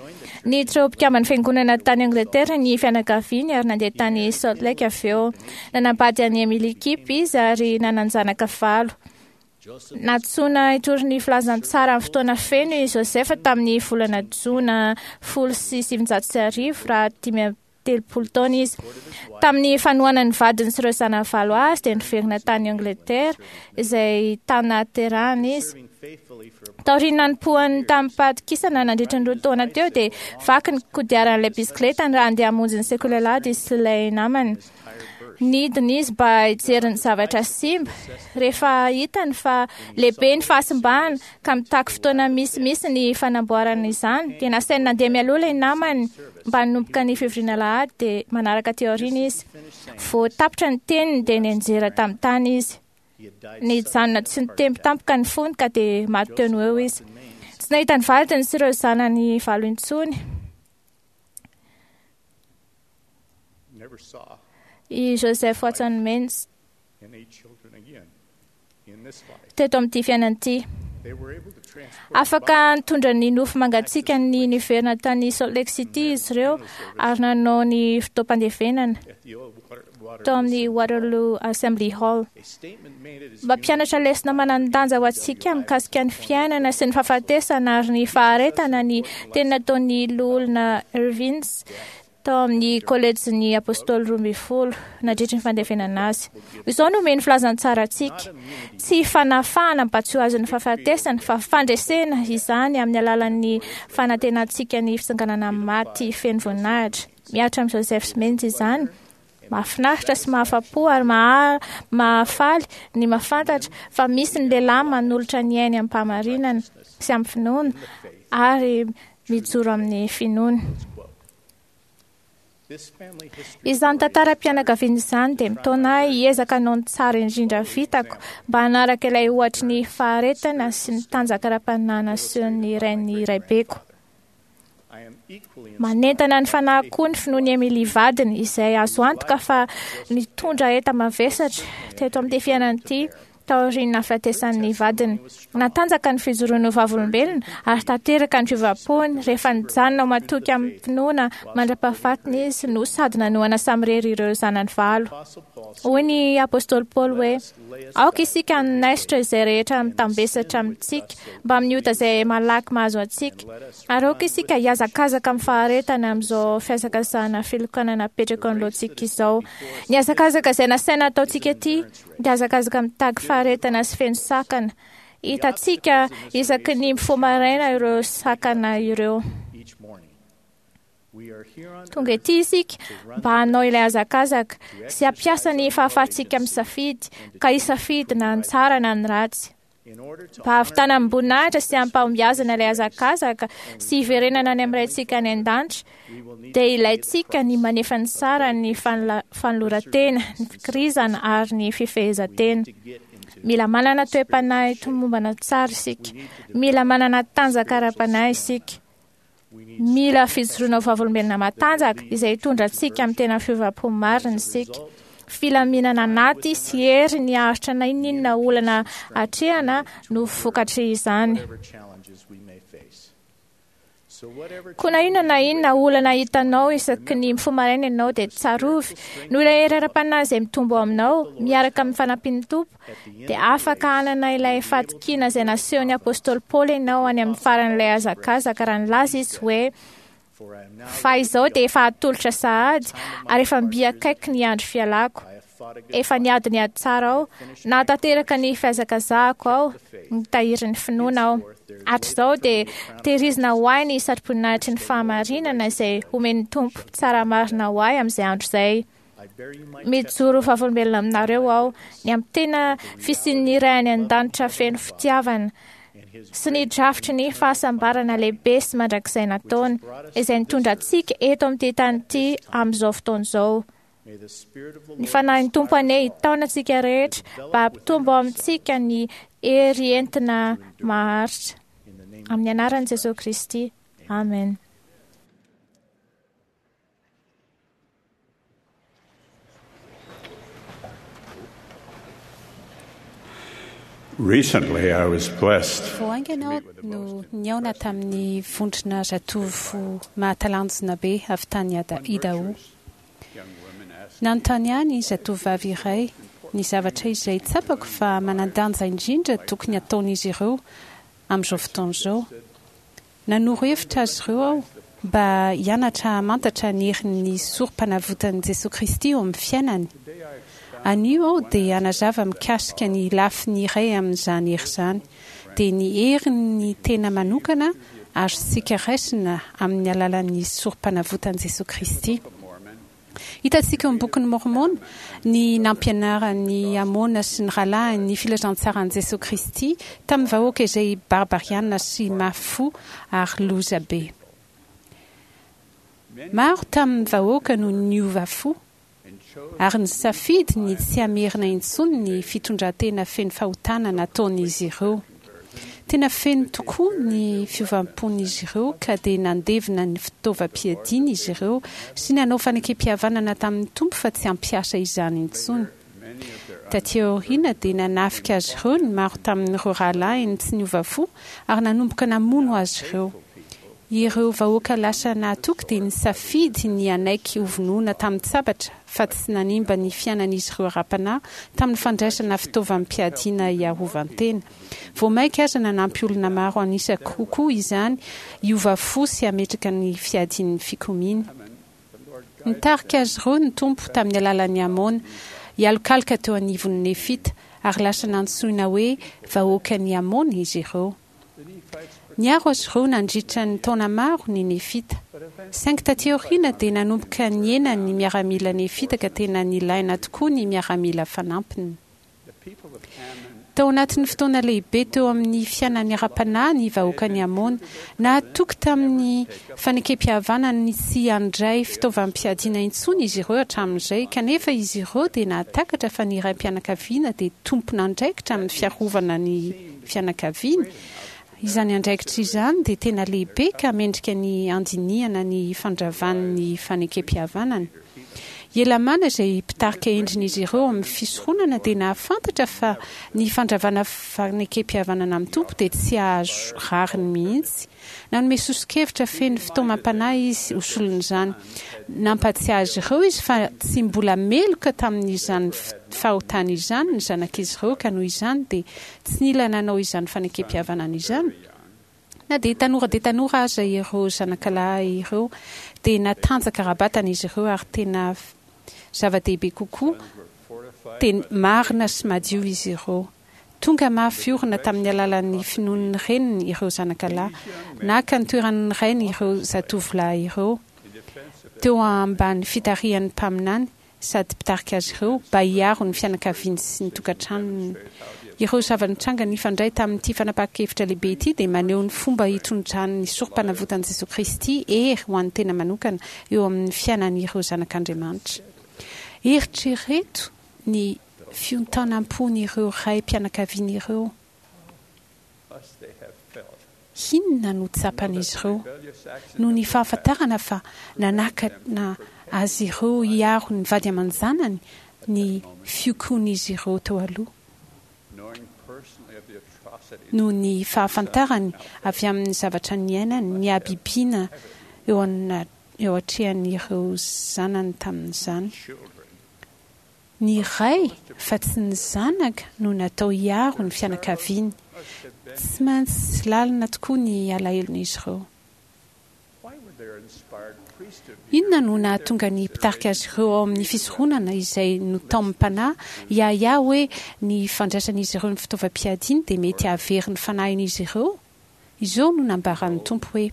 Niditra ho mpikamban'ny fiangonana tany Angleterre ny fianakaviany ary nandeha tany Salt Lake avy eo. Nanambady an'i Emily Kipp izy ary nanan-janaka valo. Nantsoina hitory ny filazantsara amin'ny fotoana feno i Joseph tamin'ny volana jona folo sy sivinjato sy arivo raha dimy amby telopolo taona izy. Tamin'ny fanohanan'ny vadiny sy ireo zanany valo azy dia niverina tany Angleterre izay tanaterahana izy. Taorian'ny nanompoany tamim-pahatokisana nandritra ny roa taona teo dia vaky ny kodiaran'ilay bisikletany raha handeha hamonjy ny sekoly alahady izy sy ilay namany. Nidina izy mba hijery ny zavatra simba. Rehefa hitany fa lehibe ny fahasimbana ka mitaky fotoana misimisy ny fanamboarana izany dia nasainy nandeha mialoha ilay namany mba hanomboka ny fivoriana alahady dia manaraka teo aoriana izy. Vao tapitra ny teniny dia nianjera tamin'ny tany izy. Nijanona tsy nitempo tampoka ny fony ka dia maty teo no eo izy. Tsy nahita ny vadiny sy ireo zanany valo intsony. I Joseph Watson Mains teto amin'ity fiainana ity. Afaka nitondra ny nofo mangatsiaka ny niverina tany Salt Lake City izy ireo ary nanao ny fotoam-pandevenana tao amin'ny Waterloo Assembly Hall. Mampianatra lesona manan-danja ho antsika mikasika ny fiainana sy ny fahafatesana ary ny faharetana ny teny nataon'ny loholona Irvins tao amin'ny kolejin'ny apôstôly roa ambin'ny folo nandritry ny fandevenana azy. Izao no omeny filazantsara antsika. Tsy fanafahana mba tsy ho azon'ny fahafatesana fa fandresena izany amin'ny alalan'ny fanantenantsika ny fitsanganana amin'ny maty feno voninahitra. Mihatra amin'i Joseph Smith izany. Mahafinaritra sy mahafa-po ary mahafaly ny mahafantatra fa misy ny lehilahy manolotra ny ainy amin'ny-pahamarinana sy amin'ny finoana ary mijoro amin'ny finoana. Izany tantaram-pianakaviana izany dia mitaona ahy hiezaka hanao ny tsara indrindra vitako mba hanaraka ilay ohatry ny faharetana sy ny tanjaka ara-panahy nasehon'ny rain'ny raibeko. Manentana ny fanahy koa ny finoan'i Emily vadiny, izay azo antoka fa nitondra enta-mavesatra teto amin'ity fiainana ity taorian'ny nahafatesan'ny vadiny. Natanjaka ny fijoroany ho vavolombelona ary tanteraka ny fiovam-pony rehefa nijanona ho matoky amin'ny finoana mandra-pahafatiny izy no sady nanohana samirery ireo zanany valo. Hoy ny apostoly Paoly hoe: "Aoka isika hanaisotra izay rehetra mitambesatra amintsika mba amin'ny ota izay malaky mahazo antsika, ary aoka isika hihazakazaka amin'ny faharetana amin'izao fihazakazahana filokana napetraka anoloantsika izao." Ny hazakazaka izay nasaina ataontsika ity dia hazakazaka mitady faharetana sy feno sakana. Hitantsika isaky ny mifoha maraina ireo sakana ireo. Tonga ety isika mba hanao ilay hazakazaka sy hampiasa ny fahafahantsika misafidy, ka hisafidy na ny tsara na ny ratsy. Mba hahavitana amim-boninahitra sy hampahombiazana ilay hazakazaka sy hiverenana any amin'ny Raintsika any an-danitra, dia ilaintsika ny manefa ny saran'ny fanoloran-tena, ny fikirizana ary ny fifehezan-tena. Mila manana toe-panahy tomombana tsara isika. Mila manana tanjaka ara-panahy isika. Mila fijoroana ho vavolombelona matanjaka izay hitondra antsika amin'ny tena fiovam-po marina isika. Filaminana anaty sy hery ny haharitra na inona olana atrehana no vokatry izany. Koa na inona na inona olana hitanao isaky ny mifoha maraina ianao dia tsarovy noho ilay hery ara-panahy izay mitombo ao aminao miaraka amin'ny fanampian'ny Tompo, dia afaka hanana ilay fahatokiana izay nasehon'ny apostoly Paoly ianao any amin'ny faran'ilay hazakazaka raha nilaza izy hoe: "Fa izao dia efa atolotra sahady ary efa mby akaiky ny andro fialako. Efa niady ny ady tsara aho, nahatanteraka ny fihazakazahako aho, nitahiry ny finoana aho. Hatrizao dia tehirizina ho ahy ny satroboninahitry ny fahamarinana izay homen'ny Tompo mpitsara marina ho ahy amin'izay andro izay. Mijoro ho vavolombelona aminareo aho ny amin'ny tena fisian'ny Ray any an-danitra feno fitiavana sy ny drafitry ny fahasambarana lehibe sy mandrakizay nataony, izay nitondra antsika eto amin'ity tany ity amin'izao fotoana izao. Ny fanahin'ny Tompo anie hitaona antsika rehetra mba hampitombo ao amintsika ny hery entina maharitra. Amin'ny anaran'i Jesosy Kristy. Amen. Recently, I was blessed Vao haingana aho no nihaona tamin'ny vondrona zatovo mahatalanjona be avy tany Idaho. Nanontany ahy ny zatovovavy iray ny zavatra izay tsapako fa manan-danja indrindra tokony hataon'izy ireo amin'izao fotoana izao. Nanoro hevitra azy ireo aho mba hianatra hamantatra ny herin'ny Sorompanavotan'i Jesoa Kristy eo amin'ny fiainany. Anio aho dia hanazava mikasika ny lafiny iray amin'izany hery izany, dia ny herin'ny tena manokana azontsika raisina amin'ny alalan'ny Sorompanavotan'i Jesoa Kristy. Hitantsika ao amin'ny Bokin'i Môrmôna ny nampianaran'i Amôna sy ny rahalahiny ny filazantsaran'i Jesoa Kristy tamin'ny vahoaka izay barbariana sy mafy fo ary loza be. Maro tamin'ny vahoaka no niova fo ary nisafidy ny tsy hamerina intsony ny fitondran-tena feno fahotana nataon'izy ireo. Tena feno tokoa ny fiovam-pon'izy ireo ka dia nandevina ny fitaovam-piadiany izy ireo sy nanao fanekempihavanana tamin'ny Tompo fa tsy hampiasa izany intsony. Taty aoriana dia nanafika azy ireo ny maro tamin'ireo rahalahiny tsy niova fo ary nanomboka namono azy ireo. Ireo vahoaka lasa nahatoky dia nisafidy ny hanaiky hovonoina tamin-tsabatra fa tsy nanimba ny fiainan'izy ireo ara-panahy tamin'ny fandraisana fitaovam-piadiana hiarovan-tena. Vao mainka aza nanampy olona maro an'isa kokoa izany hiova fo sy hametraka ny fiadian'ny fikomiana. Nitarika azy ireo ny Tompo tamin'ny alalan'i Amôna hialokaloka teo anivon'ny Nefita ary lasa nantsoina hoe vahoakan'i Amôna izy ireo. Niaro azy ireo nandritra ny taona maro ny Nefita. Saingy taty aoriana dia nanomboka nihena ny miaramila nefita ka tena nilaina tokoa ny miaramila fanampiny. Tao anatin'ny fotoana lehibe teo amin'ny fiainany ara-panahy ny vahoakan'i Amôna. Nahatoky tamin'ny fanekempihavanany ny tsy handray fitaovam-piadiana intsony izy ireo hatramin'izay, kanefa izy ireo dia nahatakatra fa ny raim-pianakaviana dia tompon'andraikitra amin'ny fiarovana ny fianakaviany Izany andraikitra izany dia tena lehibe ka mendrika ny handinihana ny fandravan'ny fanekempihavanana. I Helamàna izay mpitarika endrin'izy ireo ao amin'ny fisoronana dia nahafantatra fa ny fandravana fanekempihavanana amin'ny Tompo dia tsy hahazo rariny mihitsy. Nanome soso-kevitra feno fitaomam-panahy izy ho solon'izany. Nampahatsiahy azy ireo izy fa tsy mbola meloka tamin'izany fahotana izany ny zanak'izy ireo ka noho izany dia tsy nila nanao izany fanekempihavanana izany. Na dia tanora dia tanora aza ireo zanakalahy ireo dia natanjaka ara-batana izy ireo ary tena zava-dehibe kokoa dia marina sy madio izy ireo. Tonga mafy orina tamin'ny alalan'ny finoan'ny reniny ireo zanakalahy. Naka ny toeran'ny rainy ireo zatovolahy ireo teo ambany fitarihan'ny mpaminany sady mpitarika azy ireo mba hiaro ny fianakaviany sy ny tokantranony. Ireo zava-nitranga nifandray tamin'ity fanapahan-kevitra lehibe ity dia maneho ny fomba hitondran'ny sorompanavotan'i Jesoa Kristy hery ho an'ny tena manokana eo amin'ny fiainan'ireo zanak'Andriamanitra. Eritrereto ny fiontanam-pon'ireo raim-pianakaviana ireo. Inona no tsapan'izy ireo noho ny fahafantarana fa nanakana azy ireo hiaro ny vady aman-janany ny fiokoan'izy ireo teo aloha? Noho ny fahafantarany avy amin'ny zavatra niainany ny habibiana eo eo atrehan'ireo zanany tamin'izany. Ny ray fa tsy ny zanaka no natao hiaro ny fianakaviany. Tsy maintsy lalina tokoa ny alahelon'izy ireo. Inona no nahatonga ny mpitarika azy ireo ao amin'ny fisoronana izay notaomim-panahy hiahiahy hoe ny fandraisan'izy ireo ny fitaovam-piadiany dia mety hahavery ny fanahin'izy ireo? Izao no nambaran'ny Tompo hoe,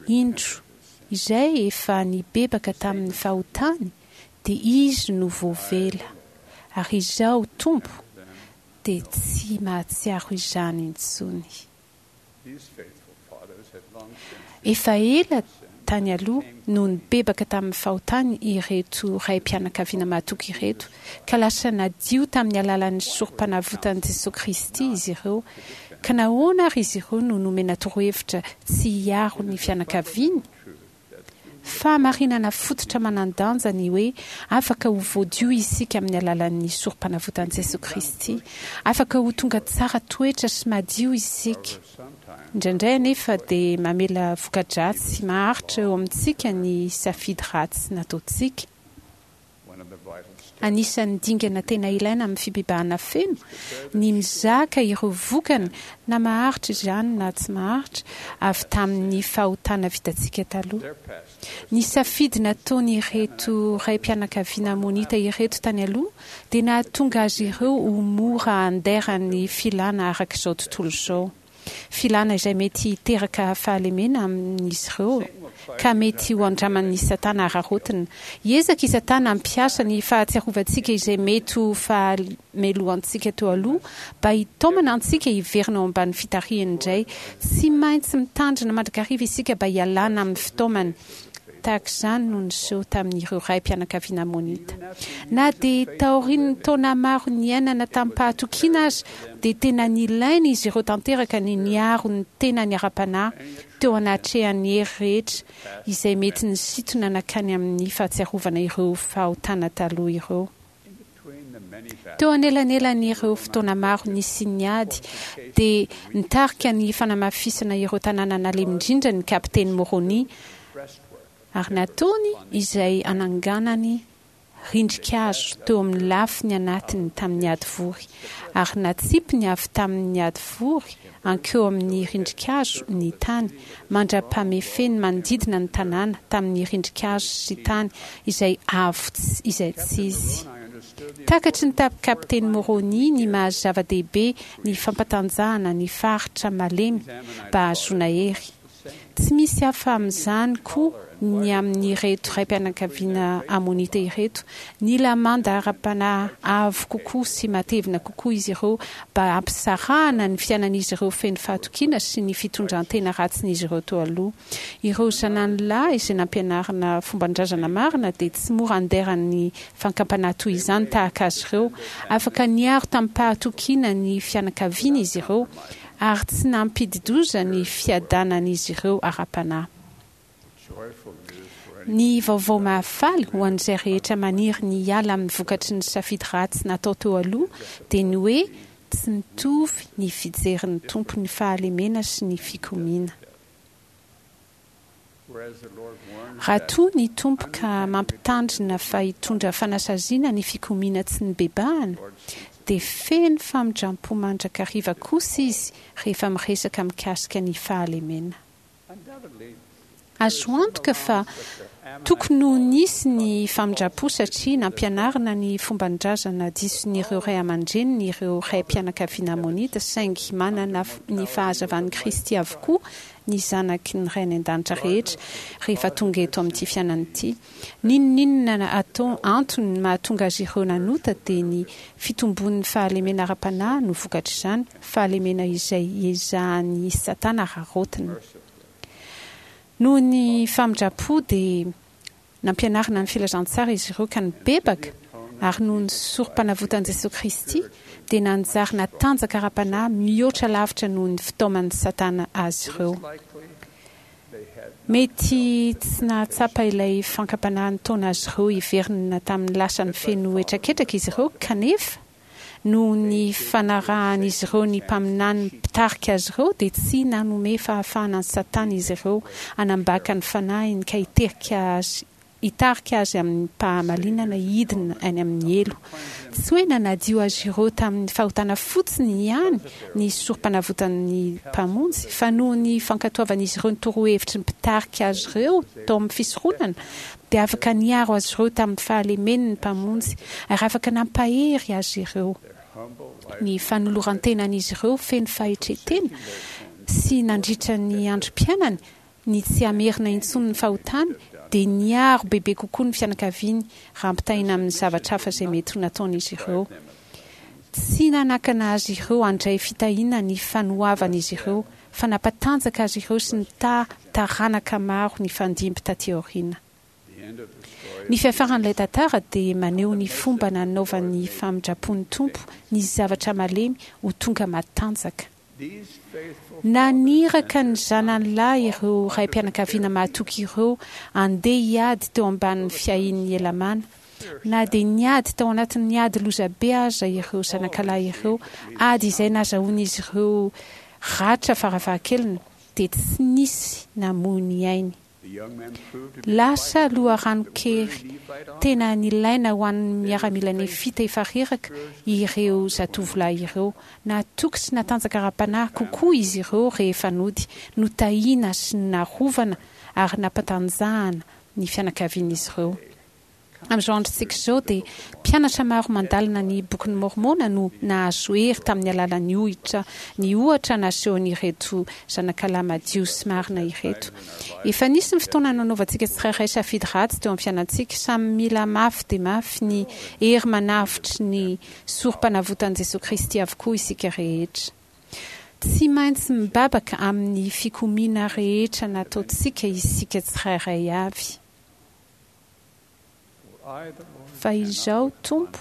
Indro, izay efa nibebaka tamin'ny fahotany dia izy no voavela, ary Izaho Tompo dia tsy mahatsiaro izany intsony. Efa ela tany aloha no nibebaka tamin'ny fahotany ireto raim-pianakaviana mahatoky ireto, ka lasa nadio tamin'ny alalan'ny sorompanavotan'i Jesoa Kristy izy ireo. Ka nahoana ary izy ireo no nomena torohevitra tsy hiaro ny fianakaviany? Fahamarinana fototra manan-danja ny hoe afaka ho voadio isika amin'ny alalan'ny sorompanavotan'i Jesoa Kristy. Afaka ho tonga tsara toetra sy madio isika. Indraindray anefa dia mamela voka-dratsy maharitra eo amintsika ny safidy ratsy nataontsika. Anisan'ny dingana tena ilaina amin'ny fibebahana feno ny mizaka ireo vokany, na maharitra izany na tsy maharitra, avy tamin'ny fahotana vitantsika taloha. Ny safidy nataon'ireto raim-pianakaviana Amonita ireto tany aloha dia nahatonga azy ireo ho mora andairan'ny filana araka izao tontolo izao. Filana izay mety hiteraka fahalemena amin'izy ireo, ka mety ho andraman'i Satana araraotina. Hiezaka i Satana hampiasa ny fahatsiarovantsika izay mety ho fahamelohantsika teo aloha, mba hitaomana antsika hiverina ao ambany fitarihany indray. Tsy maintsy mitandrina mandrakariva isika mba hialana amin'ny fitaomany. Tahaka izany no niseho tamin'ireo raim-pianakaviana Amonita. Na dia taorian'ny taona maro niainana tamim-pahatokiana aza, dia tena nilain'izy ireo tanteraka ny niaro ny tenany ara-panahy teo anatrehan'ny hery rehetra izay mety nisintona nankany amin'ny fahatsiarovana ireo fahotana taloha ireo. Teo anelanelan'ireo fotoana maro nisian'ny ady, dia nitarika ny fanamafisana ireo tanàna nalemy indrindra ny Kapiteny Môrônia, ary nataony izay hananganany rindrin-kazo teo amin'ny lafiny anatiny tamin'ny hadivory, ary natsipiny avy tamin'ny hadivory hankeo amin'ny rindrin-kazo ny tany, mandra-pamefeny manodidina ny tanàna tamin'ny rindrin-kazo sy tany izay avo izaitsizy. Takatry ny Kapiteny Môrônia ny maha-zava-dehibe ny fampatanjahana ny faritra malemy mba hahazoana hery. Tsy misy hafa amin'izany koa ny amin'ireto raim-pianakaviana Amonita ireto. Nila manda ara-panahy avo kokoa sy matevina kokoa izy ireo mba hampisarahana ny fiainan'izy ireo feno fahatokiana sy ny fitondran-tena ratsin'izy ireo teo aloha. Ireo zanany lahy izay nampianarina fomban-drazana marina dia tsy mora andairan'ny fankampanahy toy izany tahaka azy ireo. Afaka niaro tamim-pahatokiana ny fianakaviany izy ireo ary tsy nampidi-doza ny fiadanan'izy ireo ara-panahy. Ny vaovao mahafaly ho an'izay rehetra maniry ny hiala amin'ny vokatry ny safidy ratsy natao teo aloha dia ny hoe tsy mitovy ny fijerin'ny Tompo ny fahalemena sy ny fikomiana. Raha toa ny Tompo ka mampitandrina fa hitondra fanasaziana ny fikomiana tsy nibebahana, dia feno famindram-po mandrakariva kosa Izy rehefa miresaka mikasika ny fahalemena. Azo antoka fa tokony ho nisy ny famindram-po satria nampianarina ny fomban-drazana dison'ireo ray aman-dreniny ireo raim-pianakaviana Amonita, saingy manana ny fahazavan'i Kristy avokoa ny zanaky ny Ray any An-danitra rehetra rehefa tonga eto amin'ity fiainana ity. N'inon'inona atao antony mahatonga azy ireo nanota dia ny fitombon'ny fahalemena ara-panahy no vokatr'izany, fahalemena izay iezahan'i Satana araraotina. Noho ny famindram-po dia nampianarina ny filazantsara izy ireo ka nibebaka, ary noho ny sorom-panavotan'i Jesoa Kristy dia nanjary natanjaka ara-panahy mihoatra lavitra noho ny fitaoman'i Satana azy ireo. Mety tsy nahatsapa ilay fankam-panahy nitaona azy ireo hiverina tamin'ny lasany feno hetraketraka izy ireo, kanefa noho ny fanarahan'izy ireo ny mpaminany mpitarika azy ireo dia tsy nanome fahafahana an'i Satana izy ireo hanambaka ny fanahiny ka hiterika azy hitarika azy amim-pahamalinana hidina any amin'ny helo. Tsy hoe nanadio azy ireo tamin'ny fahotana fotsiny ihany ny sorom-panavotan'ny Mpamonjy, fa noho ny fankatoavan'izy ireo ny torohevitry ny mpitarika azy ireo tao amin'ny fisoronana dia afaka niaro azy ireo tamin'ny fahalemeny ny Mpamonjy ary afaka nampahery azy ireo. Ny fanoloran-tenan'izy ireo feno fahetren-tena sy nandritra ny androm-piainany ny tsy hamerina intsony ny fahotany dia niaro bebe kokoa ny fianakaviany raha ampitahaina amin'ny zavatra hafa izay mety ho nataon'izy ireo. Tsy nanakana azy ireo handray fitahiana ny fanoavan'izy ireo fa nampatanjaka azy ireo sy nitaha taranaka maro nifandimby taty aoriana. Ny fiafaran'ilay tantara dia maneho ny fomba nanaovan'ny famindram-pon'ny Tompo ny zavatra malemy ho tonga matanjaka. Naniraka ny zanany lahy ireo raim-pianakaviana mahatoky ireo handeha hiady teo ambanin'ny fiahian'i Helamàna. Na dia niady tao anatin'ny ady lozabe aza ireo zanakalahy ireo, ady izay nazahoan'izy ireo ratra farafahakeliny, dia tsy nisy namoy ny ainy. Lasa loharanon-kery tena nilaina ho an'ny miaramila nefita efa reraka ireo zatovolahy ireo. Nahatoky sy natanjaka ara-panahy kokoa izy ireo rehefa nody. Notahiana sy narovana ary nampatanjahana ny fianakavian'izy ireo. Amin'izao androntsika izao dia mpianatra maro mandalina ny Bokin'i Môrmôna no nahazo hery tamin'ny alalan'ny ohitra ny ohatra nasehon'ireto zanakalahy madio sy marina ireto. Efa nisy ny fotoana nanaovantsika tsirairay safidy ratsy teo amin'ny fiainantsika. Samy mila mafy dia mafy ny hery manavotry ny Sorompanavotan'i Jesoa Kristy avokoa isika rehetra. Tsy maintsy mibabaka amin'ny fikomiana rehetra nataontsika isika tsirairay avy. Fa izaho, Tompo,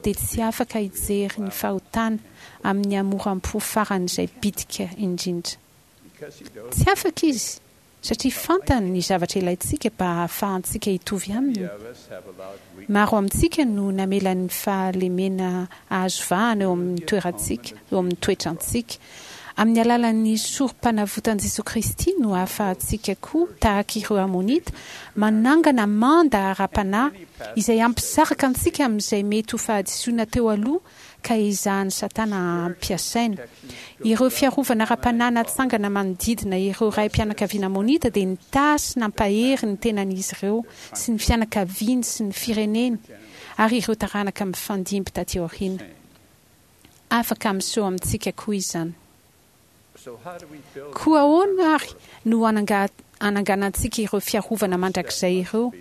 dia tsy afaka hijery ny fahotana amin'ny hamoram-po faran'izay bitika indrindra. Tsy afaka Izy, satria fantany ny zavatra ilaintsika mba hahafahantsika hitovy Aminy. Maro amintsika no namela ny fahalemena hahazo vahana eo amin'ny toerantsika, eo amin'ny toetrantsika. Amin'ny alalan'ny Sorompanavotan'i Jesoa Kristy no ahafahantsika koa, tahaka ireo Amonita, manangana manda ara-panahy izay hampisaraka antsika amin'izay mety ho fahadisoana teo aloha ka ezahan'i Satana hampiasaina. Ireo fiarovana ara-panahy natsangana manodidina ireo raim-pianakaviana Amonita dia nitahy sy nampahery ny tenan'izy ireo sy ny fianakaviany sy ny fireneny ary ireo taranaka mifandimby taty aoriana. Afaka miseho amintsika koa izany. Koa ahoana àry no hananganantsika ireo fiarovana mandrakizay ireo?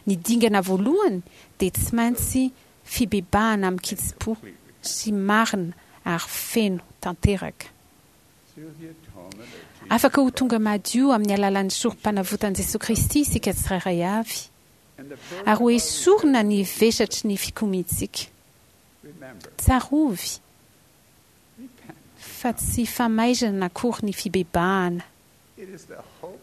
Ny dingana voalohany dia tsy maintsy fibebahana amin-kitsim-po sy marina ary feno tanteraka. Afaka ho tonga madio amin'ny alalan'ny Sorompanavotan'i Jesoa Kristy isika tsirairay avy, ary ho esorina ny vesatry ny fikomiantsika. Tsarovy, Fa tsy famaizana akory ny fibebahana.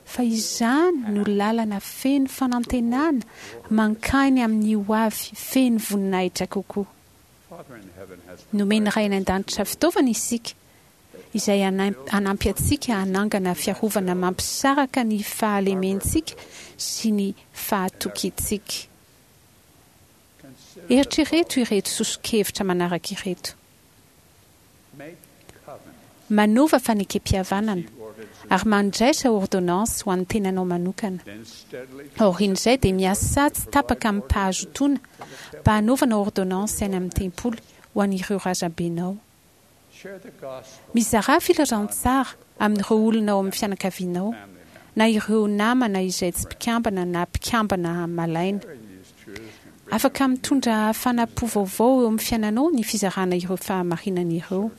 Fa izany no lalana feno fanantenana mankany amin'ny hoavy feno voninahitra kokoa. Nomen'ny Ray any An-danitra fitaovana isika izay hanampy antsika hanangana fiarovana mampisaraka ny fahalementsika sy ny fahatokiantsika. Eritrereto ireto soso-kevitra manaraka ireto. Manaova fanekempihavanana ary mandraisa ôrdônansy ho an'ny tenanao manokana. Aorian'izay dia miasà tsy tapaka amim-pahazotoana mba hanaovana ôrdônansy any amin'ny tempoly ho an'ireo razambenao. Mizarà filazantsara amin'ireo olona ao amin'ny fianakavianao na ireo namana izay tsy mpikambana na mpikambana malaina. Afaka mitondra hafanam-po vaovao eo amin'ny fiainanao ny fizarana ireo fahamarinana ireo.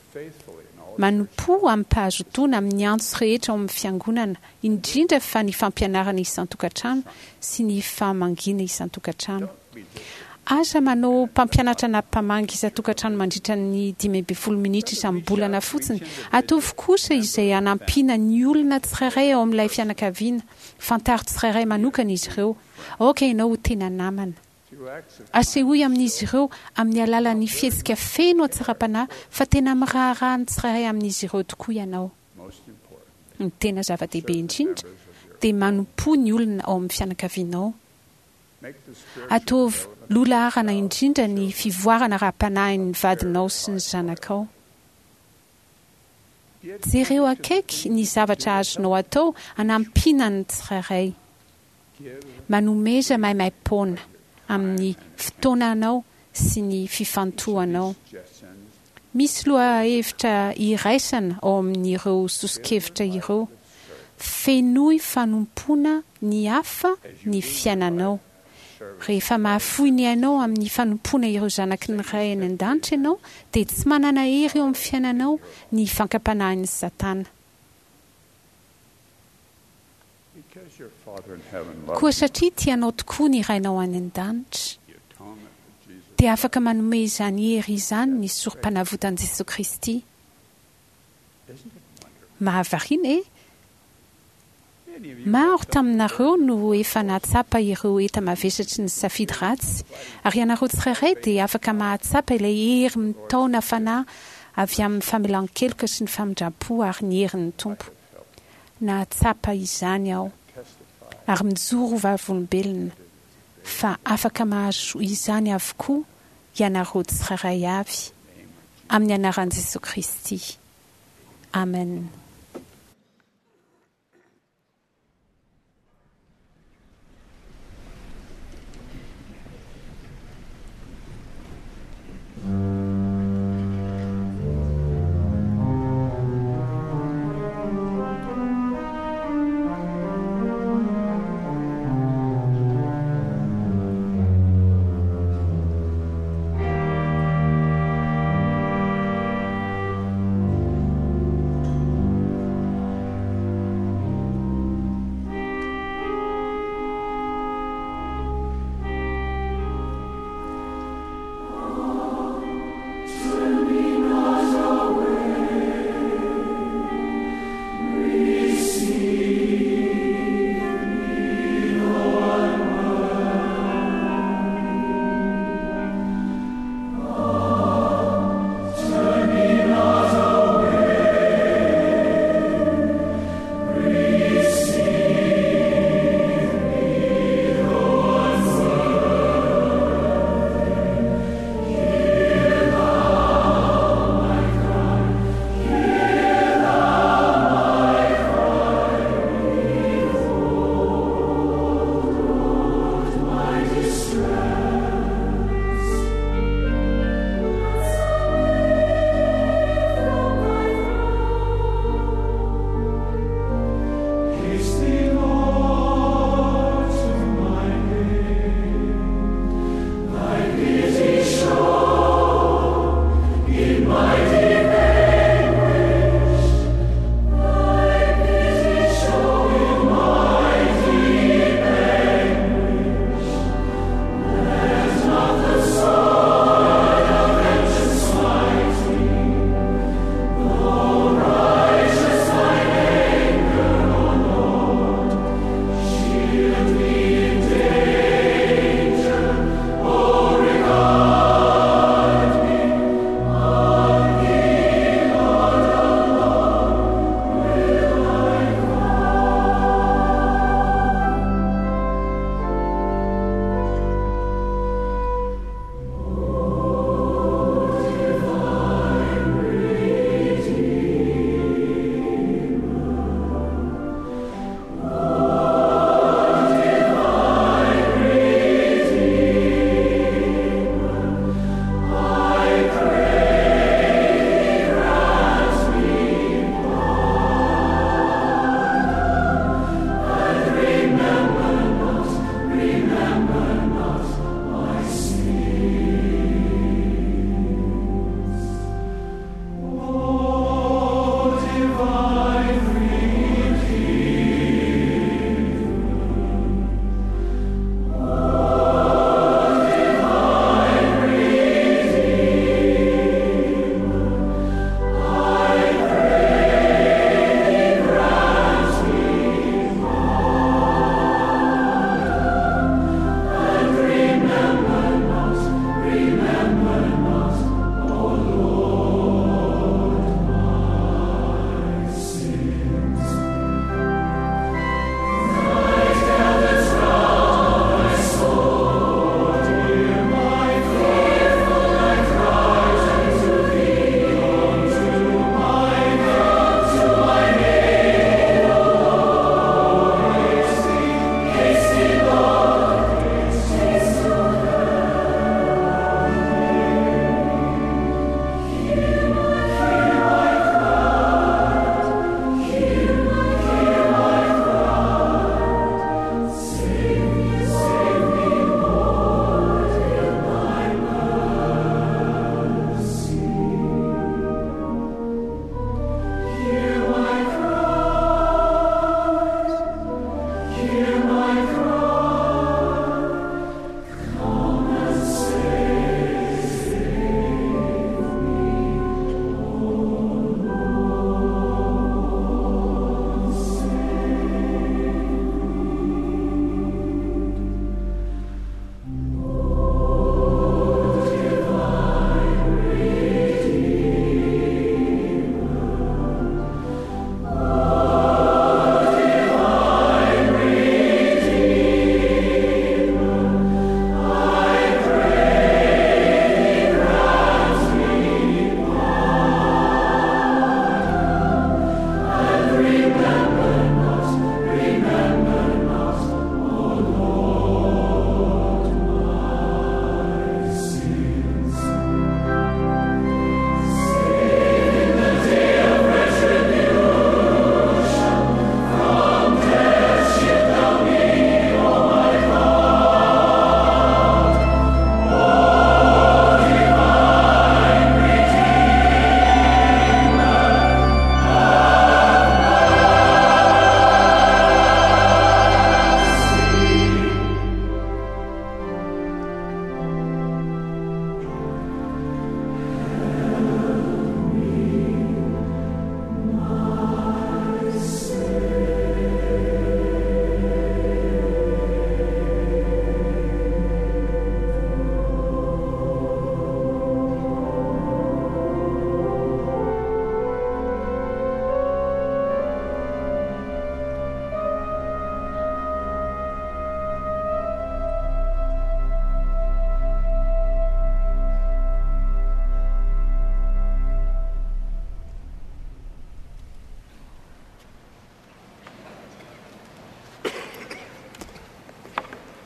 Manompoa amim-pahazotoana amin'ny antso rehetra ao amin'ny Fiangonana, indrindra fa ny fampianarana isan-tokantrano sy ny famangiana isan-tokantrano. Aza manao mpampianatra na mpamangy isan-tokantrano mandritra ny dimy ambin'ny folo minitra isam-bolana fotsiny. Ataovy kosa izay hanampiana ny olona tsirairay ao amin'ilay fianakaviana. Fantaro tsirairay manokana izy ireo. Aoka ianao ho tena namana. Asehoy amin'izy ireo amin'ny alalan'ny fihetsika feno hatsaram-panahy fa tena miraharaha ny tsirairay amin'izy ireo tokoa ianao. Ny tena zava-dehibe indrindra dia manompoa ny olona ao amin'ny fianakavianao. Ataovy loha laharana indrindra ny fivoarana ara-panahin'ny vadinao sy ny zanakao. Jereo akaiky ny zavatra azonao atao hanampiana ny tsirairay. Manomeza maimaim-poana amin'ny fotoananao sy ny fifantohanao. Misy lohahevitra iraisana ao amin'ireo soso-kevitra ireo. Fenoy fanompoana ny hafa ny fiainanao. Rehefa mahafoy ny ainao amin'ny fanompoana ireo zanaky ny Ray any An-danitra ianao, dia tsy manana hery eo amin'ny fiainanao ny fankam-panahin'i Satana. Koa satria tia anao tokoa ny Rainao any An-danitra, dia afaka manome izany hery izany ny Sorompanavotan'i Jesoa Kristy. Mahavariana e! Maro taminareo no efa nahatsapa ireo enta-mavesatry ny safidy ratsy, ary ianareo tsirairay dia afaka mahatsapa ilay hery mitaona fanahy avy amin'ny famelan-keloka sy ny famindram-po ary ny herin'ny Tompo. Nahatsapa izany aho, ary mijoro ho vavolombelona fa afaka mahazo izany avokoa ianareo tsirairay avy, amin'ny anaran'i Jesoa Kristy. Amen.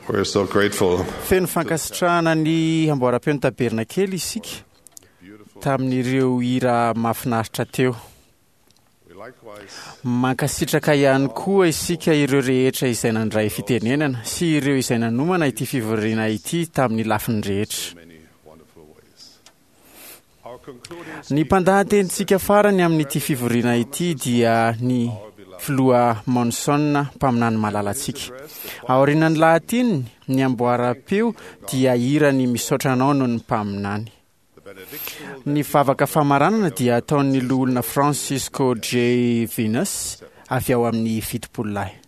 We're so grateful Feno fankasitrahana ny amboaram-peo ny tabernakely isika tamin'ireo hira mahafinaritra teo. Mankasitraka ihany koa isika ireo rehetra izay nandray fitenenana sy ireo izay nanomana ity fivoriana ity tamin'ny lafiny rehetra. Ny mpandahatenintsika farany amin'ity fivoriana ity dia ny filoha Monson, mpaminany malalantsika. Aorian'ny lahateniny, ny amboaram-peo dia hirany misaotra anao noho ny mpaminany. Ny vavaka famaranana dia ataon'ny loholona Francisco J. Venus avy ao amin'ny fitopolo lahy.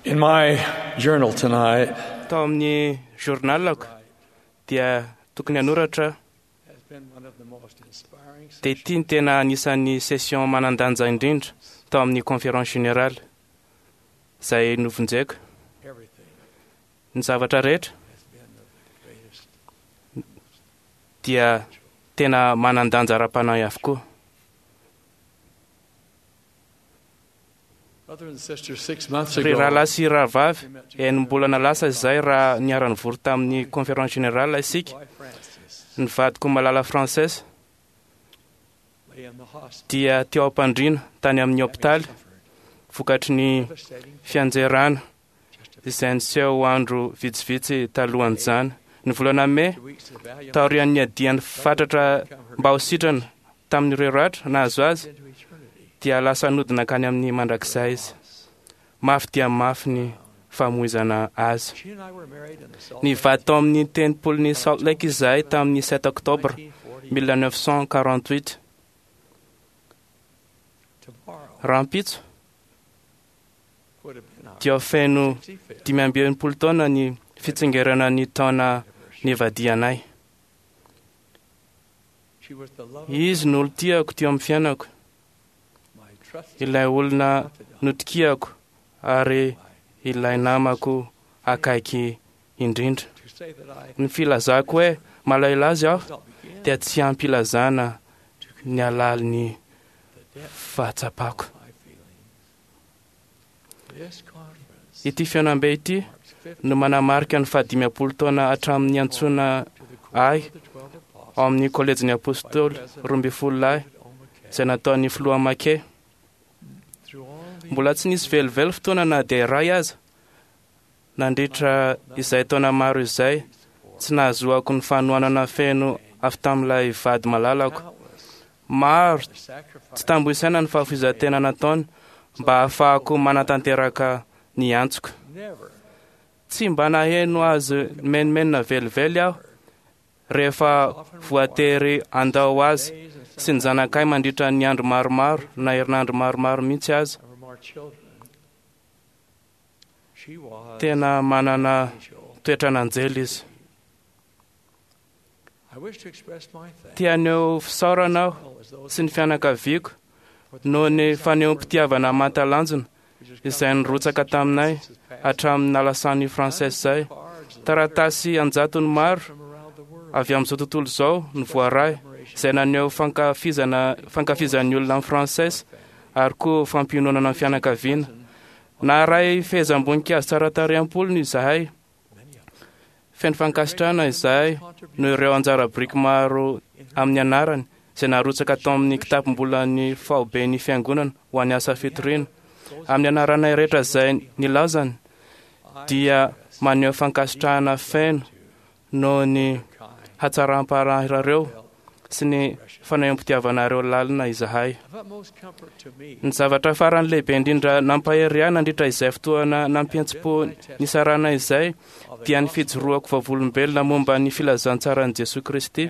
In my journal tonight, Tao amin'ny journalako dia tokony hanoratra dia ity ny tena anisan'ny session manan-danja indrindra tao amin'ny conférence générale izay novonjeko. Ny zavatra rehetra dia tena manan-danja ara-panahy avokoa. brothers and sisters, six months Ry ago, rahalahy sy rahavavy, enim-bolana lasa izay raha niara-nivory tamin'ny conférence générale isika, ny vadiko malala Frances lay in the hospital, dia teo am-pandriana tany amin'ny hopitaly vokatry ny fianjerana izay niseho andro vitsivitsy talohan'izany. Ny volana mey, taorian'ny adiany fatratra mba ho sitrana tamin'ireo ratra nahazo azy, dia lasa nodina hankany amin'ny mandrakizay izy. Mafy dia mafy ny famoizana azy. she and I were married in the Salt Ny vady tao amin'ny tempolin'ny Salt Lake izahay tamin'ny sept octobre mille neuf cent quarante-huit. tomorrow Rahampitso would have been our dia feno dimy amby enimpolo taona ny fitsingerana ny taona nivadianay. She was the love of Izy no olon-tiako teo amin'ny fiainako, my trusted ilay olona notokiako ary ilay namako akaiky indrindra. to say that I Ny filazako hoe malahelo azy aho does not begin dia tsy ampilazana ny alalin'ny fahatsapako. my feelings. This conference Ity fihaonambe ity marks fifty no manamarika ny fahadimampolo taona hatramin'ny antsoina to the ahy court of the twelve apostles ao amin'ny kolejin'ny apôstôly roa ambin'ny folo lahy izay nataon'ny filoha Make. through all the Mbola tsy nisy velively fotoana na dia iray aza nandritra izay taona maro izay tsy nahazoako ny fanohanana feno avy tamin'ilay vady malalako. countless Maro the sacrifice tsy tambo isaina ny fahafoizan-tena nataony mba hahafahako manatanteraka ny antsoko. never Tsy mba naheno azy menomenona velively aho rehefa voatery handao azy days and sy ny zanakay mandritra ny andro maromaro na herinandro maromaro mihitsy aza. some of our children. She was Tena manana angel. toetran'anjely izy. I wish to express my thanks Te haneho fisaorana aho as well as those sy ny fianakaviako for the noho ny fanehoam-pitiavana maha-talanjona which has come izay nirotsaka taminay since past hatramin'ny nalasan'i Frances izay. cards and Taratasy anjatony maro from around the world. avy amin'izao tontolo izao no voaray izay naneho fankafizana fankafizan'ny olona amin'ny Frances ary koa fampiononana ny fianakaviana. Naharay fehezam-boninkazo tsara tarehy am-polony izahay. Feno fankasitrahana izahay noho ireo anjara biriky maro amin'ny anarany izay narotsaka tao amin'ny kitapom-bolan'ny fahoben'ny fiangonana ho an'ny asa fitoriana. Amin'ny anaranay rehetra izay nilazany dia maneho fankasitrahana feno noho ny hatsaram-paranareo sy ny fanehoam-pitiavanareo lalina izahay. Of utmost comfort to me Ny zavatra farany lehibe indrindra nampahery ahy nandritra izay fotoana nampiantsim-po nisarana izay dia ny fijoroako vavolombelona momba ny filazantsaran'i Jesoa Kristy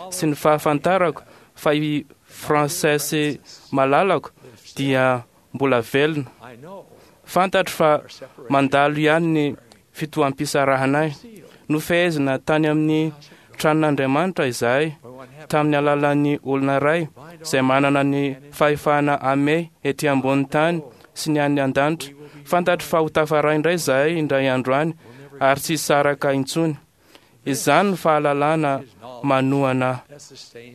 sy ny fahafantarako fa i Frances malalako dia mbola velona. I know Fantatro fa mandalo ihany ny fitoham-pisarahanay. Nofehezina tany amin'ny tranon'Andriamanitra izahay tamin'ny alalan'ny olona iray izay manana ny fahefana amehy ety ambony tany sy ny any an-danitra. Fantatro fa ho tafaray indray izahay indray andro any ary tsy hisaraka intsony. Izany ny fahalalana manohana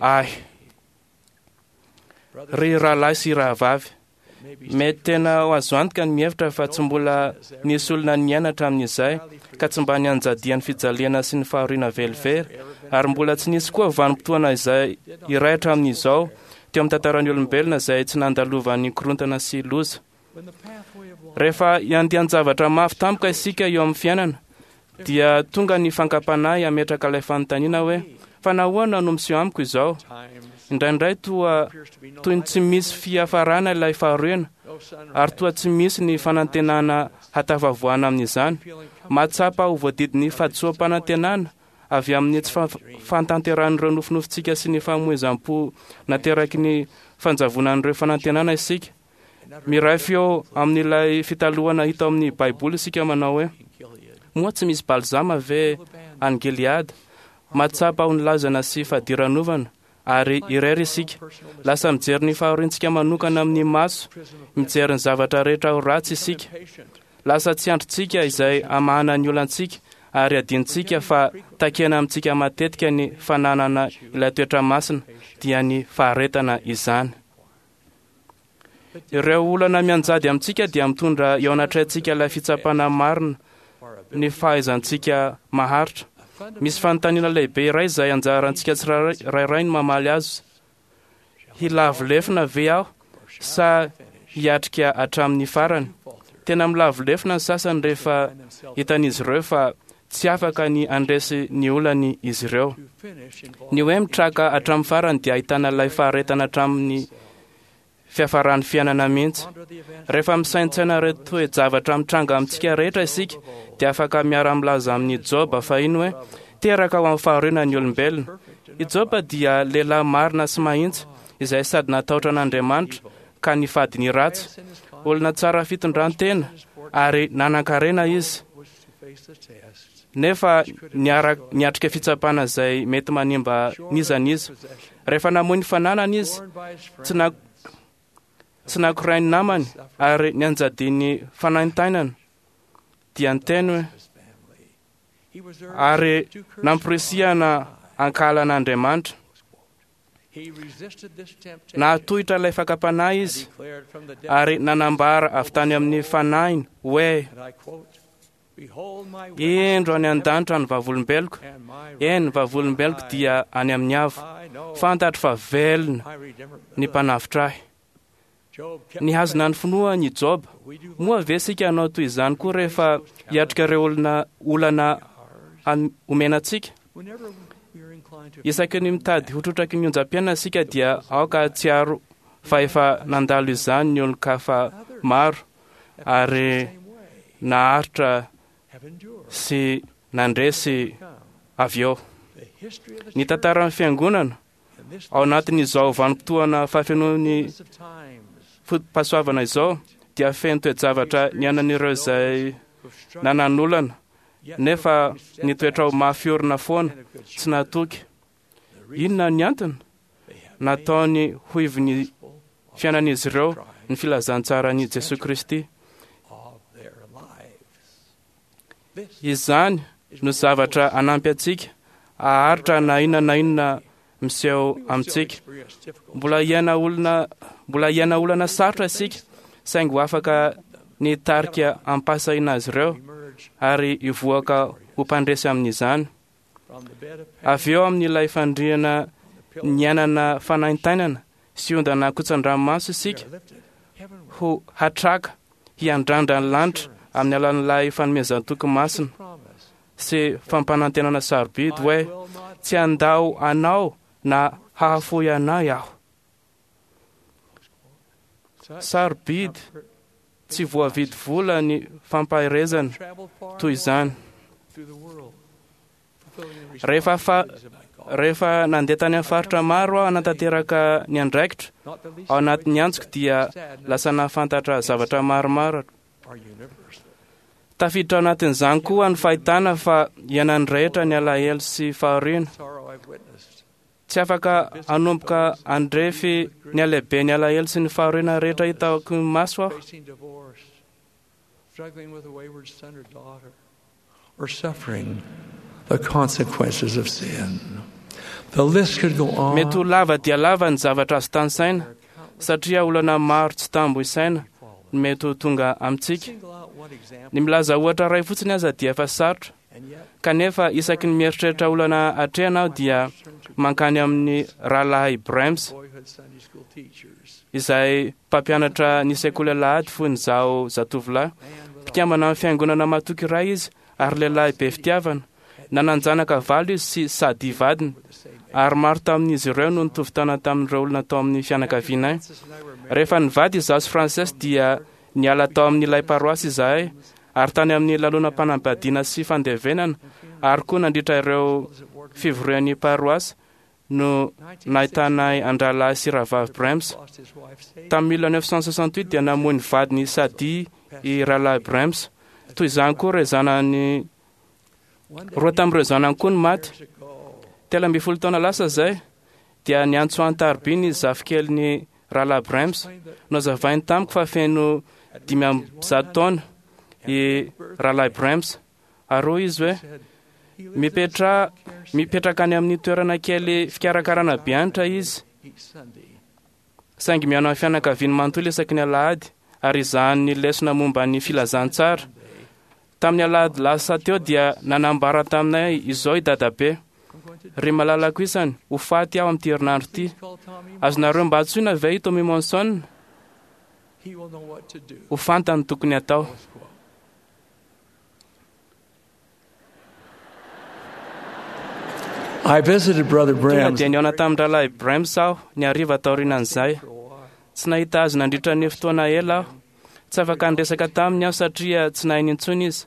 ahy. Ry rahalahy sy rahavavy, mety tena ho azo antoka ny mihevitra fa tsy mbola nisy olona niaina hatramin'izay ka tsy mba nianjadian'ny fijaliana sy ny fahoriana velively, ary mbola tsy nisy koa vanim-potoana izay iray hatramin'izao teo amin'ny tantaran'ny olombelona izay tsy nandalovan'ny korontana sy loza. Rehefa hiandian-javatra mafy tampoka isika eo amin'ny fiainana, dia tonga ny fankam-panahy hametraka ilay fanontaniana hoe: fa nahoana no miseho amiko izao? Indraindray toa toy ny tsy misy fiafarana ilay fahoriana, ary toa tsy misy ny fanantenana hatafavoahana amin'izany. Mahatsapa ho voadidin'ny fahadisoam-panantenana avy amin'ny tsy fahatanterahan'ireo nofinofintsika sy ny famoizam-po nateraky ny fanjavonan'ireo fanantenana isika. Miray feo amin'ilay fitalohana hita ao amin'ny Baiboly isika manao hoe: moa tsy misy balzama ve any Gileada? Mahatsapa ho nilazana sy fadiranovana ary irery isika. Lasa mijery ny fahoriantsika manokana amin'ny maso, mijery ny zavatra rehetra ho ratsy isika. Lasa tsy andrintsika izay hamahana ny olantsika, ary adinontsika fa takena amintsika matetika ny fananana ilay toetra masina, dia ny faharetana izany. Ireo olana mianjady amintsika dia mitondra eo anatrehantsika ilay fitsapana marina ny fahaizantsika maharitra. Misy fanontaniana lehibe iray izay anjarantsika tsirairay ny mamaly azy: hilavo lefona ve aho sa hiatrika hatramin'ny farany? Tena milavo lefona ny sasany rehefa hitan'izy ireo fa tsy afaka ny handresy ny olany izy ireo. Ny hoe mitraka hatramin'ny farany dia ahitana ilay faharetana hatramin'ny fiafaran'ny fiainana mihitsy. Rehefa misaintsaina ireo toe-javatra mitranga amintsika rehetra isika, dia afaka miara-milaza amin'i Joba fahiny hoe: teraka ho amin'ny fahoriana ny olombelona. I Joba dia lehilahy marina sy mahitsy, izay sady natahotra an'Andriamanitra ka nifady ny ratsy. Olona tsara fitondran-tena ary nanan-karena izy, nefa niatrika fitsapana izay mety manimba n'iza n'iza. Rehefa namoy ny fananany izy, tsy na tsy nakorain'ny namany ary nianjadian'ny fanaintainana, dia niteny hoe: ary namporisihana ankahalan'Andriamanitra. Nahatohitra ilay fakam-panahy izy ary nanambara avy tany amin'ny fanahiny hoe: indro any an-danitra ny vavolombeloko, eny, vavolombeloko dia any amin'ny avo. Fantatro fa velona ny mpanavotra ahy. Nihazona ny finoany i Joba. Moa ve isika hanao toy izany koa rehefa hiatrika ireo olona olana omena antsika? Isaky ny mitady ho trotraky ny onjam-piainana isika dia aoka hahatsiaro fa efa nandalo izany ny olon-kafa maro ary naharitra sy nandresy avy eo. Ny tantaran'ny fiangonana ao anatin'izao vanim-potoana fahafenoan'ny foto-pahasoavana izao dia feno toe-javatra niainan'ireo izay nanan'olana, nefa nitoetra ho mafy orina foana, tsy natoky. Inona ny antony? Nataony ho ivon'ny fiainan'izy ireo ny filazantsaran'i Jesoa Kristy. Izany no zavatra hanampy antsika haharitra na inona na inona miseho amintsika. Mbola hiaina olona, mbola hiaina olana sarotra isika, saingy ho afaka ny hitarika ampahasahiana azy ireo ary hivoaka ho mpandresy amin'izany. Avy eo amin'ilay fandriana niainana fanaintainana sy ondana kotsan-dranomaso isika, ho hatraka hiandrandra ny lanitra amin'ny alalan'ilay fanomezan-toky masina sy fampanantenana sarobidy hoe: tsy handao anao na hahafoy anay aho. Sarobidy tsy voavidy vola ny fampaherezana toy izany. Rehefa fa rehefa nandeha tany amin'ny faritra maro aho hanatanteraka ny andraikitra ao anatin'ny antsoko, dia lasa nahafantatra zavatra maromaro. Tafiditra ao anatin'izany koa ny fahitana fa iainan'ny rehetra ny alahelo sy fahoriana. Tsy afaka hanomboka handrefy ny halehiben'ny alahelo sy ny fahoriana rehetra hitako ny maso aho. Or suffering the consequences of sin. The list could go on. Mety ho lava dia lava ny zavatra azo tanisaina, satria olana maro tsy tambo isaina no mety ho tonga amintsika. Ny milaza ohatra iray fotsiny aza dia efa sarotra, kanefa isaky ny mieritreritra olana atrehana aho dia mankany amin'ny rahalahy Brems, izay mpampianatra ny sekoly alahady fony izaho zatovolahy. Mpikambana amin'ny fiangonana matoky iray izy ary lehilahy be fitiavana. Nanan-janaka valo izy sy sady vadiny, ary maro tamin'izy ireo no nitovy taona tamin'ireo olona tao amin'ny fianakavianay. Rehefa nivady izaho sy Frances dia niala tao amin'ilay paroasy izahay, ary tany amin'ny lanonam-panambadiana sy fandevenana, ary koa nandritra ireo fivorian'ny paroasy no nahitanay an-drahalahy sy rahavavy Brems. Tamin'ny mille neuf cent soixante-huit dia namoy ny vadiny Sadi i rahalahy Brems. Toy izany koa ireo zanany roa tamin'ireo zanany koa no maty. Telo ambin'ny folo taona lasa izay dia niantso an-tariby ny zafikeliny rahalahy Brems. Nozavainy tamiko fa feno dimy amby zato taona i rahalahy Brems. Ary hoy izy hoe mipetra mipetraka any amin'ny toerana kely fikarakarana be anitra izy, saingy mihaino amin'ny fianakaviany manontolo isaky ny alahady ary izahany ny lesona momba ny filazantsara. Tamin'ny alahady lasa teo dia nanambara taminay izao i dadabe: ry malalako isany, ho faty aho amin'ity herinandro ity. Azonareo mba antsoina ve i Tommy Monson? Ho fantany tokony atao. I visited Brother Tonga Brems dia nihaona tamin'ny rahalahy Brems aho ny hariva taorianan'izay. Tsy nahita azy nandritra ny fotoana ela aho. Tsy afaka niresaka taminy aho satria tsy nahiny intsony izy.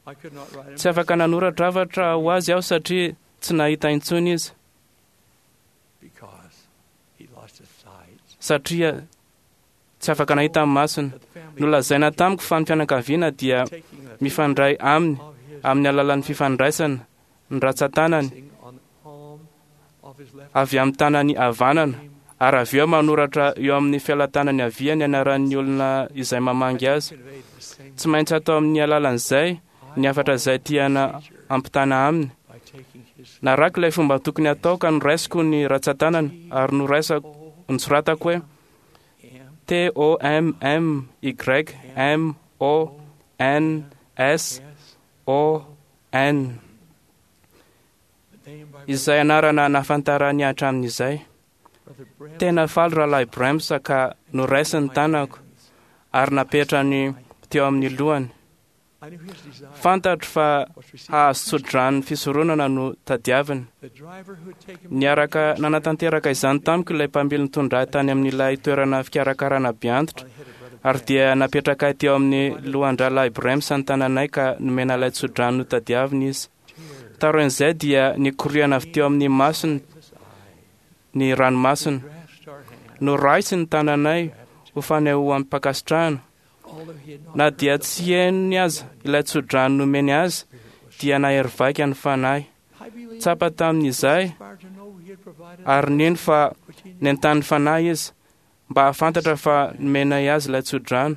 Tsy afaka nanoratra hafatra ho azy aho satria tsy nahita intsony izy. because he lost his sight. Satria tsy afaka nahita amin'ny masony. Nolazaina tamiko fa ny fianakaviana dia mifandray aminy amin'ny alalan'ny fifandraisana ny ratsan-tanany avy amin'ny tanany havanana, ary avy eo manoratra eo amin'ny fialan-tanany havia ny anaran'ny olona izay mamangy azy. Tsy maintsy atao amin'ny alalan'izay ny hafatra izay tiana ampitana aminy. Narako ilay fomba tokony atao ka noraisiko ny ratsan-tanana ary noraisako nosoratako hoe T O M M Y M O N S O N, izay anarana nahafantarany hatramin'izay. Tena faly rahalahy Brems ka noraisiny tanako ary napetrany teo amin'ny lohany. Fantatro fa hahazo tso-drano fisoronana no tadiaviny. Niaraka nanatanteraka izany tamiko ilay mpamily nitondra ahy tany amin'ilay toerana fikarakarana be antitra, ary dia napetraka ahy teo amin'ny lohan-drahalahy Brems ny tananay ka nomena ilay tso-drano notadiaviny izy. Taorian'izay dia nikoriana avy teo amin'ny masony ny ranomasina. Noraisiny ny tananay ho fanehoam-pankasitrahana. Na dia tsy henony aza ilay tso-drano nomeny azy, dia nahery vaika ny fanahy. Tsapa tamin'izay ary nino fa nentanin'ny fanahy izy mba hahafantatra fa nomenay azy ilay tso-drano.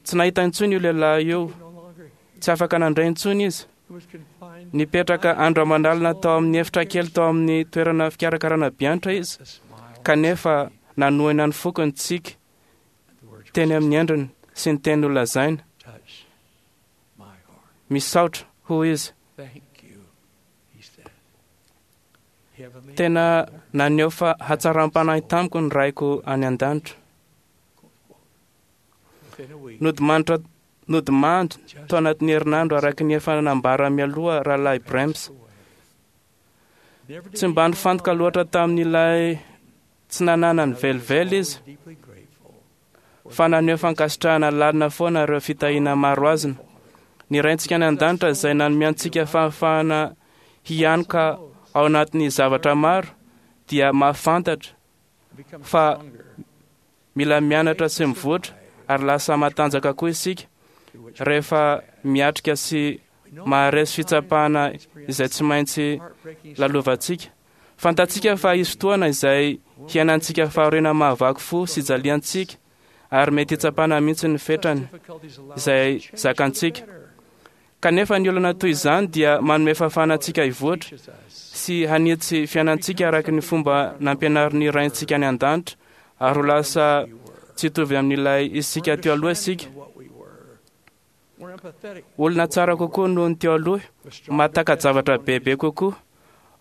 Tsy nahita intsony io lehilahy io, tsy afaka nandray intsony izy. Nipetraka andro aman'alina tao amin'ny efitra kely tao amin'ny toerana fikarakarana be anitra izy, kanefa nanohina ny foko ny tsiky teny amin'ny endriny sy ny teny nolazaina. Misaotra, hoy izy. Thank you, he said. Heavenly Tena naneho fa hatsaram-panahy tamiko ny raiko any an-danitra. within a week, Nodimanditra nodimandry tao anatin'ny herinandro araka ny efa nambara mialoha rahalahy Brems. Tsy mba nifantoka loatra tamin'ilay tsy nananany velively izy, deeply grateful fa naneho fankasitrahana lalina foana ireo fitahiana maro azony. Ny Raintsika any an-danitra izay nanome antsika fahafahana hianoka ao anatin'ny zavatra maro dia mahafantatra become fa stronger mila mianatra sy mivoatra ary lasa matanjaka koa isika rehefa miatrika sy maharesy fitsapana izay tsy maintsy lalovantsika. Fantatsika fa hisy fotoana izay hiainantsika fahoriana mahavaky fo sy jaliantsika ary mety hitsapana mihitsy ny fetrany difficulties allow izay us to change for the zakantsika. better. Kanefa ny olana toy izany dia manome fahafahana antsika hivoatra sy hanitsy fiainantsika araka ny fomba nampianarin'ny Raintsika any an-danitra, ary ho lasa tsy hitovy amin'ilay isika teo aloha isika. Olona tsara kokoa noho ny teo aloha, mahataka-javatra bebe kokoa,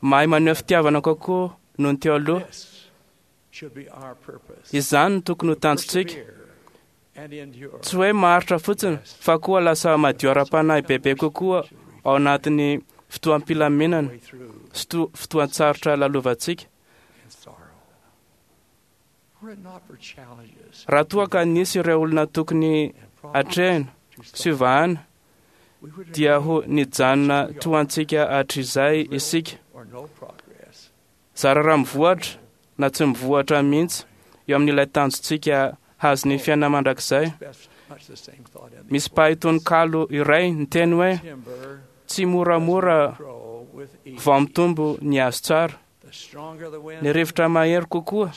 mahay maneho fitiavana kokoa noho ny teo aloha. Izany no tokony ho tanjontsika. Tsy hoe maharitra fotsiny, fa koa lasa madio ara-panahy bebe kokoa ao anatin'ny fotoam-pilaminana sy fotoan-tsarotra lalovantsika. Raha toa ka nisy ireo olona tokony atrehina sy hovahana, dia ho nijanona toa antsika hatrizay isika. Zara raha mivoatra na tsy mivoatra mihitsy eo amin'ilay tanjontsika hazo ny fiainana mandrakizay. Misy mpahay tononkalo iray niteny hoe tsy moramora vao mitombo ny hazo tsara. Ny rivotra mahery kokoa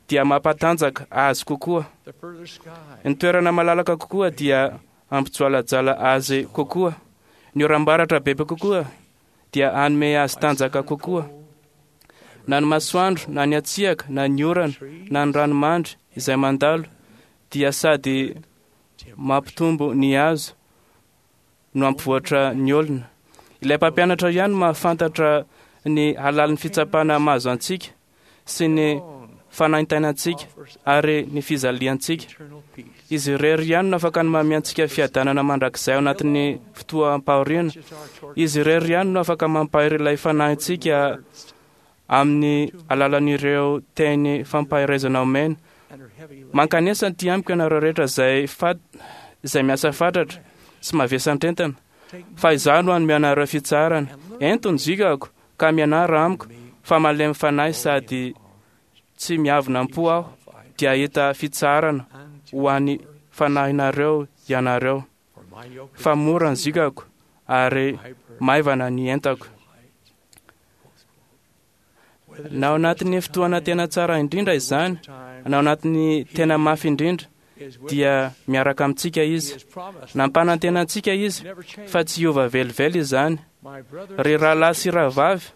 dia mampatanjaka azy kokoa. Ny toerana malalaka kokoa dia hampijoalajala azy kokoa. Ny oram-baratra bebe kokoa dia hanome azy tanjaka kokoa. Na ny masoandro, na ny hatsiaka, na ny orana, na ny ranomandry izay mandalo dia sady mampitombo ny hazo no hampivoatra ny olona. Ilay mpampianatra ihany mahafantatra ny halalin'ny fitsapana mahazo antsika sy ny fanaintainantsika ary ny fijaliantsika. Izy irery ihany no afaka ny manome antsika fiadanana mandrakizay ao anatin'ny fotoam-pahoriana. Izy irery ihany no afaka mampahery ilay fanahintsika amin'ny alalan'ireo teny fampaherezana omena. Mankanesa aty amiko ianareo rehetra izay fat izay miasa fatratra sy mavesantentana, fa izaho no hanome anareo fitsaharana. Ento ny zikako ka mianara amiko, fa malemy fanahy sady tsy miavona am-po aho, dia hahita fitsaharana ho an'ny fanahinareo ianareo. Fa mora ny zikako ary maivana ny entako. Na ao anatin'ny fotoana tena tsara indrindra izany, na ao anatin'ny tena mafy indrindra, dia miaraka amintsika izy. Nampanantena antsika izy fa tsy hiova velively izany. Ry rahalahy sy rahavavy,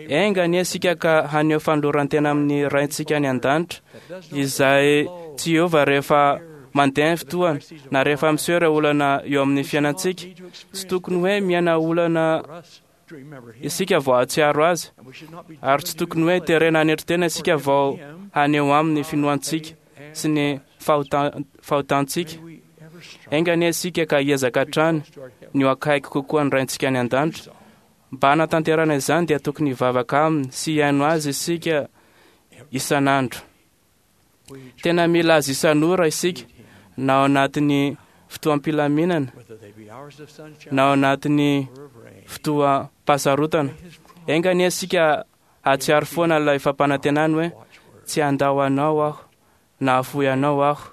enga anie isika ka haneho fanoloran-tena amin'ny Raintsika any an-danitra, izay tsy hiova rehefa mandeha ny fotoana, na rehefa miseho ireo olana eo amin'ny fiainantsika. Tsy tokony hoe miaina olana isika vao hahatsiaro azy, ary tsy tokony hoe terena hanetry tena isika vao haneho aminy finoantsika sy ny fahotantsika. Enga anie isika ka hiezaka hatrany ny ho akaiky kokoa ny Raintsika any an-danitra. Mba hanatanterahana izany dia tokony hivavaka aminy sy hihaino azy isika isan'andro. Tena mila azy isan'ora isika, na ao anatin'ny fotoam-pilaminana, na ao anatin'ny fotoam-pahasarotana. Enga anie isika hahatsiaro foana ilay fampanantenany hoe tsy handao anao aho na hahafoy anao aho.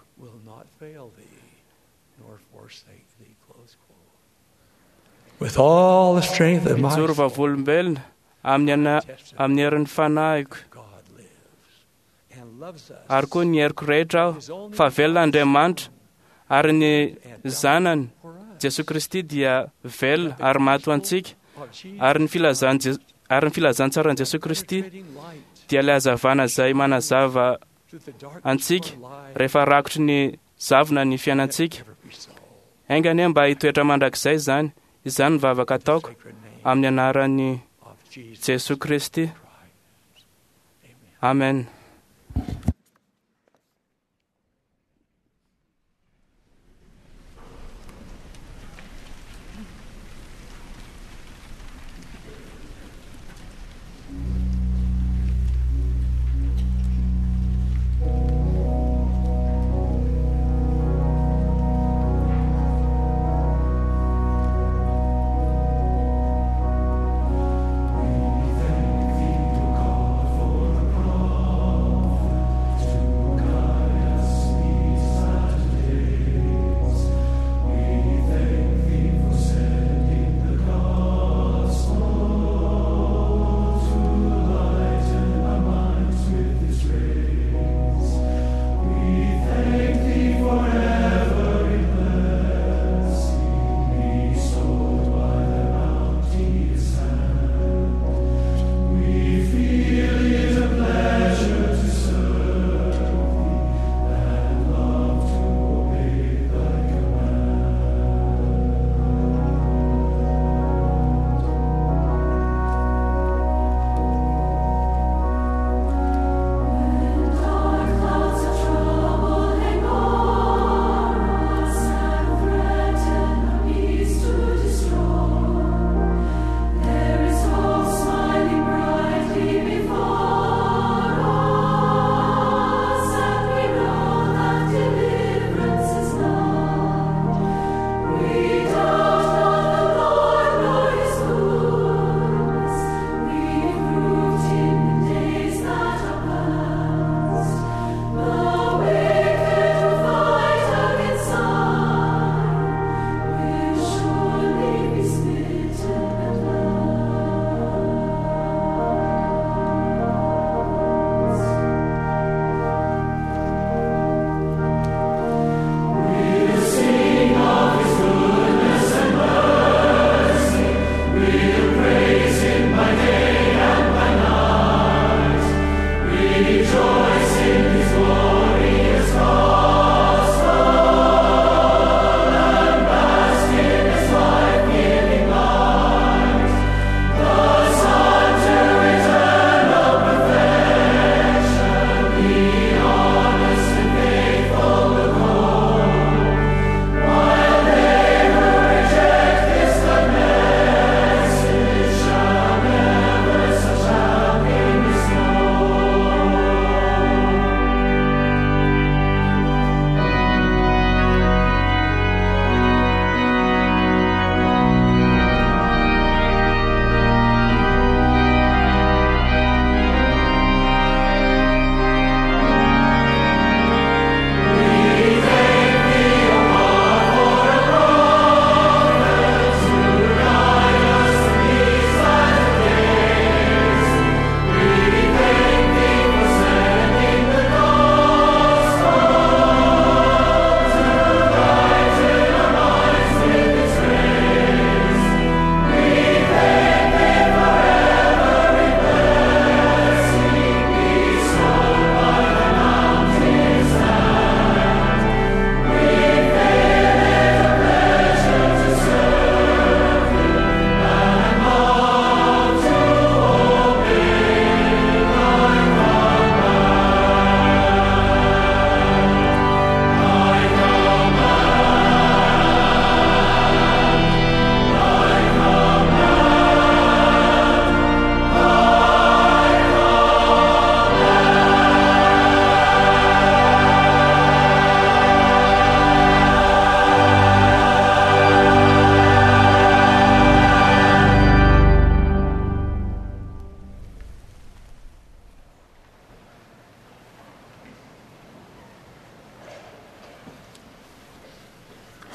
Mijoro vavolombelona amin'ny amin'ny herin'ny fanahiko ary koa ny heriko rehetra aho fa velona Andriamanitra ary ny zanany Jesosy Kristy dia velona ary maty ho antsika, ary ny filazan ary ny filazantsaran'i Jesosy Kristy dia ilay hazavana izay manazava antsika rehefa rakotry ny zavona ny fiainantsika. Enga anie mba hitoetra mandrakizay izany. Izany ny vavaka ataoko amin'ny anaran'i Jesosy Kristy. Amen. We thank thee, O God, for the promise.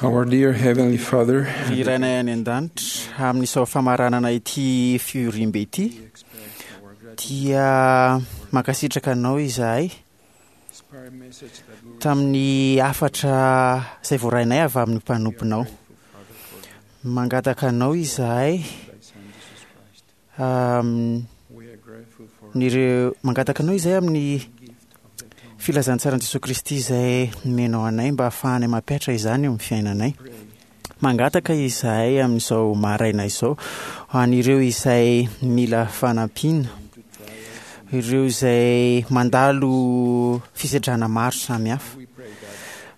Our dear Heavenly Father, Ry Rainay any an-danitra, amin'izao famaranana ity fivoriambe ity dia mankasitraka anao izahay tamin'ny hafatra izay voarainay avy amin'ny mpanomponao. Mangataka anao izahay amin'ireo mangataka anao izahay amin'ny filazantsaran'i Jesoa Kristy izay nomenao anay mba hahafahanay mampihatra izany eo amin'ny fiainanay. Mangataka izahay amin'izao maraina izao ho an'ireo izay mila fanampiana, ireo izay mandalo fisedrana maro samihafa.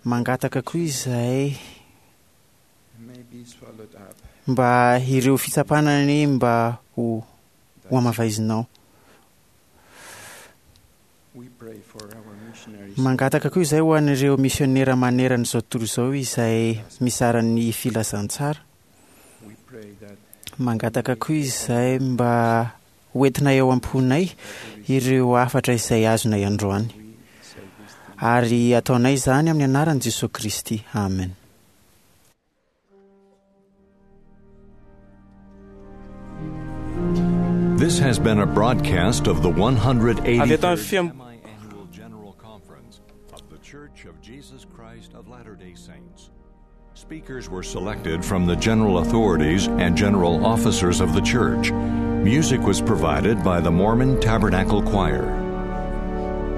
Mangataka koa izahay mba ireo fitsapana anie mba ho ho hamavaizinao. Mangataka koa izahay ho an'ireo misionera manerana izao tontolo izao izay mizara ny filazantsara. Mangataka koa izahay mba hoentina eo am-ponay ireo hafatra izay azonay androany. Ary ataonay izany amin'ny anaran'i Jesoa Kristy. Amen. This has been a broadcast of the Avy eto amin'ny one hundred eighty-third fiam- Semi-Annual General Conference of the Church of Jesus Christ of Latter-day Saints. Speakers were selected from the general authorities and general officers of the church. Music was provided by the Mormon Tabernacle Choir.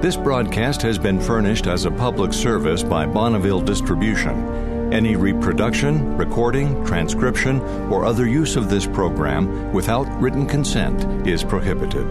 This broadcast has been furnished as a public service by Bonneville Distribution. Any reproduction, recording, transcription, or other use of this program without written consent is prohibited.